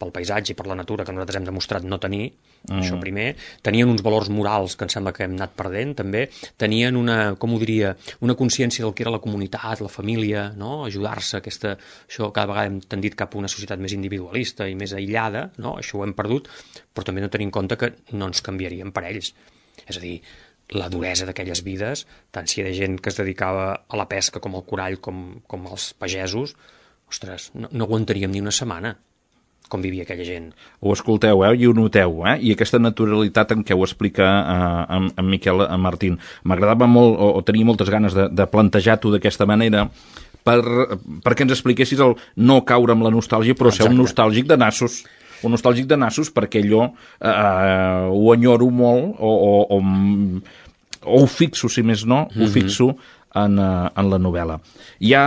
pel paisatge i per la natura que nosaltres hem demostrat no tenir, mm. això primer. Tenien uns valors morals que em sembla que hem anat perdent, també. Tenien una, com ho diria, una consciència del que era la comunitat, la família, no? Ajudar-se, aquesta, això cada vegada hem tendit cap a una societat més individualista i més aïllada, no? Això ho hem perdut, però també no tenim en compte que no ens canviaríem per ells. És a dir, la duresa d'aquelles vides, tant si hi ha gent que es dedicava a la pesca com al corall, com, com els pagesos, ostres, no, no aguantaríem ni una setmana com vivia aquella gent. Ho escolteu, eh? I ho noteu, eh? I aquesta naturalitat en què ho explica eh, en, en Miquel Martín. M'agradava molt, o, o tenia moltes ganes de, de plantejar-t'ho d'aquesta manera, per, perquè ens expliquessis el no caure amb la nostàlgia, però Exacte. Ser un nostàlgic de nassos. Un nostàlgic de nassos perquè allò eh, ho enyoro molt, o, o, o, o ho fixo, si més no, mm-hmm. ho fixo en, en la novel·la. Hi ha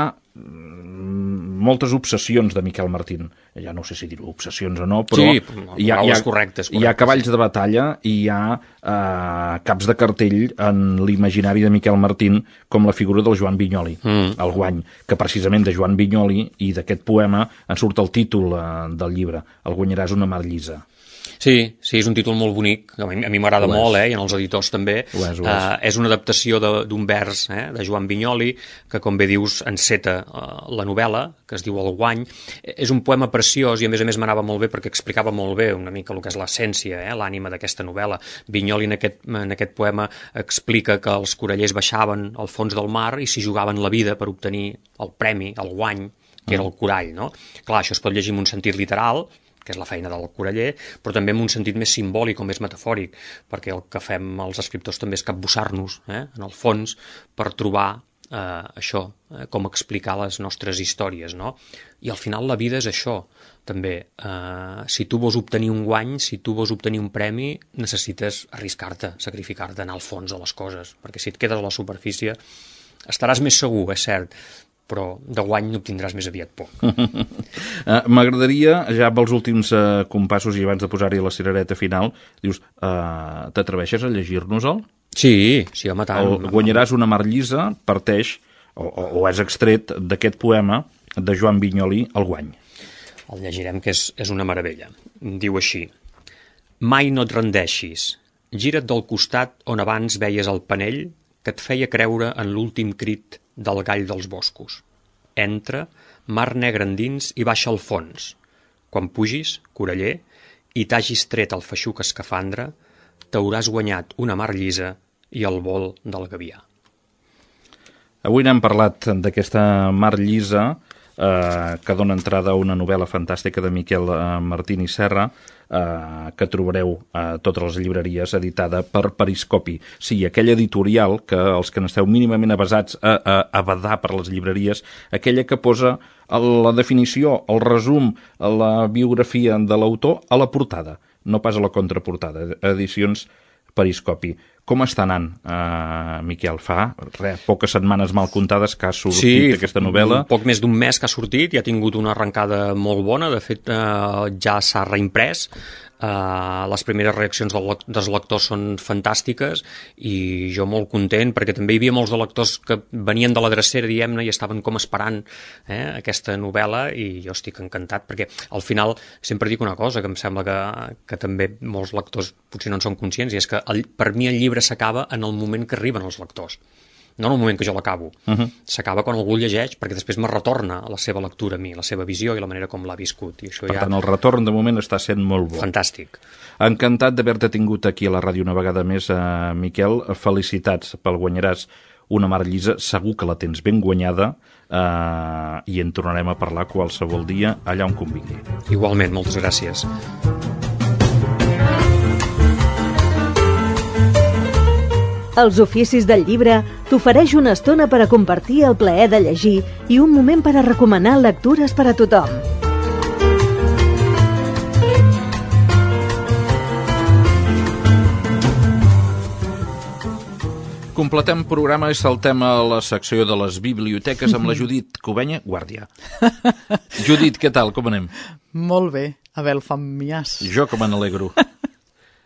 moltes obsessions de Miquel Martín. Ja no sé si dir obsessions o no, però sí, hi, ha, hi, ha, correctes, correctes. Hi ha cavalls de batalla i hi ha eh, caps de cartell en l'imaginari de Miquel Martín com la figura del Joan Vinyoli, mm. el Guany, que precisament de Joan Vinyoli i d'aquest poema en surt el títol eh, del llibre, El guanyaràs una mar llisa. Sí, sí, és un títol molt bonic, a mi, a mi m'agrada molt, eh, i en els editors també. Ho és, ho és. Uh, és una adaptació d'un vers eh, de Joan Vinyoli, que com bé dius enceta uh, la novel·la, que es diu El Guany. És un poema preciós i a més a més m'anava molt bé perquè explicava molt bé una mica el que és l'essència, eh, l'ànima d'aquesta novel·la. Vinyoli en aquest, en aquest poema explica que els corallers baixaven al fons del mar i s'hi jugaven la vida per obtenir el premi, el guany, que era el corall, no? Clar, això es pot llegir en un sentit literal, que és la feina del coraller, però també en un sentit més simbòlic o més metafòric, perquè el que fem els escriptors també és capbussar-nos, eh, en el fons, per trobar eh, això, eh, com explicar les nostres històries, no? I al final la vida és això, també. Eh, si tu vols obtenir un guany, si tu vols obtenir un premi, necessites arriscar-te, sacrificar-te, anar al fons de les coses, perquè si et quedes a la superfície estaràs més segur, és cert, però de guany n'obtindràs més aviat poc. uh, M'agradaria, ja pels últims uh, compassos i abans de posar-hi la cirereta final, dius, uh, t'atreveixes a llegir-nos-el? Sí, sí, home, tant. El Guanyaràs una mar llisa parteix, o, o, o és extret d'aquest poema de Joan Vinyoli, El Guany. El llegirem, que és, és una meravella. Diu així: mai no et rendeixis, gira't del costat on abans veies el panell que et feia creure en l'últim crit del gall dels boscos. Entra, mar negre endins i baixa al fons. Quan pugis, coraller, i t'hagis tret el feixuc escafandre, t'hauràs guanyat una mar llisa i el vol del gavià. Avui n'hem parlat d'aquesta mar llisa, eh, que dona entrada a una novel·la fantàstica de Miquel eh, Martín i Serra, eh, que trobareu a totes les llibreries, editada per Periscopi. Sí, aquella editorial que els que n'esteu mínimament avasats a, a, a badar per les llibreries, aquella que posa la definició, el resum, la biografia de l'autor a la portada, no pas a la contraportada. Edicions Periscopi. Com està anant, uh, Miquel? Fa res, poques setmanes mal comptades que ha sortit sí, aquesta novel·la. Sí, poc més d'un mes que ha sortit i ha tingut una arrencada molt bona. De fet, uh, ja s'ha reimprès. Uh, les primeres reaccions del, dels lectors són fantàstiques i jo molt content, perquè també hi havia molts de lectors que venien de la drecera, diguem-ne, i estaven com esperant eh, aquesta novel·la, i jo estic encantat, perquè al final sempre dic una cosa que em sembla que, que també molts lectors potser no en són conscients, i és que el, per mi el llibre s'acaba en el moment que arriben els lectors, no en el moment que jo l'acabo. Uh-huh. S'acaba quan algú llegeix, perquè després me retorna a la seva lectura a mi, la seva visió i la manera com l'ha viscut. I això per ja... tant, el retorn de moment està sent molt bo. Fantàstic. Encantat d'haver-te tingut aquí a la ràdio una vegada més, eh, Miquel. Felicitats pel Guanyaràs una mar llisa. Segur que la tens ben guanyada eh, i en tornarem a parlar qualsevol dia allà on convingui. Igualment, moltes gràcies. Els Oficis del Llibre t'ofereix una estona per a compartir el plaer de llegir i un moment per a recomanar lectures per a tothom. Completem programa i saltem a la secció de les biblioteques amb la Judit Cubenya, guàrdia. Judit, què tal? Com anem? Molt bé. A veure, el familiars. Jo com me n'alegro.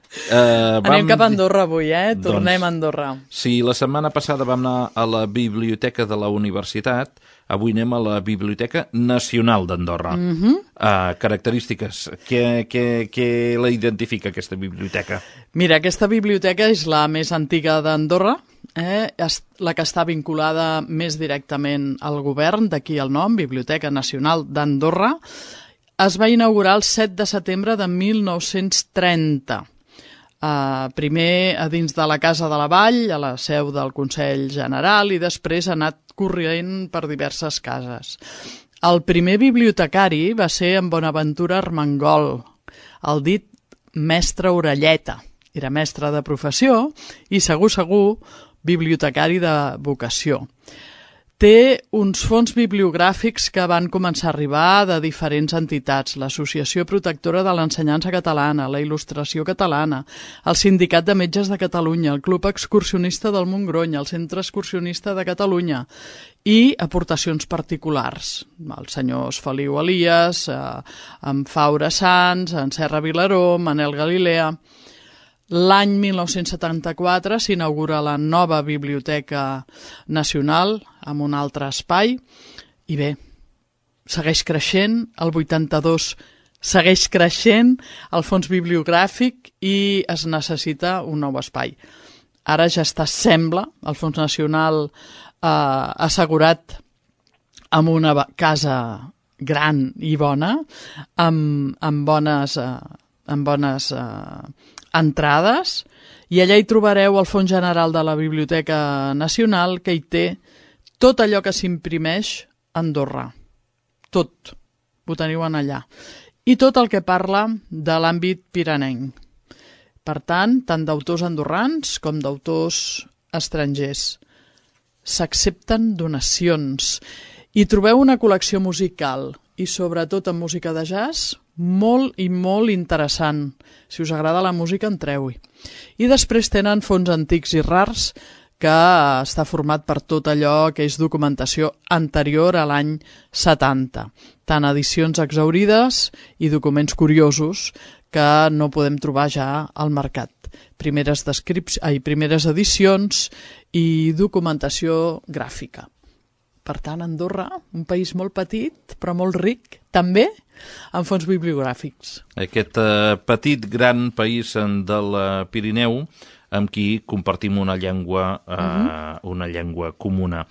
Uh, Anem cap a Andorra avui, eh? Tornem doncs, a Andorra. Sí, la setmana passada vam anar a la biblioteca de la universitat, avui anem a la Biblioteca Nacional d'Andorra. Mm-hmm. uh, característiques, què, què, què la identifica aquesta biblioteca? Mira, aquesta biblioteca és la més antiga d'Andorra, eh? la que està vinculada més directament al govern, d'aquí el nom, Biblioteca Nacional d'Andorra. Es va inaugurar el set de setembre de mil nou-cents trenta. Uh, primer a dins de la Casa de la Vall, a la seu del Consell General, i després ha anat corrent per diverses cases. El primer bibliotecari va ser en Bonaventura Armengol, el dit mestre Orelleta. Era mestre de professió i segur, segur, bibliotecari de vocació. Té uns fons bibliogràfics que van començar a arribar de diferents entitats, l'Associació Protectora de l'Ensenyança Catalana, la Il·lustració Catalana, el Sindicat de Metges de Catalunya, el Club Excursionista del Montgrony, el Centre Excursionista de Catalunya i aportacions particulars. Els senyors Feliu Elias, eh, en Faura Sans, en Serra Vilaró, Manel Galilea. L'any mil nou-cents setanta-quatre s'inaugura la nova Biblioteca Nacional amb un altre espai i bé, segueix creixent, el vuitanta-dos segueix creixent el fons bibliogràfic i es necessita un nou espai. Ara ja està, sembla, el Fons Nacional eh, assegurat amb una casa gran i bona, amb, amb bones, eh, amb bones eh, entrades, i allà hi trobareu el Fons General de la Biblioteca Nacional, que hi té tot allò que s'imprimeix a Andorra. Tot. Ho teniu en allà. I tot el que parla de l'àmbit piranenc. Per tant, tant d'autors andorrans com d'autors estrangers. S'accepten donacions. Hi trobeu una col·lecció musical i sobretot en música de jazz molt i molt interessant. Si us agrada la música, entreu-hi. I després tenen fons antics i rars que està format per tot allò que és documentació anterior a l'any setanta. Tant edicions exhaurides i documents curiosos que no podem trobar ja al mercat. Primeres, descrips... Ai, primeres edicions i documentació gràfica. Per tant, Andorra, un país molt petit, però molt ric, també, en fons bibliogràfics. Aquest eh, petit, gran país del Pirineu, amb qui compartim una llengua, eh, uh-huh. una llengua comuna.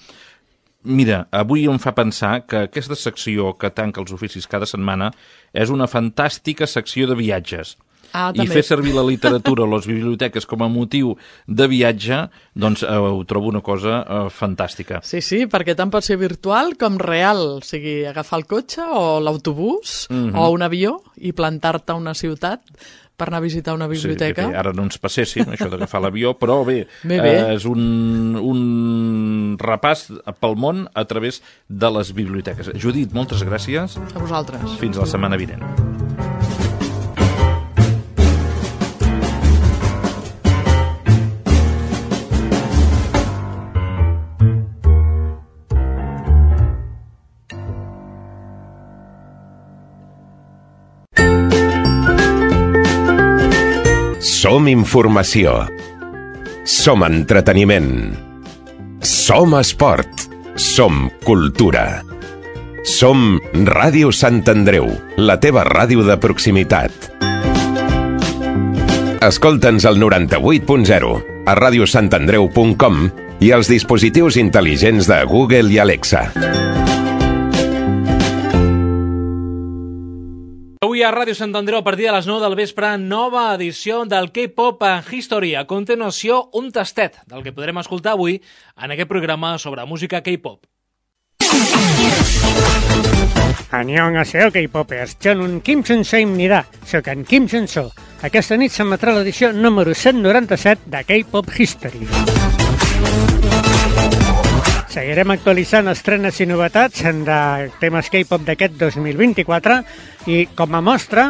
Mira, avui em fa pensar que aquesta secció que tanca els oficis cada setmana és una fantàstica secció de viatges. Ah, i fer servir la literatura o les biblioteques com a motiu de viatge, doncs eh, ho trobo una cosa eh, fantàstica. Sí, sí, perquè tant pot ser virtual com real, o sigui, agafar el cotxe o l'autobús mm-hmm. o un avió i plantar-te a una ciutat per anar a visitar una biblioteca. Sí, ara no ens passéssim, això d'agafar l'avió, però bé, bé, bé. Eh, és un, un repàs pel món a través de les biblioteques. Judit, moltes gràcies. A vosaltres. Fins la setmana vinent. Som informació. Som entreteniment. Som esport. Som cultura. Som Ràdio Sant Andreu, la teva ràdio de proximitat. Escolta'ns al noranta-vuit punt zero, a radio sant andreu punt com i als dispositius intel·ligents de Google i Alexa. Avui a Ràdio Sant Andreu, a partir de les nou del vespre, nova edició del K-Pop History. A continuació, un tastet del que podrem escoltar avui en aquest programa sobre música K-Pop. Annyeonghaseyo, K-Popers. Jönun Kim Chun-seimnida. Soc en Kim Chun-so. Aquesta nit s'emetrà l'edició número cent noranta-set de K-Pop History. Seguirem actualitzant estrenes i novetats de temes K-pop d'aquest dos mil vint-i-quatre i com a mostra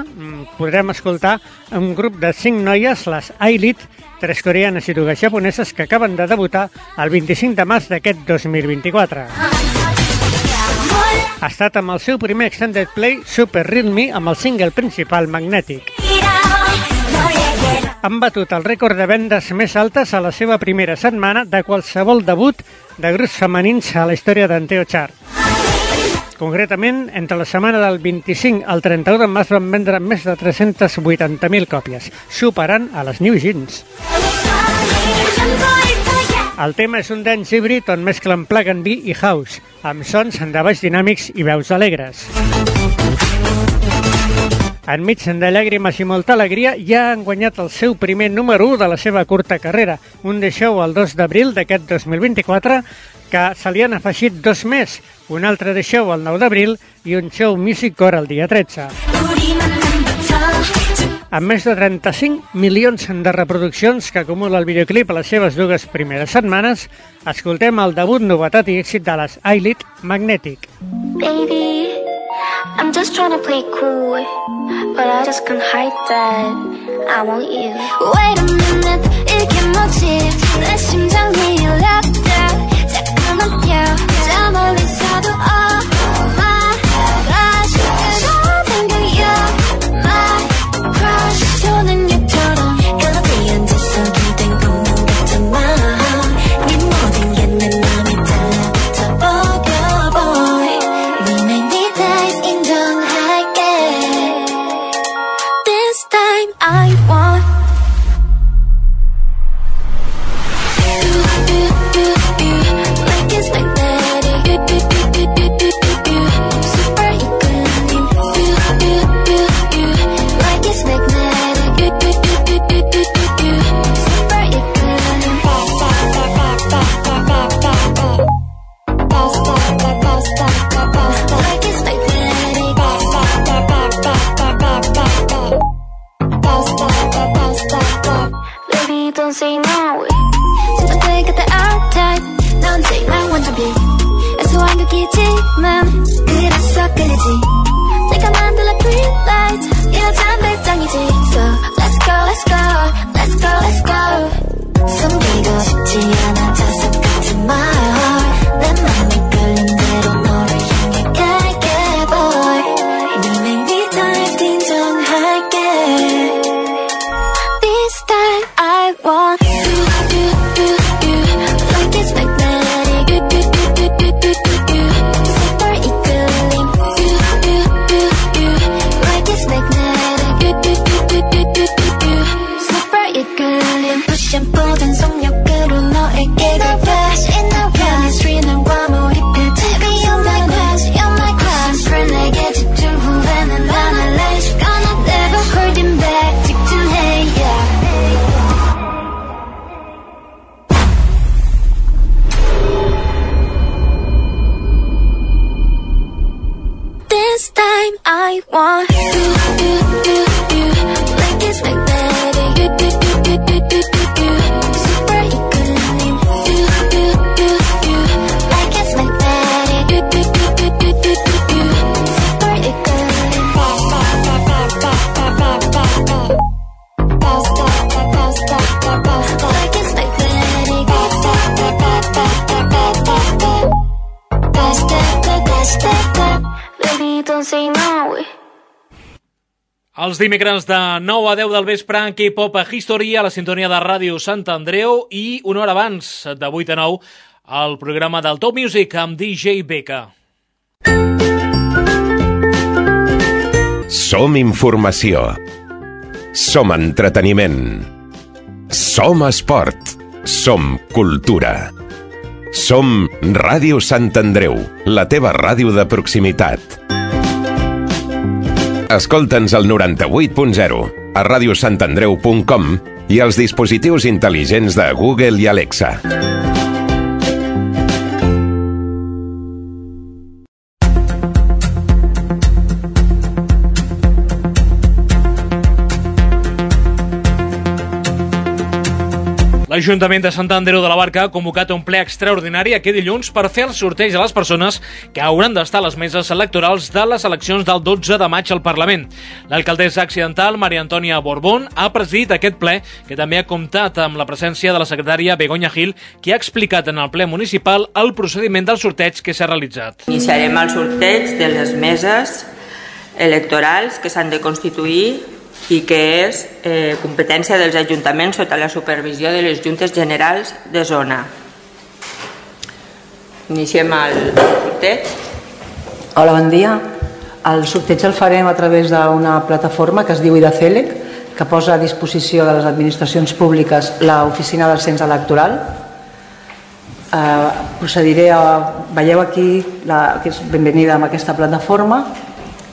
podrem escoltar un grup de cinc noies, les I-Lit, tres coreanes i dues japoneses que acaben de debutar el vint-i-cinc de març d'aquest dos mil vint-i-quatre. Ha estat amb el seu primer extended play Super Real Me amb el single principal Magnetic. Han batut el rècord de vendes més altes a la seva primera setmana de qualsevol debut de grups femenins a la història d'Anteo Chart. Concretament, entre la setmana del vint-i-cinc al trenta-u de març van vendre més de tres-centes vuitanta mil còpies, superant a les New Jeans. El tema és un dance híbrid on mesclen plug and be i house, amb sons de baix dinàmics i veus alegres. Enmig de llàgrimes i molta alegria, ja han guanyat el seu primer número u de la seva curta carrera, un de show el dos d'abril d'aquest dos mil vint-i-quatre, que se li han afegit dos més, un altre de show el nou d'abril i un show Music Core el dia tretze. Amb més de trenta-cinc milions de reproduccions que acumula el videoclip a les seves dues primeres setmanes, escoltem el debut, novetat i èxit de les I-Lit, Magnetic. Baby, I'm just trying to play cool, but I just can't hide that I want you. Wait a minute, 이게 뭐지? 내 심장이 열렸다. 잠깐만요, 저 멀리서도 oh my gosh, 그런 생각이야 my crush. 저는 얘처럼 그렇게 앉아서 기댄 것만 같지만 네 모든 게 내 맘에 달라붙어 boy. We make me dive 인정할게. This time I want don't say no. 진짜 그때 our type. 넌 정말 완전 B. 애소한 극이지만 그래서 끌리지. 내가 만들어 green light. 이러잔 배짱이지. So let's go, let's go, let's go, let's go. 숨기고 싶지 않아 자석 같은 말. 내 맘이 끌린 대로 너를 향해 갈게 boy. We make me dive 인정할게. This time I want you, you, you, you. Like it's magnetic. You, you, you, you, you, you, you. Super 이끌림. You, you, you, you. Like it's magnetic. You, you, you, you, you, you, you. Super 이끌림. Push and pull 된 속력으로 너에게 가 flash in the chemistry 너와 몰입해. Baby you're my crush, you're my crush. 그래 내게 집중 후에는 난 할래. Gonna never holding back. 직진해 yeah. This time I want you, you, you, you. Like it's magnetic. You, you, you, you, you, you, you. Super 이끌림. You, you, you, you. Like it's magnetic. You, you, you, you, you, you, you. Super 이끌림. Fast, fast, fast, fast, fast, fast, fast, fast, fast, fast. Like it's magnetic. Fast, fast, fast, fast, fast, fast. Fast, fast, fast, fast. Baby, don't say no. Els dimecres de nou a deu del vespre en K-pop a History a la sintonia de Ràdio Sant Andreu i una hora abans, de vuit a nou, el programa del Top Music amb D J Becca. Som informació. Som entreteniment. Som esport. Som cultura. Som Ràdio Sant Andreu, la teva ràdio de proximitat. Escolta'ns al noranta-vuit punt zero, a radiosantandreu punt com i als dispositius intel·ligents de Google i Alexa. La L'Ajuntament de Sant Andreu de la Barca ha convocat un ple extraordinari aquest dilluns per fer el sorteig de les persones que hauran d'estar a les meses electorals de les eleccions del dotze de maig al Parlament. L'alcaldessa accidental, Maria Antònia Borbón, ha presidit aquest ple, que també ha comptat amb la presència de la secretària Begoña Gil, que ha explicat en el ple municipal el procediment del sorteig que s'ha realitzat. Iniciarem el sorteig de les meses electorals que s'han de constituir i que és eh, competència dels ajuntaments sota la supervisió de les Juntes Generals de Zona. Iniciem el sorteig. Hola, bon dia. El sorteig el farem a través d'una plataforma que es diu IDACELEC, que posa a disposició de les administracions públiques l'oficina del cens electoral. Eh, procediré a... Veieu aquí, la, que és benvenida amb aquesta plataforma,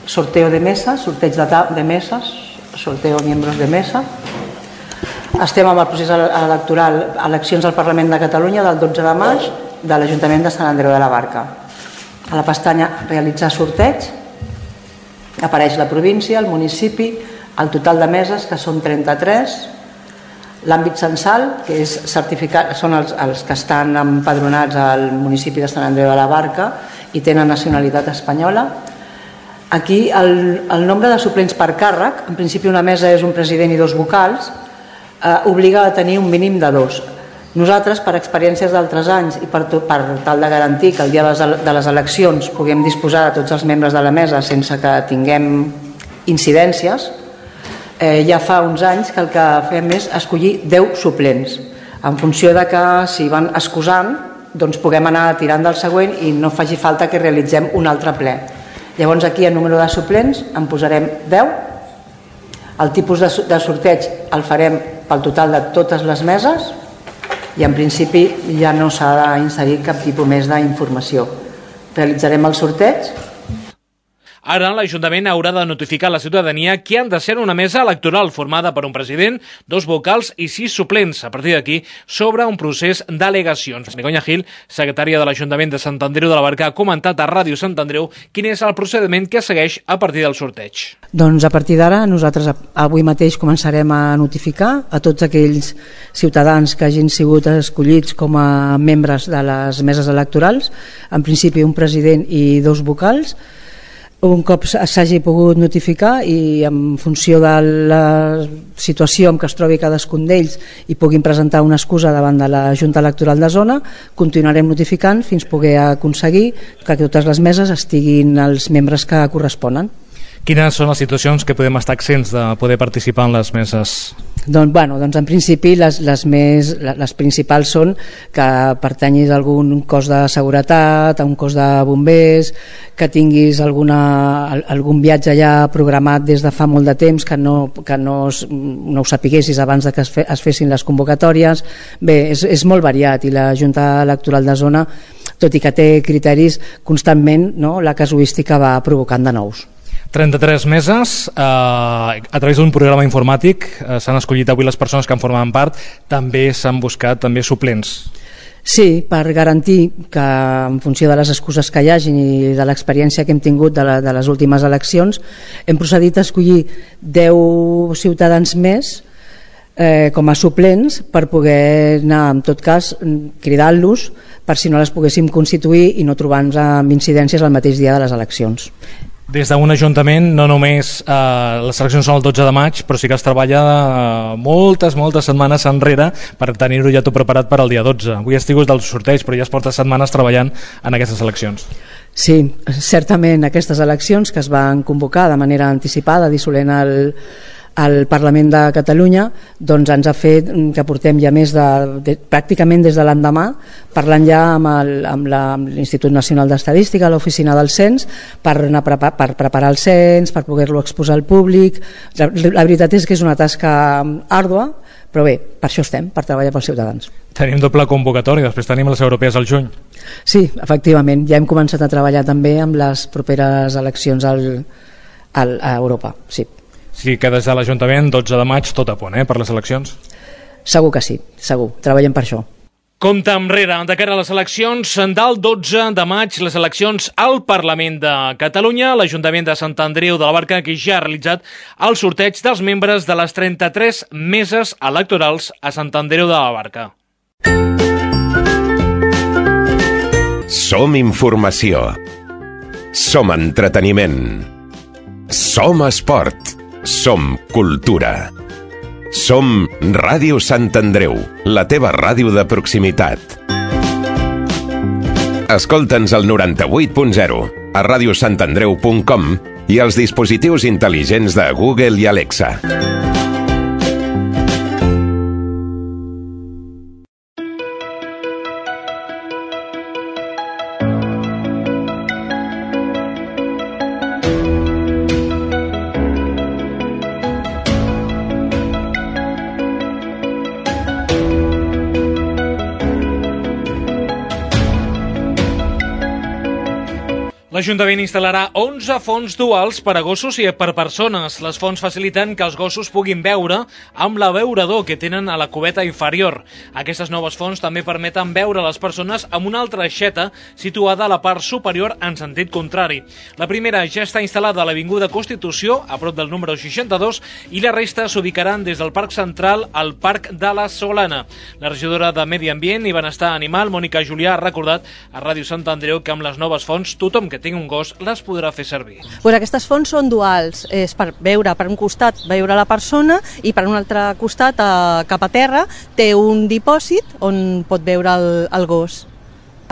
sorteo de mesa, sorteig de, de meses, sorteo miembros de mesa. Estem amb el procés electoral, eleccions al Parlament de Catalunya del dotze de maig de l'Ajuntament de Sant Andreu de la Barca. A la pestanya realitzar sorteig apareix la província, el municipi, el total de meses, que són trenta-tres, l'àmbit censal, que és certificat, són els, els que estan empadronats al municipi de Sant Andreu de la Barca i tenen nacionalitat espanyola. Aquí el, el nombre de suplents per càrrec, en principi una mesa és un president i dos vocals, eh, obliga a tenir un mínim de dos. Nosaltres, per experiències d'altres anys i per, per tal de garantir que el dia de les eleccions puguem disposar de tots els membres de la mesa sense que tinguem incidències, eh, ja fa uns anys que el que fem és escollir deu suplents. En funció de que si van excusant, doncs puguem anar tirant del següent i no faci falta que realitzem un altre ple. Llavors aquí el número de suplents en posarem deu. El tipus de, de sorteig el farem pel total de totes les meses i en principi ja no s'ha d'inserir cap tipus més d'informació. Realitzarem el sorteig. Ara l'Ajuntament haurà de notificar a la ciutadania qui han de ser una mesa electoral formada per un president, dos vocals i sis suplents. A partir d'aquí s'obre un procés d'al·legacions. Begoña Gil, secretària de l'Ajuntament de Sant Andreu de la Barca, ha comentat a Ràdio Sant Andreu quin és el procediment que es segueix a partir del sorteig. Doncs a partir d'ara nosaltres avui mateix començarem a notificar a tots aquells ciutadans que hagin sigut escollits com a membres de les meses electorals, en principi un president i dos vocals. Un cop s'hagi pogut notificar i en funció de la situació en què es trobi cadascun d'ells i puguin presentar una excusa davant de la Junta Electoral de Zona, continuarem notificant fins poder aconseguir que totes les meses estiguin els membres que corresponen. Quines són les situacions que podem estar accents de poder participar en les meses? Doncs, bueno, doncs en principi les, les, més, les principals són que pertanyis a algun cos de seguretat, a un cos de bombers, que tinguis alguna, algun viatge ja programat des de fa molt de temps, que no, que no, no ho sapiguessis abans de que es, fe, es fessin les convocatòries. Bé, és, és molt variat i la Junta Electoral de Zona, tot i que té criteris constantment, no, la casuística va provocant de nous. trenta-tres meses, eh, a través d'un programa informàtic eh, s'han escollit avui les persones que en formaven part, també s'han buscat també suplents. Sí, per garantir que en funció de les excuses que hi hagin i de l'experiència que hem tingut de, la, de les últimes eleccions, hem procedit a escollir deu ciutadans més eh, com a suplents per poder anar, en tot cas, cridant-los per si no les poguéssim constituir i no trobar-nos amb incidències el mateix dia de les eleccions. Des d'un ajuntament no només eh, les eleccions són el dotze de maig, però sí que es treballa eh, moltes, moltes setmanes enrere per tenir-ho ja tot preparat per al dia dotze. Avui has tingut del sorteig, però ja es porta setmanes treballant en aquestes eleccions. Sí, certament aquestes eleccions que es van convocar de manera anticipada, dissolent el, el Parlament de Catalunya, doncs ens ha fet que portem ja més de, de pràcticament des de l'endemà parlant ja amb, el, amb, la, amb l'Institut Nacional d'Estadística, l'Oficina del Cens, per, anar prepa, per preparar el cens, per poder-lo exposar al públic. La, la veritat és que és una tasca àrdua, però bé, per això estem, per treballar pels ciutadans. Tenim doble convocatòria, després tenim les europees al juny. Sí, efectivament, ja hem començat a treballar també amb les properes eleccions al, al, a Europa, sí. Sí que des de l'Ajuntament, dotze de maig, tot a punt, eh, per les eleccions? Segur que sí, segur, treballem per això. Compte enrere, de cara a les eleccions del dotze de maig, les eleccions al Parlament de Catalunya, l'Ajuntament de Sant Andreu de la Barca, que ja ha realitzat el sorteig dels membres de les trenta-tres meses electorals a Sant Andreu de la Barca. Som informació. Som entreteniment. Som esport. Som cultura. Som Ràdio Sant Andreu, la teva ràdio de proximitat. Escolta'ns al noranta-vuit punt zero, a ràdio sant andreu punt com i als dispositius intel·ligents de Google i Alexa. L'Ajuntament instal·larà onze fonts duals per a gossos i per persones. Les fonts faciliten que els gossos puguin beure amb l'abeurador que tenen a la cubeta inferior. Aquestes noves fonts també permeten beure les persones amb una altra aixeta situada a la part superior en sentit contrari. La primera ja està instal·lada a l'Avinguda Constitució, a prop del número seixanta-dos, i la resta s'ubicaran des del Parc Central al Parc de la Solana. La regidora de Medi Ambient i Benestar Animal, Mònica Julià, ha recordat a Ràdio Sant Andreu que amb les noves fonts tothom que tingui un gos les podrà fer servir. Pues aquestes fonts són duals, és per veure per un costat veure la persona i per un altre costat eh, cap a terra té un dipòsit on pot veure el, el gos.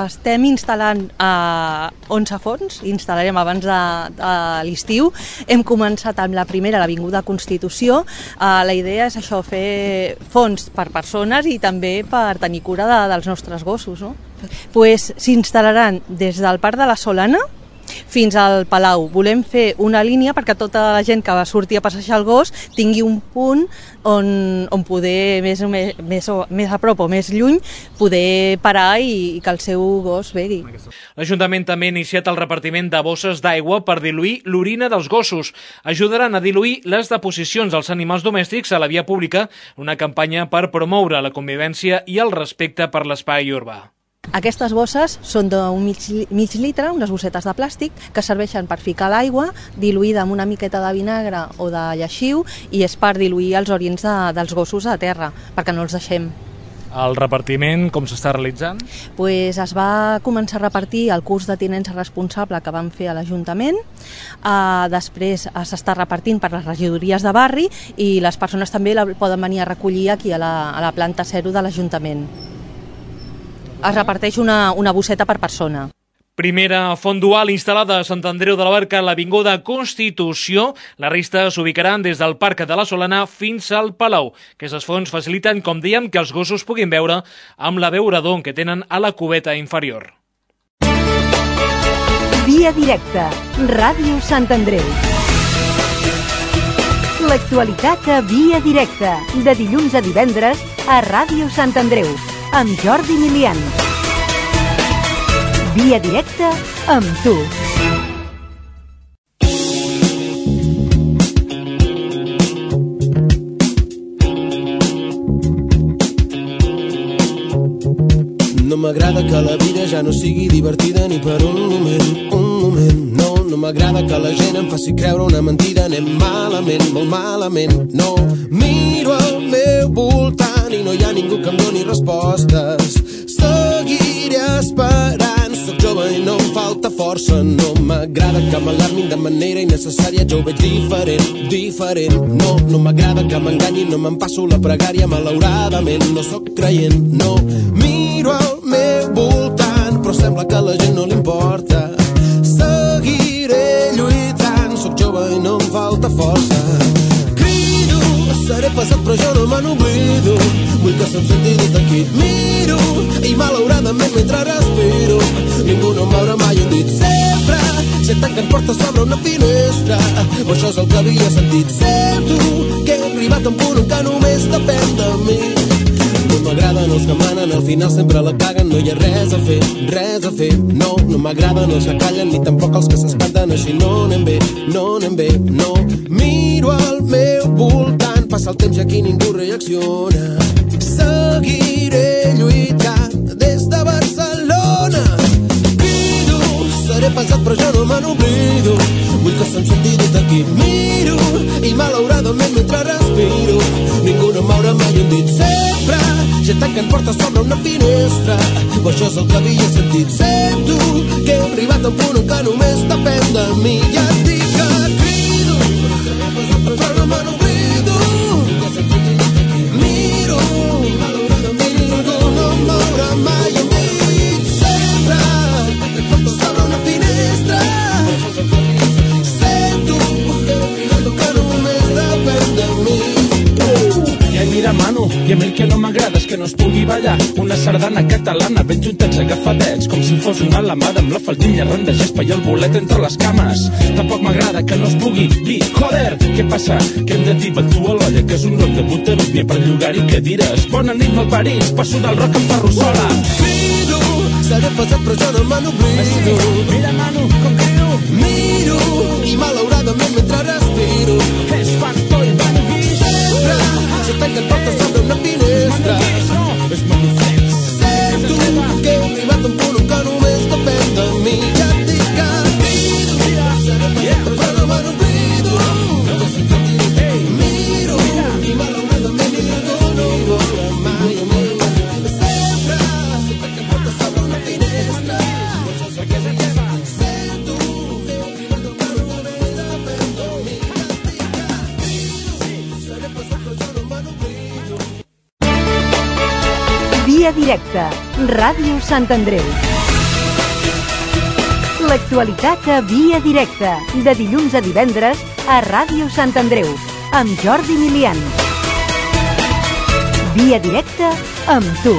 Estem instal·lant eh, onze fonts, instal·larem abans de, de l'estiu. Hem començat amb la primera a l'Avinguda Constitució. Eh, la idea és això, fer fonts per persones i també per tenir cura de, dels nostres gossos. No? Pues, s'instal·laran des del Parc de la Solana fins al Palau. Volem fer una línia perquè tota la gent que va sortir a passejar el gos tingui un punt on, on poder, més, més, més, més a prop o més lluny, poder parar i, i que el seu gos begui. L'Ajuntament també ha iniciat el repartiment de bosses d'aigua per diluir l'orina dels gossos. Ajudaran a diluir les deposicions dels animals domèstics a la via pública, una campanya per promoure la convivència i el respecte per l'espai urbà. Aquestes bosses són d'un mig, mig litre, unes bossetes de plàstic, que serveixen per ficar l'aigua diluïda amb una miqueta de vinagre o de lleixiu i és per diluir els orins de, dels gossos a terra, perquè no els deixem. El repartiment, com s'està realitzant? Pues es va començar a repartir el curs de tinença responsable que vam fer a l'Ajuntament, uh, després s'està repartint per les regidories de barri i les persones també la poden venir a recollir aquí a la, a la planta zero de l'Ajuntament. Es reparteix una, una bosseta per persona. Primera font dual instal·lada a Sant Andreu de la Barca a l'Avinguda Constitució. La resta s'ubicaran des del Parc de la Solana fins al Palau. Aquestes fonts faciliten, com dèiem, que els gossos puguin beure amb l'abeurador que tenen a la cubeta inferior. Via directa, Ràdio Sant Andreu. L'actualitat a Via directa, de dilluns a divendres a Ràdio Sant Andreu, amb Jordi Milian. Via directa amb tu. No m'agrada que la vida ja no sigui divertida ni per un moment, un moment. No, no m'agrada que la gent em faci creure una mentida. Anem malament, molt malament. No, miro al meu voltant i no hi ha ningú que em doni respostes. Seguiré esperant, soc jove i no em falta força. No m'agrada que m'alarmin de manera innecessària, jo ho veig diferent, diferent. No, no m'agrada que m'enganyin, no me'n passo la pregària, malauradament no sóc creient. No, miro al meu voltant, però sembla que a la gent no li importa. Seguiré lluitant, soc jove i no em falta força. Crido, seré pesat però jo no me n'oblido. Vull que se'm senti des d'aquí. Miro i malauradament mentre respiro ningú no m'haurà mai un dit. Sempre sé tancant portes sobre una finestra, o això és el que havia sentit. Sento que he arribat a un punt en què només depèn de mi. No m'agraden els que manen, al final sempre la caguen. No hi ha res a fer, res a fer. No, no m'agraden els que callen, ni tampoc els que s'espanten. Així no anem bé, no anem bé, no. Miro al meu voltant, passa el temps i aquí ningú reacciona. Seguiré lluitant des de Barcelona. Crido, seré pesat però jo no me n'oblido. Vull que se'm senti des d'aquí. Miro i malauradament mentre respiro ningú no m'haurà mai un dit. Sempre si tanquen portes sobre una finestra, o això és el que havia sentit. Sento que he arribat al punt en què només depèn de mi. Ja et dic que crido, però no me n'oblido. Miro, ningú no em veurà mai a mi. Sempre sobre una finestra, sento que només depèn de mi. I ai, mira, mano, i a mi el que no m'agrada és que no es pugui ballar una sardana catalana ben juntats agafadets, com si fos una lamada amb la faldilla ran de gespa i el bolet entre les cames. Tampoc m'agrada que no es pugui dir, joder, què passa? Que hem de dir batu a l'olla, que és un rock de Buterus, n'hi ha per llogar-hi cadires. Bona nit, malparits, passo del rock amb ferrussola. Crido, seré pesat però jo no me n'oblido. Mira, mano, com crido. Miro, i malauradament mentre respiro és factor i vanguix. Sempre se tanquen portes sobre una finestra, és manifest. Sento que he arribat a un punt en què només depèn de mi. Ja et dic que crido, seré pesat però no me n'oblido. Miro, i malauradament ningú no em veurà mai a mi. Sempre se tanquen portes sobre una finestra, sento que he arribat a un punt en què només depèn de mi. Seré pesat però jo no me n'oblido. Via directa, Ràdio Sant Andreu. L'actualitat a Via directa, de dilluns a divendres a Ràdio Sant Andreu, amb Jordi Milian. Via directa amb tu.